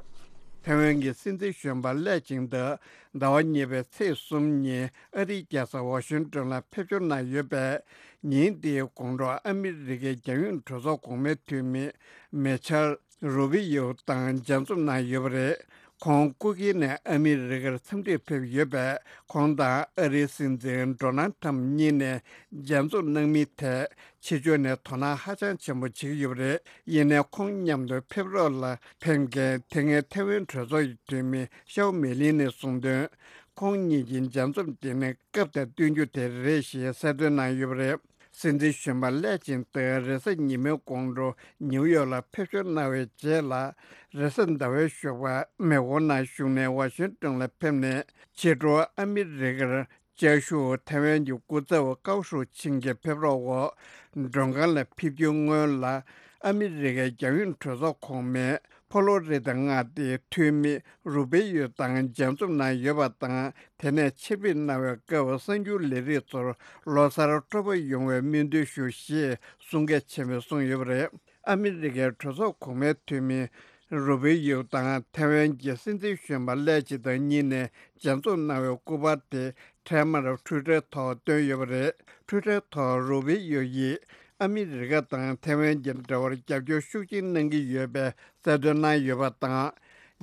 ཐའེ་ཝན་གྱི་སྲིད་འཛིན་གཞོན་པ་ལའེ་ཆིང་ཏེ་ཟླ་བ་གཉིས་པའི་ཚེས་གསུམ་ཉིན་ཨ་རིའི་རྒྱལ་ས་ཝ་ཤིང་ཏོན་ལ་ཕེབས་འབྱོར་གནང་ཡོད་པས། ཉིན་དེའི་དགོང་དྲོ་ཨ་མི་རི་ཀའི་རྒྱལ་ཡོངས་གྲོས་ཚོགས་གོང་མའི་འཐུས་མི་མེ་ཆལ་རུ་བི་ཡོ་དང་མཇལ་འཛོམས་གནང་ཡོད་པ་རེད། ཁོང་སྐུ་སྒེར་ནས་ཨ་མི་རི་ཀར་འཚམས་འདྲིར་ཕེབས་ཡོད་པས། ཁོང་དང་ཨ་རིའི་སྲིད་འཛིན་ཌོ་ནལ་ཊམ་གཉིས་ནས་མཇལ་འཛོམས་གནང་མིན་ཐད་ཕྱི་ཕྱོགས་ནས་དོ་སྣང་ཧ་ཅང་ཆེན་པོ་བྱེད་ཀྱི་ཡོད་པ་རེད། ཡིན་ནའི་ཁོང་མཉམ་དུ་ཕེབས་རོགས་ལ་ཕེབས་མཁན་དེ་སྔའི་ཐའེ་ཝན་གྲོས་ཚོགས་ཀྱི་འཐུས་མི་ཤའོ་མེ་ལིན་ནས་གསུངས་དོན། ཁོང་གཉིས་ཀྱི་མཇལ་འཛོམས་དེ་ནི་སྐབས་དང་བསྟུན་རྒྱུ་དེ་རེད་ཞེས་གསལ་སྟོན་གནང་ཡོད་པ་རེད། སྲིད་འཛིན་གཞོན་པ་ལའེ་ཆིང་ཏེ་རེས་གཟའ་ཉི་མའི་དགོང་དྲོ་ནིའུ་ཡོག་ལ་ཕེབས་འབྱོར་གནང་བའི་རྗེས་ལ། རེས་གཟའ་ཟླ་བའི་ཞོགས་པ་མེག་གྷོ་ནང་བཞུགས་ནས་ཝ་ཤིང་ཏོན་ལ་ཕེབས་ནས། ཕྱི་དྲོ་ཨ་མི་རི་ཀར་བཅའ་བཞུགས་ཐའེ་ཝན་གྱི་སྐུ་ཚབ་ཀའོ་ཧྲུའུ་ཆིང་གི་ཕེབས་རོགས་འོག་མགྲོན་ཁང་ལ་ཕེབས་རྒྱུའི་སྔོན་ལ། ཨ་མི་རི་ཀའི་རྒྱལ་ཡོངས་གྲོས་ཚོགས་གོང་མའི་ཕོ་ལོ་རི་ད་མངའ་སྡེའི་འཐུས་མི་རུ་པེ་ཡོ་དང་མཇལ་འཛོམས་གནང་ཡོད་པ་དང་། དེ་ནས་ཕྱིར་ཕེབས་གནང་བའི་སྐབས་གསར་འགྱུར་ལས་རིགས་ཚོར་ལོ་གསར་སྤྲོ་པོ་ཡོང་བའི་སྨོན་འདུན་ཞུ་ཞེས་གསུང་སྐད་ཆེན་པོས་གསུངས་ཡོད་པ་རེད། ཨ་མི་རི་ཀའི་གྲོས་ཚོགས་གོང་མའི་འཐུས་མི་རུ་པེ་ཡོ་དང་ཐའེ་ཝན་གྱི་སྲིད་འཛིན་གཞོན་པ་ལའེ་ཆིང་ཏེ་གཉིས་ནས་མཇལ་འཛོམས་གནང་བའི་སྐུ་པར་དེ་འཕྲལ་མར་ཊུའི་ཊར་ཐོག་བཏོན་ཡོད་པ་རེད། ཊུའི་ཊར་ཐོག་རུ་པེ་ཡོ་ཡིས་ཨ་མི་རི་ཀ་དང་ཐའེ་ཝན་གྱི་འབྲེལ་བར་རྒྱབ་སྐྱོར་ཤུགས་ཆེན་གནང་གི་ཡོད་པའི་གསལ་སྟོན་གནང་ཡོད་པ་དང་།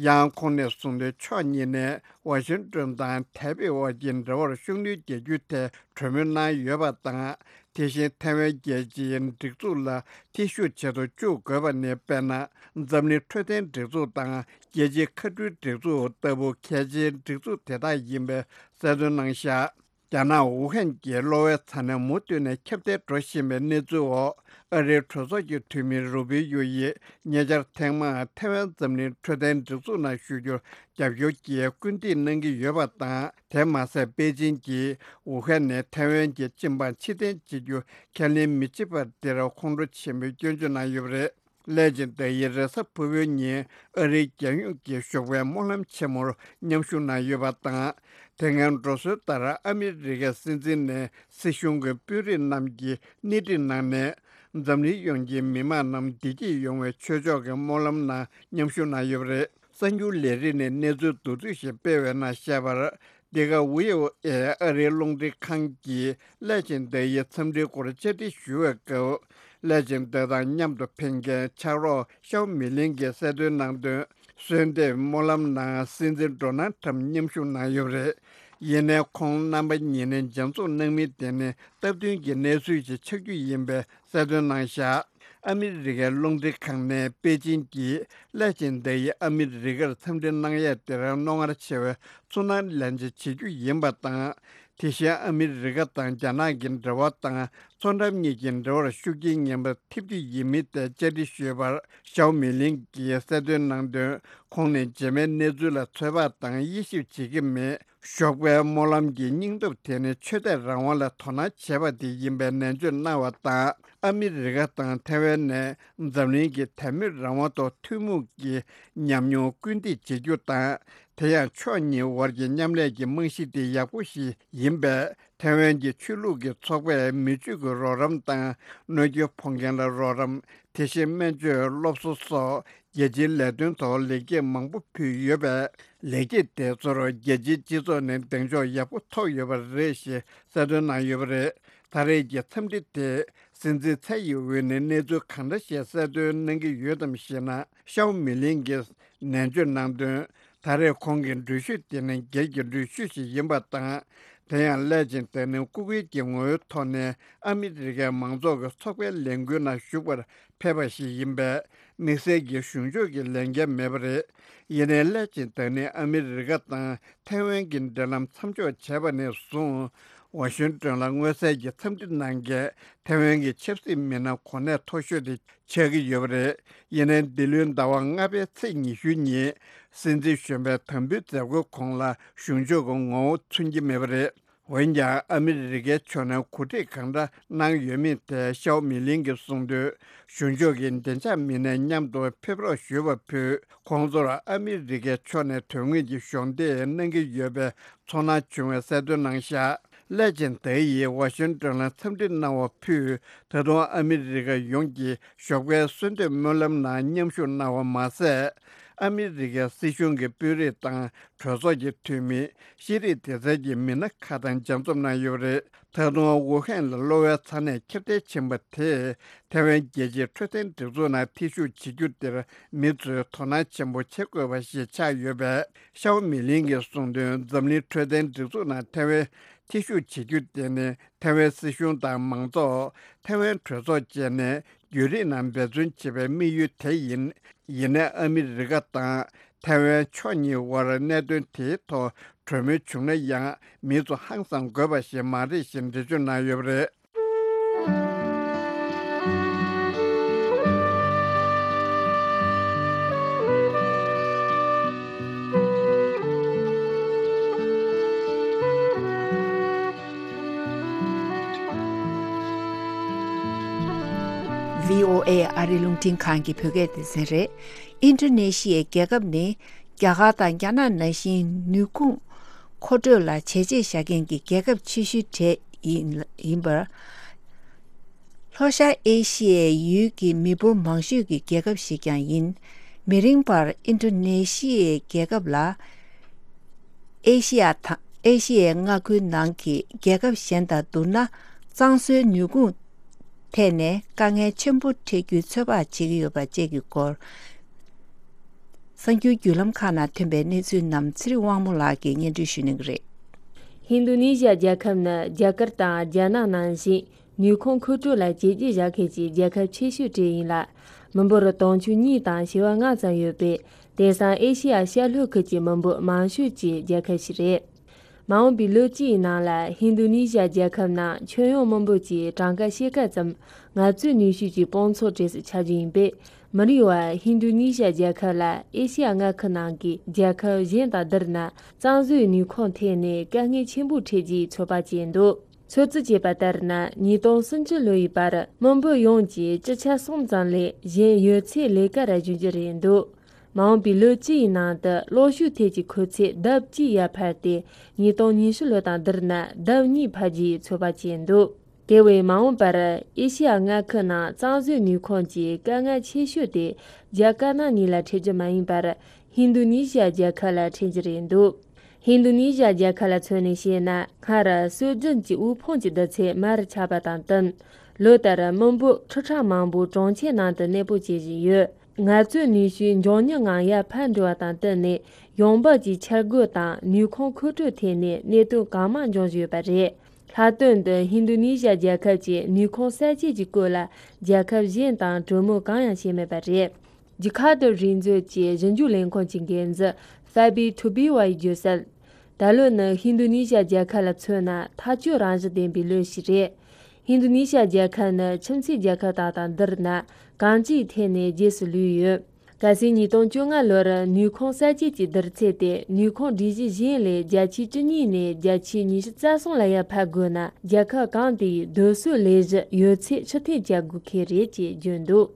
ཡང་ཁོང་ནས་གསུངས་དོན། ཕྱོགས་གཉིས་ནས་ཝ་ཤིང་ཏོན་དང་ཐའེ་པེ་དབར་གྱི་འབྲེལ་བར་ཤུགས་སྣོན་རྒྱག་རྒྱུའི་ཐད་གྲོས་མོལ་གནང་ཡོད་པ་དང་། དེ་བཞིན་ཐའེ་ཝན་རྒྱལ་སྤྱིའི་སྒྲིག་འཛུགས་ལ་ཐེ་ཞུགས་བྱེད་དུ་བཅུག་དགོས་པ་ནི། དཔེར་ན། འཛམ་གླིང་འཕྲོད་བསྟེན་སྒྲིག་འཛུགས་དང་རྒྱལ་སྤྱིའི་མཁའ་འགྲུལ་སྒྲིག་འཛུགས་ལྟ་བུ་གལ་ཆེའི་སྒྲིག་འཛུགས་དེ་དག་ཡིན་པའི་གསལ་སྟོན་གནང་བཞག་རྒྱ་ནག་ཝུ་ཧན་གྱི་གློ་བའི་ཚ་ནད་མུ་མཐུད་ནས་ཁྱབ་གདལ་འགྲོ་བཞིན་པའི་གནས་ཚུལ་འོག་ཨ་རིའི་གྲོས་ཚོགས་ཀྱི་འཐུས་མི་རུ་པི་ཡོ་ཡིས་ཉེ་ཆར་ཐེངས་མང་ཐའེ་ཝན་འཛམ་གླིང་འཕྲོད་བསྟེན་སྒྲིག་འཛུགས་ནང་ཞུགས་རྒྱུར་རྒྱབ་སྐྱོར་གྱིས་སྐུལ་འདེད་གནང་གི་ཡོད་པ་དང་། དེ་མ་ཟད། པེ་ཅིན་གྱིས་ཝུ་ཧན་ནས་ཐའེ་ཝན་གྱི་སྤྱི་འབངས་ཕྱིར་འཐེན་བྱེད་རྒྱུ་ཁས་ལེན་མི་བྱེད་པར་དེར་ཁོང་ཁྲོ་ཆེན་པོས་སྐྱོན་བརྗོད་གནང་ཡོད་པ་རེད། ལའེ་ཆིང་ཏེ་ཡིས་རེས་གཟའ་ཕུར་བུའི་ཉིན་ཨ་རིའི་རྒྱལ་ཡོངས་ཀྱི་ཞོགས་པའི་སྨོན་ལམ་ཆེན་མོར་མཉམ་ཞུགས་གནང་ཡོད་པ་དང་། དེ་སྔའི་འགྲོ་སྲོལ་ལྟར་ཨ་མི་རི་ཀའི་སྲིད་འཛིན་ནས་སྲིད་གཞུང་གི་དཔོན་རིགས་རྣམས་ཀྱི་སྣེ་ཁྲིད་གནང་ནས། འཛམ་གླིང་ཡོངས་ཀྱི་མི་མང་རྣམས་བདེ་སྐྱིད་ཡོང་བའི་ཆོས་ཕྱོགས་ཀྱི་སྨོན་ལམ་ནང་མཉམ་ཞུགས་གནང་ཡོད་པ་རེད། གསར་འགྱུར་ལས་རིགས་ནས་གནས་ཚུལ་མདོར་བསྡུས་ཤིག་སྤེལ་བའི་ནང་བཤད་པར། འདི་ག་ཝི་ཨོ་ཨེ་ཨ་རིའི་རླུང་འཕྲིན་ཁང་གིས་ལའེ་ཆིང་ཏེ་ཡི་འཚམས་འདྲིའི་སྐོར་བཅར་འདྲི་ཞུ་བའི་སྐབས། ལའེ་ཆིང་ཏེ་དང་མཉམ་དུ་ཕེབས་མཁན་ཕྱག་རོགས་ཤའོ་མི་ལིན་གྱིས་གསལ་སྟོན་གནང་དོན། གསོལ་འདེབས་སྨོན་ལམ་ནང་སྲིད་འཛིན་ཌོ་ནལ་ཁྲམ་མཉམ་ཞུགས་གནང་ཡོད་པ་རེད། ཡིན་ནའི་ཁོང་རྣམ་པ་གཉིས་ནས་མཇལ་འཛོམས་གནང་མིན་དེ་ནི་སྟབས་བསྟུན་གྱི་གནས་ཚུལ་ཞིག་ཆགས་རྒྱུ་ཡིན་པའི་གསལ་སྟོན་གནང་བཞག་ཨ་མི་རི་ཀའི་རླུང་འཕྲིན་ཁང་ནས་པེ་ཅིན་གྱིས་སླད་ཕྱིན་ད་ཡིན་ཨ་མི་རི་ཀར་འཚམས་འདྲི་གནང་ཡས་དེར་རྣོ་ངར་ཆེ་བའི་ཚོར་སྣང་ལེན་བྱ་བྱེད་རྒྱུ་ཡིན་པ་དང་། དེ་བཞིན་ཨ་མི་རི་ཀ་དང་རྒྱ་ནག་གི་འབྲེལ་བ་དང་མཚོ་འགྲམ་གཉིས་ཀྱི་འབྲེལ་བར་ཤུགས་རྐྱེན་ངན་པ་ཐེབས་རྒྱུ་ཡིན་མིན་ཐད་བཅར་འདྲི་ཞུས་པར་ཞའོ་མི་ལིང་གིས་གསལ་སྟོན་གནང་དོན། ཁོང་ནས་རྗེས་མའི་གནས་ཚུལ་ལ་ཚོད་དཔག་དང་དབྱེ་ཞིབ་བྱེད་ཀྱི་མེད། ཞོགས་པའི་སྨོན་ལམ་གྱི་སྙིང་སྟོབས་དེ་ནི་ཆོས་དད་རང་དབང་ལ་དོ་སྣང་བྱས་པ་དེ་ཡིན་པའི་ནན་བརྗོད་གནང་བ་དང་། ཨ་མི་རི་ཀ་དང་ཐའེ་ཝན་ནས་འཛམ་གླིང་གི་དད་མོས་རང་དབང་ཐོག་ཐུན་མོང་གི་ཉམས་མྱོང་སྐུལ་འདེད་བྱེད་རྒྱུ་དང་། དེ་ཡང་ཕྱོགས་གཉིས་བར་གྱི་མཉམ་ལས་ཀྱི་རྨང་གཞི་དེ་ཡག་པོ་ཞིག་ཡིན་པས། ཐའེ་ཝན་གྱི་ཆོས་ལུགས་ཀྱི་ཚོགས་པས་མི་སྤྱོད་ཀྱི་རོགས་རམ་དང་། གནོད་སྐྱོན་ཕོག་མཁན་ལ་རོགས་རམ། དེ་བཞིན་སྨན་བཅོས། སློབ་གསོ་སོགས་རྒྱལ་སྤྱིའི་ལས་དོན་ཐོག་ལེགས་སྐྱེས་མང་པོ་ཕུལ་ཡོད་པས། ལེགས་སྐྱེས་དེ་ཚོར་རྒྱལ་སྤྱིའི་སྤྱི་ཚོགས་ནས་གདེང་འཇོག་ཡག་པོ་ཐོབ་ཡོད་པ་རེད་ཞེས་གསལ་སྟོན་གནང་ཡོད་པ་རེད། ད་རེས་ཀྱི་འཚམས་འདྲི་དེ་སྲིད་འཛིན་ཚའེ་ཡིན་ཝེན་ནས་གནས་ཚུལ་གང་འདྲ་ཞིག་གསལ་སྟོན་གནང་གི་ཡོད་དམ་ཞེ་ན། ཤའོ་མི་ལིང་གིས་ནན་བརྗོད་གནང་དོན། ད་རེས་ཁོང་གི་འགྲུལ་བཞུད་དེ་ནི་སྒེར་གྱི་འགྲུལ་བཞུད་ཞིག་ཡིན་པ་དང་། དེ་ཡང་སླད་ཕྱིན་ད་ནི་སྐུ་སྒེར་གྱི་ངོ་བོའི་ཐོག་ནས་ཨ་མི་རི་ཀའི་མང་ཚོགས་ཀྱི་ཚོགས་པའི་ལས་འགུལ་ནང་ཞུགས་པར་ཕེབས་པ་ཞིག་ཡིན་པས། དམིགས་བསལ་གྱི་གཞུང་ཕྱོགས་ཀྱི་ལས་འགན་མེད་པ་རེད། ཡིན་ནའི་སླད་ཕྱིན་ད་ནི་ཨ་མི་རི་ཀ་དང་ཐའེ་ཝན་གྱི་འབྲེལ་ལམ་མཚམས་འཇོག་བྱས་པ་ནས་བཟུང་། ཝ་ཤིང་ཏོན་ལ་མངོན་གསལ་གྱི་འཚམས་འདྲི་གནང་མཁན་ཐའེ་ཝན་གྱི་ཆབ་སྲིད་མི་སྣ་གོ་གནས་མཐོ་ཤོས་དེ་ཆགས་ཀྱི་ཡོད་པ་རེད། ཡིན་ནའི་འདི་ལོའི་ཟླ་བ་ལྔ་པའི་ཚེས་ཉི་ཤུ་ཉིན་སྲིད་འཛིན་གཞོན་པའི་དམ་འབུལ་མཛད་སྒོའི་གོང་ལ་གཞུང་ཕྱོགས་ཀྱི་ངོ་བོ་མཚོན་གྱི་མེད་པ་རེད། འོན་ཀྱང་ཨ་མི་རི་ཀའི་ཕྱོགས་ནས་གོ་སྒྲིག་གང་འདྲ་གནང་ཡོད་མེད་ཐད་ཤའོ་མི་ལིང་གིས་གསུངས་དོན། གཞུང་ཕྱོགས་ཀྱི་བདེ་འཇགས་མི་སྣས་མཉམ་དུ་ཕེབས་རོགས་ཞུ་བ་ཕུད། ཁོང་ཚོར་ཨ་མི་རི་ཀའི་ཕྱོགས་ནས་དོན་དངོས་ཀྱི་གཞོགས་འདེགས་གནང་གི་ཡོད་པའི་ཚོར་སྣང་བྱུང་བའི་གསལ་སྟོན་གནང་བཞག་སླད་ཕྱིན་ད་ཡིན་ཝ་ཤིང་ཏོན་ལ་འཚམས་འདྲི་གནང་བ་ཕུད། ད་དུང་ཨ་མི་རི་ཀ་ཡོངས་ཀྱི་ཞོགས་པའི་གསོལ་འདེབས་སྨོན་ལམ་ནང་མཉམ་ཞུགས་གནང་བ་མ་ཟད། ཨ་མི་རི་ཀའི་སྲིད་གཞུང་གི་དཔོན་རིགས་དང་གྲོས་ཚོགས་ཀྱི་འཐུས་མི། ཤེས་རིག་སྡེ་ཚན་གྱི་མི་སྣ་ཁག་དང་མཇལ་འཛོམས་གནང་ཡོད་པ་རེད། ད་དུང་ཝུ་ཧན་ལ་གློ་བའི་ཚ་ནད་ཁྱབ་གདལ་ཕྱིན་པ་དེས་ཐའེ་ཝན་རྒྱལ་སྤྱིའི་འཕྲོད་བསྟེན་སྒྲིག་འཛུགས་ནང་ཐེ་ཞུགས་བྱེད་རྒྱུ་དེར་མི་ཚོས་དོ་སྣང་ཆེན་པོ་བྱེད་དགོས་པ་ཞིག་ཆགས་ཡོད་པས། ཤའོ་མི་ལིང་གིས་གསུངས་དོན། འཛམ་གླིང་འཕྲོད་བསྟེན་སྒྲིག་འཛུགས་ནང་ཐའེ་ཝན་ཐེ་ཞུགས་བྱེད་རྒྱུ་དེ་ནི་ཐའེ་ཝན་སྲིད་གཞུང་དང་མང་ཚོགས། ཐའེ་ཝན་གྲོས་ཚོགས་བཅས་ནས་རྒྱུན་རིང་ནང་འབད་བརྩོན་བྱེད་པའི་དམིགས་ཡུལ་དེ་ཡིན། ཡིན་ནའི་ཨ་མི་རི་ཀ་དང་ཐའེ་ཝན་ཕྱོགས་གཉིས་དབར་གནད་དོན་དེའི་ཐོག་གྲོས་མོལ་བྱུང་ན་ཡང་མི་ཚོ་ཧང་སང་དགོས་པ་ཞིག་མ་རེད་ཞེས་འགྲེལ་བརྗོད་གནང་ཡོད་པ་རེད། ཝི་ཨོ་ཨེ་ཨ་རིའི་རླུང་འཕྲིན་ཁང་གི་བོད་སྐད་སྡེ་ཚན་རེད། ཨིན་ཌོ་ནེ་ཤི་ཡའི་རྒྱལ་ཁབ་ནི་རྒྱ་གར་དང་རྒྱ་ནག་ནང་བཞིན་ནུས་ཁུངས་མཁོ་སྤྲོད་ལ་བྱས་རྗེས་བཞག་མཁན་གྱི་རྒྱལ་ཁབ་ཆེ་ཤོས་གྲས་ཡིན་ཡིན་པར། ལྷོ་ཤར་ཨེ་ཤི་ཡའི་ཡུལ་གྱི་མི་འབོར་མང་ཤོས་ཀྱི་རྒྱལ་ཁབ་ཞིག་ཀྱང་ཡིན། མི་རིང་བར་ཨིན་ཌོ་ནེ་ཤི་ཡའི་རྒྱལ་ཁབ་ལ། ཨེ་ཤི་ཡ་དང་ཨེ་ཤི་ཡའི་མངའ་ཁུལ་ནང་གི་རྒྱལ་ཁབ་གཞན་དང་བསྡུར་ན། གཙང་བཟོའི་ནུས་ཁུངས་ཐད་ནས་དཀའ་ངལ་ཆེན་པོ་འཕྲད་རྒྱུའི་ཚོད་དཔག་བྱེད་ཀྱི་ཡོད་པ་བཅས་ཀྱི་སྐོར། གསར་འགྱུར་བརྒྱུད་ལམ་ཁག་ནང་ཐོན་པའི་གནས་ཚུལ་རྣམས་ཚེ་རིང་དབང་མོ་ལགས་ཀྱིས་སྙན་སྒྲོན་ཞུ་གནང་གི་རེད། ཧིན་རྡུ་ནི་ཞི་ཡ་རྒྱལ་ཁབ་ནི་རྒྱ་གར་དང་རྒྱ་ནག་ནང་བཞིན་ནུས་ཁུངས་མཁོ་སྤྲོད་ལ་བྱས་རྗེས་བཞག་མཁན་གྱི་རྒྱལ་ཁབ་ཆེ་ཤོས་གྲས་ཡིན་ལ། མི་འབོར་དུང་ཕྱུར་གཉིས་དང་བྱེ་བ་ལྔ་ཙམ་ཡོད་པས། དེང་སང་ཨེ་ཤི་ཡ་ཤར་ལྷོ་ཁུལ་གྱི་མི་འབོར་མང་ཤོས་ཀྱི་རྒྱལ་ཁབ་ཞིག་རེད། མ་འོངས་པའི་ལོ་གཅིག་ཡི་ནང་ལ་ཧིན་རྡུ་ནི་ཞི་ཡ་རྒྱལ་ཁབ་ནང་ཁྱོན་ཡོངས་མི་འབོར་གྱི་གྲངས་ཀ་ཕྱེད་ཀ་ཙམ་ངལ་རྩོལ་ནུས་ཤུགས་ཀྱི་དཔུང་ཚོགས་གྲས་སུ་ཆགས་རྒྱུ་ཡིན་པས། མི་རིང་བར་ཧིན་རྡུ་ནི་ཞི་ཡ་རྒྱལ་ཁབ་ལ་ཨེ་ཤི་ཡ་མངའ་ཁུལ་ནང་གི་རྒྱལ་ཁབ་གཞན་དང་བསྡུར་ན། གཙང་བཟོའི་ནུས་ཁུངས་ཐད་ནས་དཀའ་ངལ་ཆེན་པོ་འཕྲད་རྒྱུའི་ཚོད་དཔག་བྱས་འདུག་ཚོད་རྩིས་བྱས་པ་ལྟར་ན། ཉིས་སྟོང་སུམ་ཅུ་ལོ་ཡི་བར་མི་འབོར་ཡོངས་ཀྱི་བཅུ་ཆ་གསུམ་ཙམ་ལས་གཞན་ཡོད་ཚད་ལས་ཀ་ར་འཇུག་རྒྱུ་རེད་འདུག་མ་འོངས་པའི་ལོ་གཅིག་ཡི་ནང་དུ་གློག་ཤུགས་ཐད་ཀྱི་མཁོ་ཚད་ལྡབ་གཅིག་ཡར་འཕར་ཏེ། ཉིས་སྟོང་ཉི་ཤུ་ལོ་དང་བསྡུར་ན་ལྡབ་གཉིས་འཕར་རྒྱུའི་ཚོད་དཔག་བྱས་འདུག་དེ་བས་མ་འོངས་པར་ཨེ་ཤི་ཡ་མངའ་ཁུལ་ནང་གཙང་བཟོའི་ནུས་ཁུངས་ཀྱི་དཀའ་ངལ་ཆེ་ཤོས་དེ་རྒྱ་དཀར་ནག་གཉིས་ལ་འཕྲད་རྒྱུ་མ་ཡིན་པར། ཧིན་རྡུ་ནི་ཞི་ཡ་རྒྱལ་ཁབ་ལ་འཕྲད་རྒྱུ་རེད་འདུག་ཧིན་རྡུ་ནི་ཞི་ཡ་རྒྱལ་ཁབ་ལ་མཚོན་ནས་བཤད་ན། སྔར་སྲོལ་རྒྱུན་གྱི་དབུལ་ཕོངས་ཀྱི་བསྡུར་ཚད་མར་ཆག་པ་དང་བསྟུན། ལོ་ལྟར་མི་འབོར་ཁྲི་ཕྲག་མང་པོ་གྲོང་ཁྱེར་ནང་དུ་གནས་སྤོ་བྱེད་བཞིན་ཡོད། ངལ་རྩོལ་ནུས་ཤུགས་མགྱོགས་མྱུར་ངང་ཡར་འཕར་འགྲོ་བ་དང་བསྟུན་ནས། ཡོང་འབབ་ཀྱི་འཆར་འགོད་དང་ནུས་ཁུངས་མཁོ་སྤྲོད་ཐད་ནས་གནད་དོན་གང་མང་འབྱུང་བཞིན་ཡོད་པ་རེད། ལྷག་དོན་དུ་ཧིན་རྡུ་ནི་ཤ་རྒྱལ་ཁབ་ཀྱི་ནུས་ཁུངས་གསར་བརྗེ་གྱི་སྐོར་ལ་རྒྱལ་ཁབ་གཞན་དང་གྲོས་མོལ་གང་ཡང་བྱས་མེད་པ་རེད། ཇི་ཁ་ཏུ་རིག་མཛོད་ཀྱི་ཞིབ་འཇུག་ལས་ཁུངས་ཀྱི་འགན་འཛིན་ཧྥ་བི་ཐུ་བི་ཝ་ཡིས་བརྗོད་གསལ། ད་ལོ་ནི་ཧིན་རྡུ་ནི་ཤ་རྒྱལ་ཁབ་ལ་མཚོན་ན་ཐག་གཅོད་རང་བཞིན་ལྡན་པའི་ལོ་ཞིག་རེད། ཧིན་རྡུ་ནི་ཤ་རྒྱལ་ཁབ་ནི་ཁྱིམ་མཚེས་རྒྱལ་ཁབ་དག་དང་བསྡུར་ན་གང་ཅིའི་ཐད་ནས་རྗེས་སུ་ལུས་ཡོད། གལ་སྲིད་ཉིས་སྟོང་བཅོ་ལྔ་ལོར་ནུས་ཁུངས་གསར་བརྗེ་གྱི་བསྡུར་ཚད་དེ་ནུས་ཁུངས་སྒྲིག་གཞི་གཞན་ལས་བརྒྱ་ཆའི་བཅུ་གཉིས་ནས་བརྒྱ་ཆའི་ཉི་ཤུ་རྩ་གསུམ་ལ་ཡར་འཕར་དགོས་ན། རྒྱལ་ཁབ་གང་དེའི་སྡོད་གསོའི་ལས་གཞི་ཡོད་ཚད་ཕྱིར་འཐེན་བྱ་དགོས་ཀྱི་རེད་ཅེས་བརྗོད་འདུག་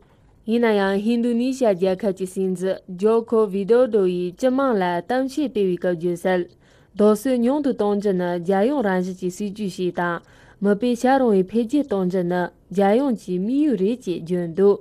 ཡིན་ན་ཡང་ཧིན་རྡུ་ནི་ཤ་རྒྱལ་ཁབ་ཀྱི་སྲིད་འཛིན་ཇོ་ཁོ་ཝི་ཌོ་ཌོ་ཡིས་སྤྱི་དམངས་ལ་གཏམ་བཤད་སྤེལ་བའི་སྐབས་བརྗོད་གསལ། རྡོ་སོལ་ཉུང་དུ་གཏོང་རྒྱུ་ནི་རྒྱལ་ཡོངས་རང་བཞིན་གྱི་སྲིད་ཇུས་ཤིག་དང་། མི་དཔེ་བྱ་རུང་བའི་འཕེལ་རྒྱས་གཏོང་རྒྱུ་ནི་རྒྱལ་ཡོངས་ཀྱི་དམིགས་ཡུལ་རེད་ཅེས་བརྗོད་འདུག་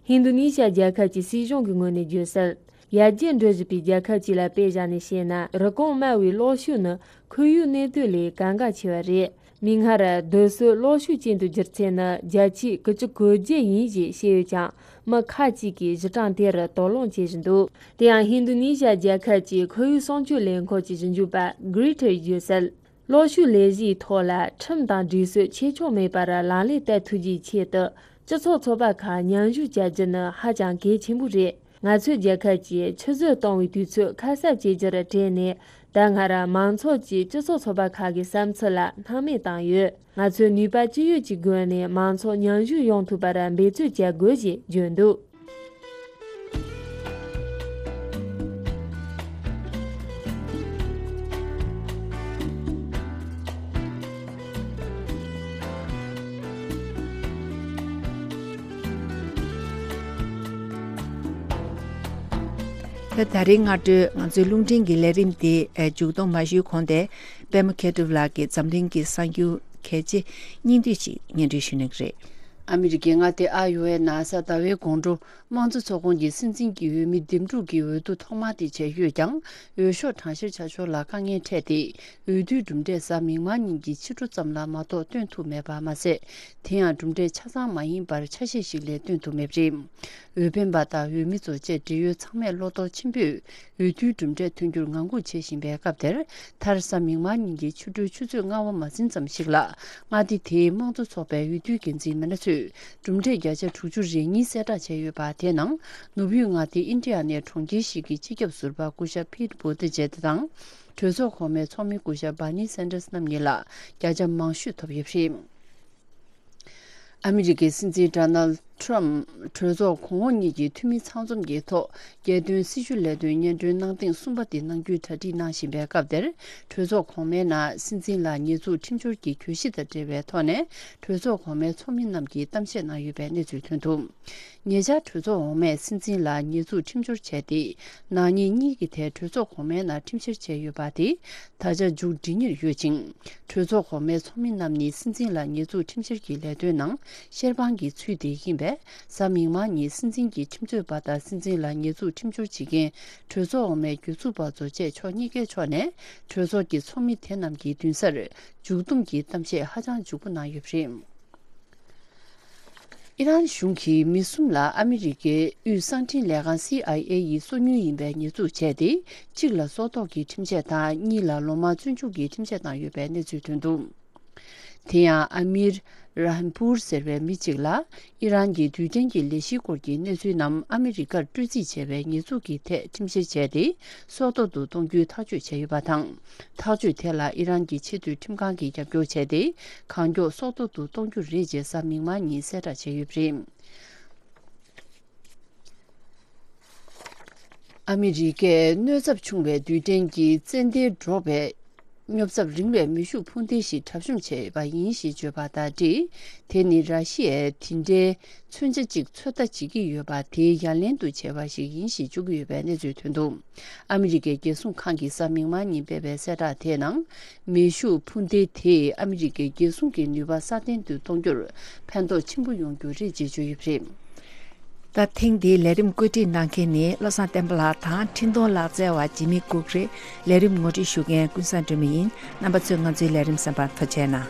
ཧིན་རྡུ་ནི་ཤ་རྒྱལ་ཁབ་ཀྱི་སྲིད་གཞུང་གི་ངོས་ནས་བརྗོད་གསལ། ཡར་རྒྱས་འགྲོ་བཞིན་པའི་རྒྱལ་ཁབ་ཅིག་ལ་དཔེ་བཞག་ནས་བཤད་ན། རུ་གོང་དམའ་བའི་གློག་ཤུགས་ནི་ཁོར་ཡུག་གནས་སྡུད་ལས་གལ་འགངས་ཆེ་བ་རེད། མིག་སྔར་རྡོ་སོལ་གློག་ཤུགས་ཅན་དུ་བསྒྱུར་ཚད་ནི་བརྒྱ་ཆའི་དགུ་བཅུ་གོ་བརྒྱད་ཡིན་ཞེས་བཤད་ཡོད་ཀྱང་། མི་ཁག་ཅིག་གིས་གཞི་གྲངས་དེར་དོགས་སློང་བྱེད་བཞིན་འདུག་དེ་ཡང་ཧིན་རྡུ་ནི་ཤ་རྒྱལ་ཁབ་ཀྱི་ཁོར་ཡུག་སྲུང་སྐྱོབ་ལས་ཁུངས་ཀྱི་ཞིབ་འཇུག་པ་གྷི་རི་ཐར་ཡིས་བརྗོད་གསལ། གློག་ཤུགས་ལས་གཞིའི་ཐོག་ལ་ཁྲིམས་དང་སྒྲིག་སྲོལ་ཆེ་ཆུང་མེད་པར་ལག་ལེན་བསྟར་ཐུབ་རྒྱུའི་ཆེད་དུ། སྤྱི་ཚོགས་ཚོགས་པ་ཁག་མཉམ་ཞུགས་བྱ་རྒྱུ་ནི་ཧ་ཅང་གལ་ཆེན་པོ་རེད། ང་ཚོའི་རྒྱལ་ཁབ་ཀྱིས་ཆུད་ཟོས་གཏོང་བའི་དུས་ཚོད་ཁ་གསབ་བྱེད་རྒྱུར་བྲེལ་ནས། ད་སྔར་མང་ཚོགས་ཀྱིས་སྤྱི་ཚོགས་ཚོགས་པ་ཁག་གི་བསམ་ཚུལ་ལ་སྣང་མེད་བཏང་ཡོད། ང་ཚོས་ནུས་པ་ཅི་ཡོད་ཀྱི་སྒོ་ནས་མང་ཚོགས་མཉམ་ཞུགས་ཡོང་ཐུབ་པར་འབད་བརྩོན་བྱ་དགོས་ཞེས་བརྗོད་འདུག་ད་ད་རེས་སྔ་དྲོའི་ང་ཚོའི་རླུང་འཕྲིན་གྱི་ལས་རིམ་དེ་མཇུག་སྡོམ་མ་ཞུས་གོང་དེ། པད་མ་མཁས་གྲུབ་ལགས་ཀྱིས་འཛམ་གླིང་གི་གསར་འགྱུར་གལ་ཆེ་སྙིང་བསྡུས་ཤིག་སྙན་སྒྲོན་ཞུ་གནང་གི་རེད། ཨ་མི་རི་ཀའི་མངའ་སྡེ་ཨ་ཡོ་ཝའི་ན་ས་ཟླ་བའི་དགོང་དྲོ། དམངས་གཙོ་ཚོགས་ཁོངས་ཀྱི་སྲིད་འཛིན་གྱི་འོས་མི་འདེམས་སྒྲུག་གི་འོས་བསྡུ་ཐོག་མ་དེ་བྱས་ཡོད་ཀྱང་། འོས་ཤོག་གྲངས་བཤེར་བྱ་ཕྱོགས་ལ་དཀའ་ངལ་འཕྲད་དེ། འོས་བསྡུའི་གྲུབ་འབྲས་གཟའ་མིག་དམར་ཉིན་གྱི་ཕྱི་དྲོ་ཙམ་ལ་མ་གཏོགས་སྟོན་ཐུབ་མེད་པ་མ་ཟད། དེ་ཡང་གྲུབ་འབྲས་ཆ་ཚང་མ་ཡིན་པར་ཆ་ཤས་ཤིག་ལས་སྟོན་ཐུབ་མེད་པ་རེད། འོས་འཕེན་པ་དང་འོས་མི་ཚོ་བཅས་འབྲེལ་ཡོད་ཚང་མས་བློ་དོགས་ཆེན་པོས་འོས་བསྡུའི་གྲུབ་འབྲས་ཐོན་རྒྱུར་ངང་སྒུག་བྱེད་བཞིན་པའི་སྐབས་དེར། མཐར་གཟའ་མིག་དམར་ཉིན་གྱི་ཆུ་ཕྲུག་ཆུ་ཚོད་ལྔ་པ་མ་ཟིན་ཙམ་ཞིག་ལ། མངའ་སྡེ་དེའི་དམངས་གཙོ་ཚོགས་པའི་འོས་བསྡུའི་འགན་འཛིན་མི་སྣ་ཚོས་གྲུབ་འབྲས་བརྒྱ་ཆ་དྲུག་ཅུ་རེ་གཉིས་གསལ་བསྒྲགས་བྱས་ཡོད་པ། དེའི་ནང་ནུབ་ཡུལ་མངའ་སྡེ་ཨིན་ཌི་ཡ་ནའི་གྲོང་ཁྱེར་ཞིག་གི་སྤྱི་ཁྱབ་ཟུར་པ་སྐུ་ཞབས་ཕིད་བྷུ་ཏི་ཇེད་དང་། གྲོས་ཚོགས་གོང་མའི་ཚོགས་མི་སྐུ་ཞབས་བྷར་ནི་སན་ཏར་སི་རྣམ་གཉིས་ལ་བརྒྱ་ཆ་མང་ཤོས་ཐོབ་ཡོད་པ་རེད། ཨ་མི་རི་ཀའི་སྲིད་འཛིན་ཌོ་ནལ་ཊམ་གྲོས་ཚོགས་གོང་འོག་གཉིས་ཀྱི་འཐུས་མི་ཚང་འཛོམས་ཀྱི་ཐོག་རྒྱལ་དོན་སྲི་ཞུ་ལས་དོན་སྙན་སྒྲོན་གནང་ཐེངས་གསུམ་པ་དེ་གནང་རྒྱུའི་གྲ་སྒྲིག་གནང་བཞིན་པའི་སྐབས་དེར། གྲོས་ཚོགས་གོང་མའི་ནང་སྲིད་འཛིན་ལ་ཉེས་འཛུགས་ཁྲིམས་སྦྱོར་གྱི་གྱོད་གཞི་དང་འབྲེལ་བའི་ཐོག་ནས། གྲོས་ཚོགས་གོང་མའི་ཚོགས་མི་རྣམས་ཀྱིས་གཏམ་བཤད་གནང་ཡོད་པའི་གནས་ཚུལ་ཐོན་འདུག་ཉེ་ཆར་གྲོས་ཚོགས་འོག་མས་སྲིད་འཛིན་ལ་ཉེས་འཛུགས་ཁྲིམས་སྦྱོར་བྱས་ཏེ། ནག་ཉེས་གཉིས་ཀྱི་ཐད་གྲོས་ཚོགས་གོང་མའི་ནང་ཁྲིམས་བཤེར་བྱས་ཡོད་པ་དེ་ད་ཆ་མཇུག་སྒྲིལ་ཉེར་ཡོད་ཅིང་། གྲོས་ཚོགས་གོང་མའི་ཚོགས་མི་རྣམས་ནི་སྲིད་འཛིན་ལ་ཉེས་འཛུགས་ཁྲིམས་བཤེར་གྱི་ལས་དོན་ནང་བཤེར་དཔང་གི་ཚུལ་དེ་ཡིན་པས། གཟའ་མིག་དམར་ཉིན་སྲིད་འཛིན་གྱི་ཁྲིམས་རྩོད་པ་དང་སྲིད་འཛིན་ལ་ཉེས་འཛུགས་ཁྲིམས་སྦྱོར་བྱེད་མཁན་གྲོས་ཚོགས་འོག་མའི་གྱོད་འཛུགས་པ་ཚོ་བཅས་ཕྱོགས་གཉིས་ཀའི་ཕྱོགས་ནས་གྲོས་ཚོགས་ཀྱི་ཚོགས་མི་དེ་རྣམས་ཀྱི་མདུན་སར་མཇུག་བསྡོམས་ཀྱི་གཏམ་བཤད་ཧ་ཅང་མཇུག་པོ་གནང་ཡོད་པ་རེད། ཨི་རན་གཞུང་གིས་མི་གསུམ་ལ་ཨ་མི་རི་ཀའི་དབུས་གསང་འཕྲིན་ལས་ཁང་སི་ཨའི་ཨེ་ཡིས་སོ་ཉུལ་ཡིན་པའི་ཉེས་འཛུགས་བྱས་ཏེ། གཅིག་ལ་སྲོག་ཐོག་གི་ཁྲིམས་ཆད་དང་། གཉིས་ལ་ལོ་མང་བཙོན་འཇུག་གི་ཁྲིམས་ཆད་བཏང་ཡོད་པའི་གནས་ཚུལ་ཐོན་འདུག་དེ་ཡང་ཨ་མིར་རཱན་པུར་ཟེར་བའི་མི་གཅིག་ལ་ཨི་རན་གྱི་རྡུལ་ཕྲན་གྱི་ལས་གཞིའི་སྐོར་གྱི་གནས་ཚུལ་རྣམས་ཨ་མི་རི་ཀར་སྤྲོད་རྩིས་བྱས་པའི་ཉེས་འཛུགས་ཀྱི་ཐད་ཁྲིམས་བཤེར་བྱས་ཏེ། སྲོག་ཐོག་ཏུ་གཏོང་རྒྱུའི་ཐག་གཅོད་བྱས་ཡོད་པ་དང་། ཐག་གཅོད་དེ་ལ་ཨི་རན་གྱི་ཆེས་མཐོའི་ཁྲིམས་ཁང་གིས་རྒྱབ་སྐྱོར་བྱས་ཏེ། གང་མགྱོགས་སྲོག་ཐོག་ཏུ་གཏོང་རྒྱུ་རེད་ཅེས་གཟའ་མིག་དམར་ཉིན་གསལ་བསྒྲགས་བྱས་ཡོད་པ་རེད། ཨ་མི་རི་ཀས་གནོད་ཚབས་ཆུང་བའི་རྡུལ་ཕྲན་གྱི་ཙན་དན་སྒྲོག་པའི་སྙོབ་ཚབས་རིང་བའི་མེ་ཤུགས་འཕུར་མདེལ་ཞིག་གྲབས་གཤོམ་བྱས་ཡོད་པ་ཡིན་ཞེས་བརྗོད་པ་དང་འབྲེལ། དེ་ནི་ར་ཤི་ཡས་དེ་འདྲའི་མཚོན་ཆ་གཅིག་ཚོད་ལྟ་བྱེད་ཀྱི་ཡོད་པ་དེའི་ཡ་ལན་དུ་བྱས་པ་ཞིག་ཡིན་ཞེས་བརྗོད་ཀྱི་ཡོད་པའི་གནས་ཚུལ་ཐོན་འདུག་ཨ་མི་རི་ཀའི་རྒྱལ་སྲུང་ཁང་གིས་གཟའ་མིག་དམར་ཉིན་སྤེལ་བའི་གསལ་བསྒྲགས་དེའི་ནང་། མེ་ཤུགས་འཕུར་མདེལ་དེས་ཨ་མི་རི་ཀའི་རྒྱལ་སྲུང་གི་ནུས་པ་སྲ་བརྟན་དུ་གཏོང་རྒྱུར་ཕན་ཐོགས་ཆེན་པོ་ཡོང་རྒྱུ་རེད་ཅེས་བརྗོད་ཡོད་པ་རེད། ད་ཐེངས་འདིའི་ལས་རིམ་བཀོད་སྒྲིག་གནང་མཁན་ནི་བློ་བཟང་བསྟན་པ་ལགས་དང་འཕྲིན་གཏོང་ལག་རྩལ་བ་འཇིགས་མེད་ལྐུགས་རེད། ལས་རིམ་ངོ་སྤྲོད་ཞུ་མཁན་ཀུན་བཟང་སྒྲོལ་མ་ཡིན། རྣམ་པ་ཚོས་ང་ཚོའི་ལས་རིམ་གསན་པར་ཐུགས་རྗེ་གནང་།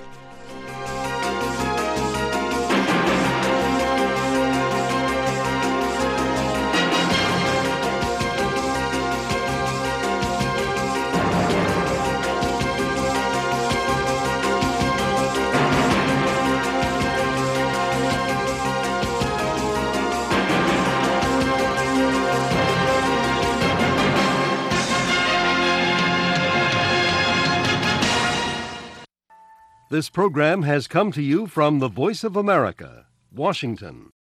This program has come to you from the Voice of America, Washington.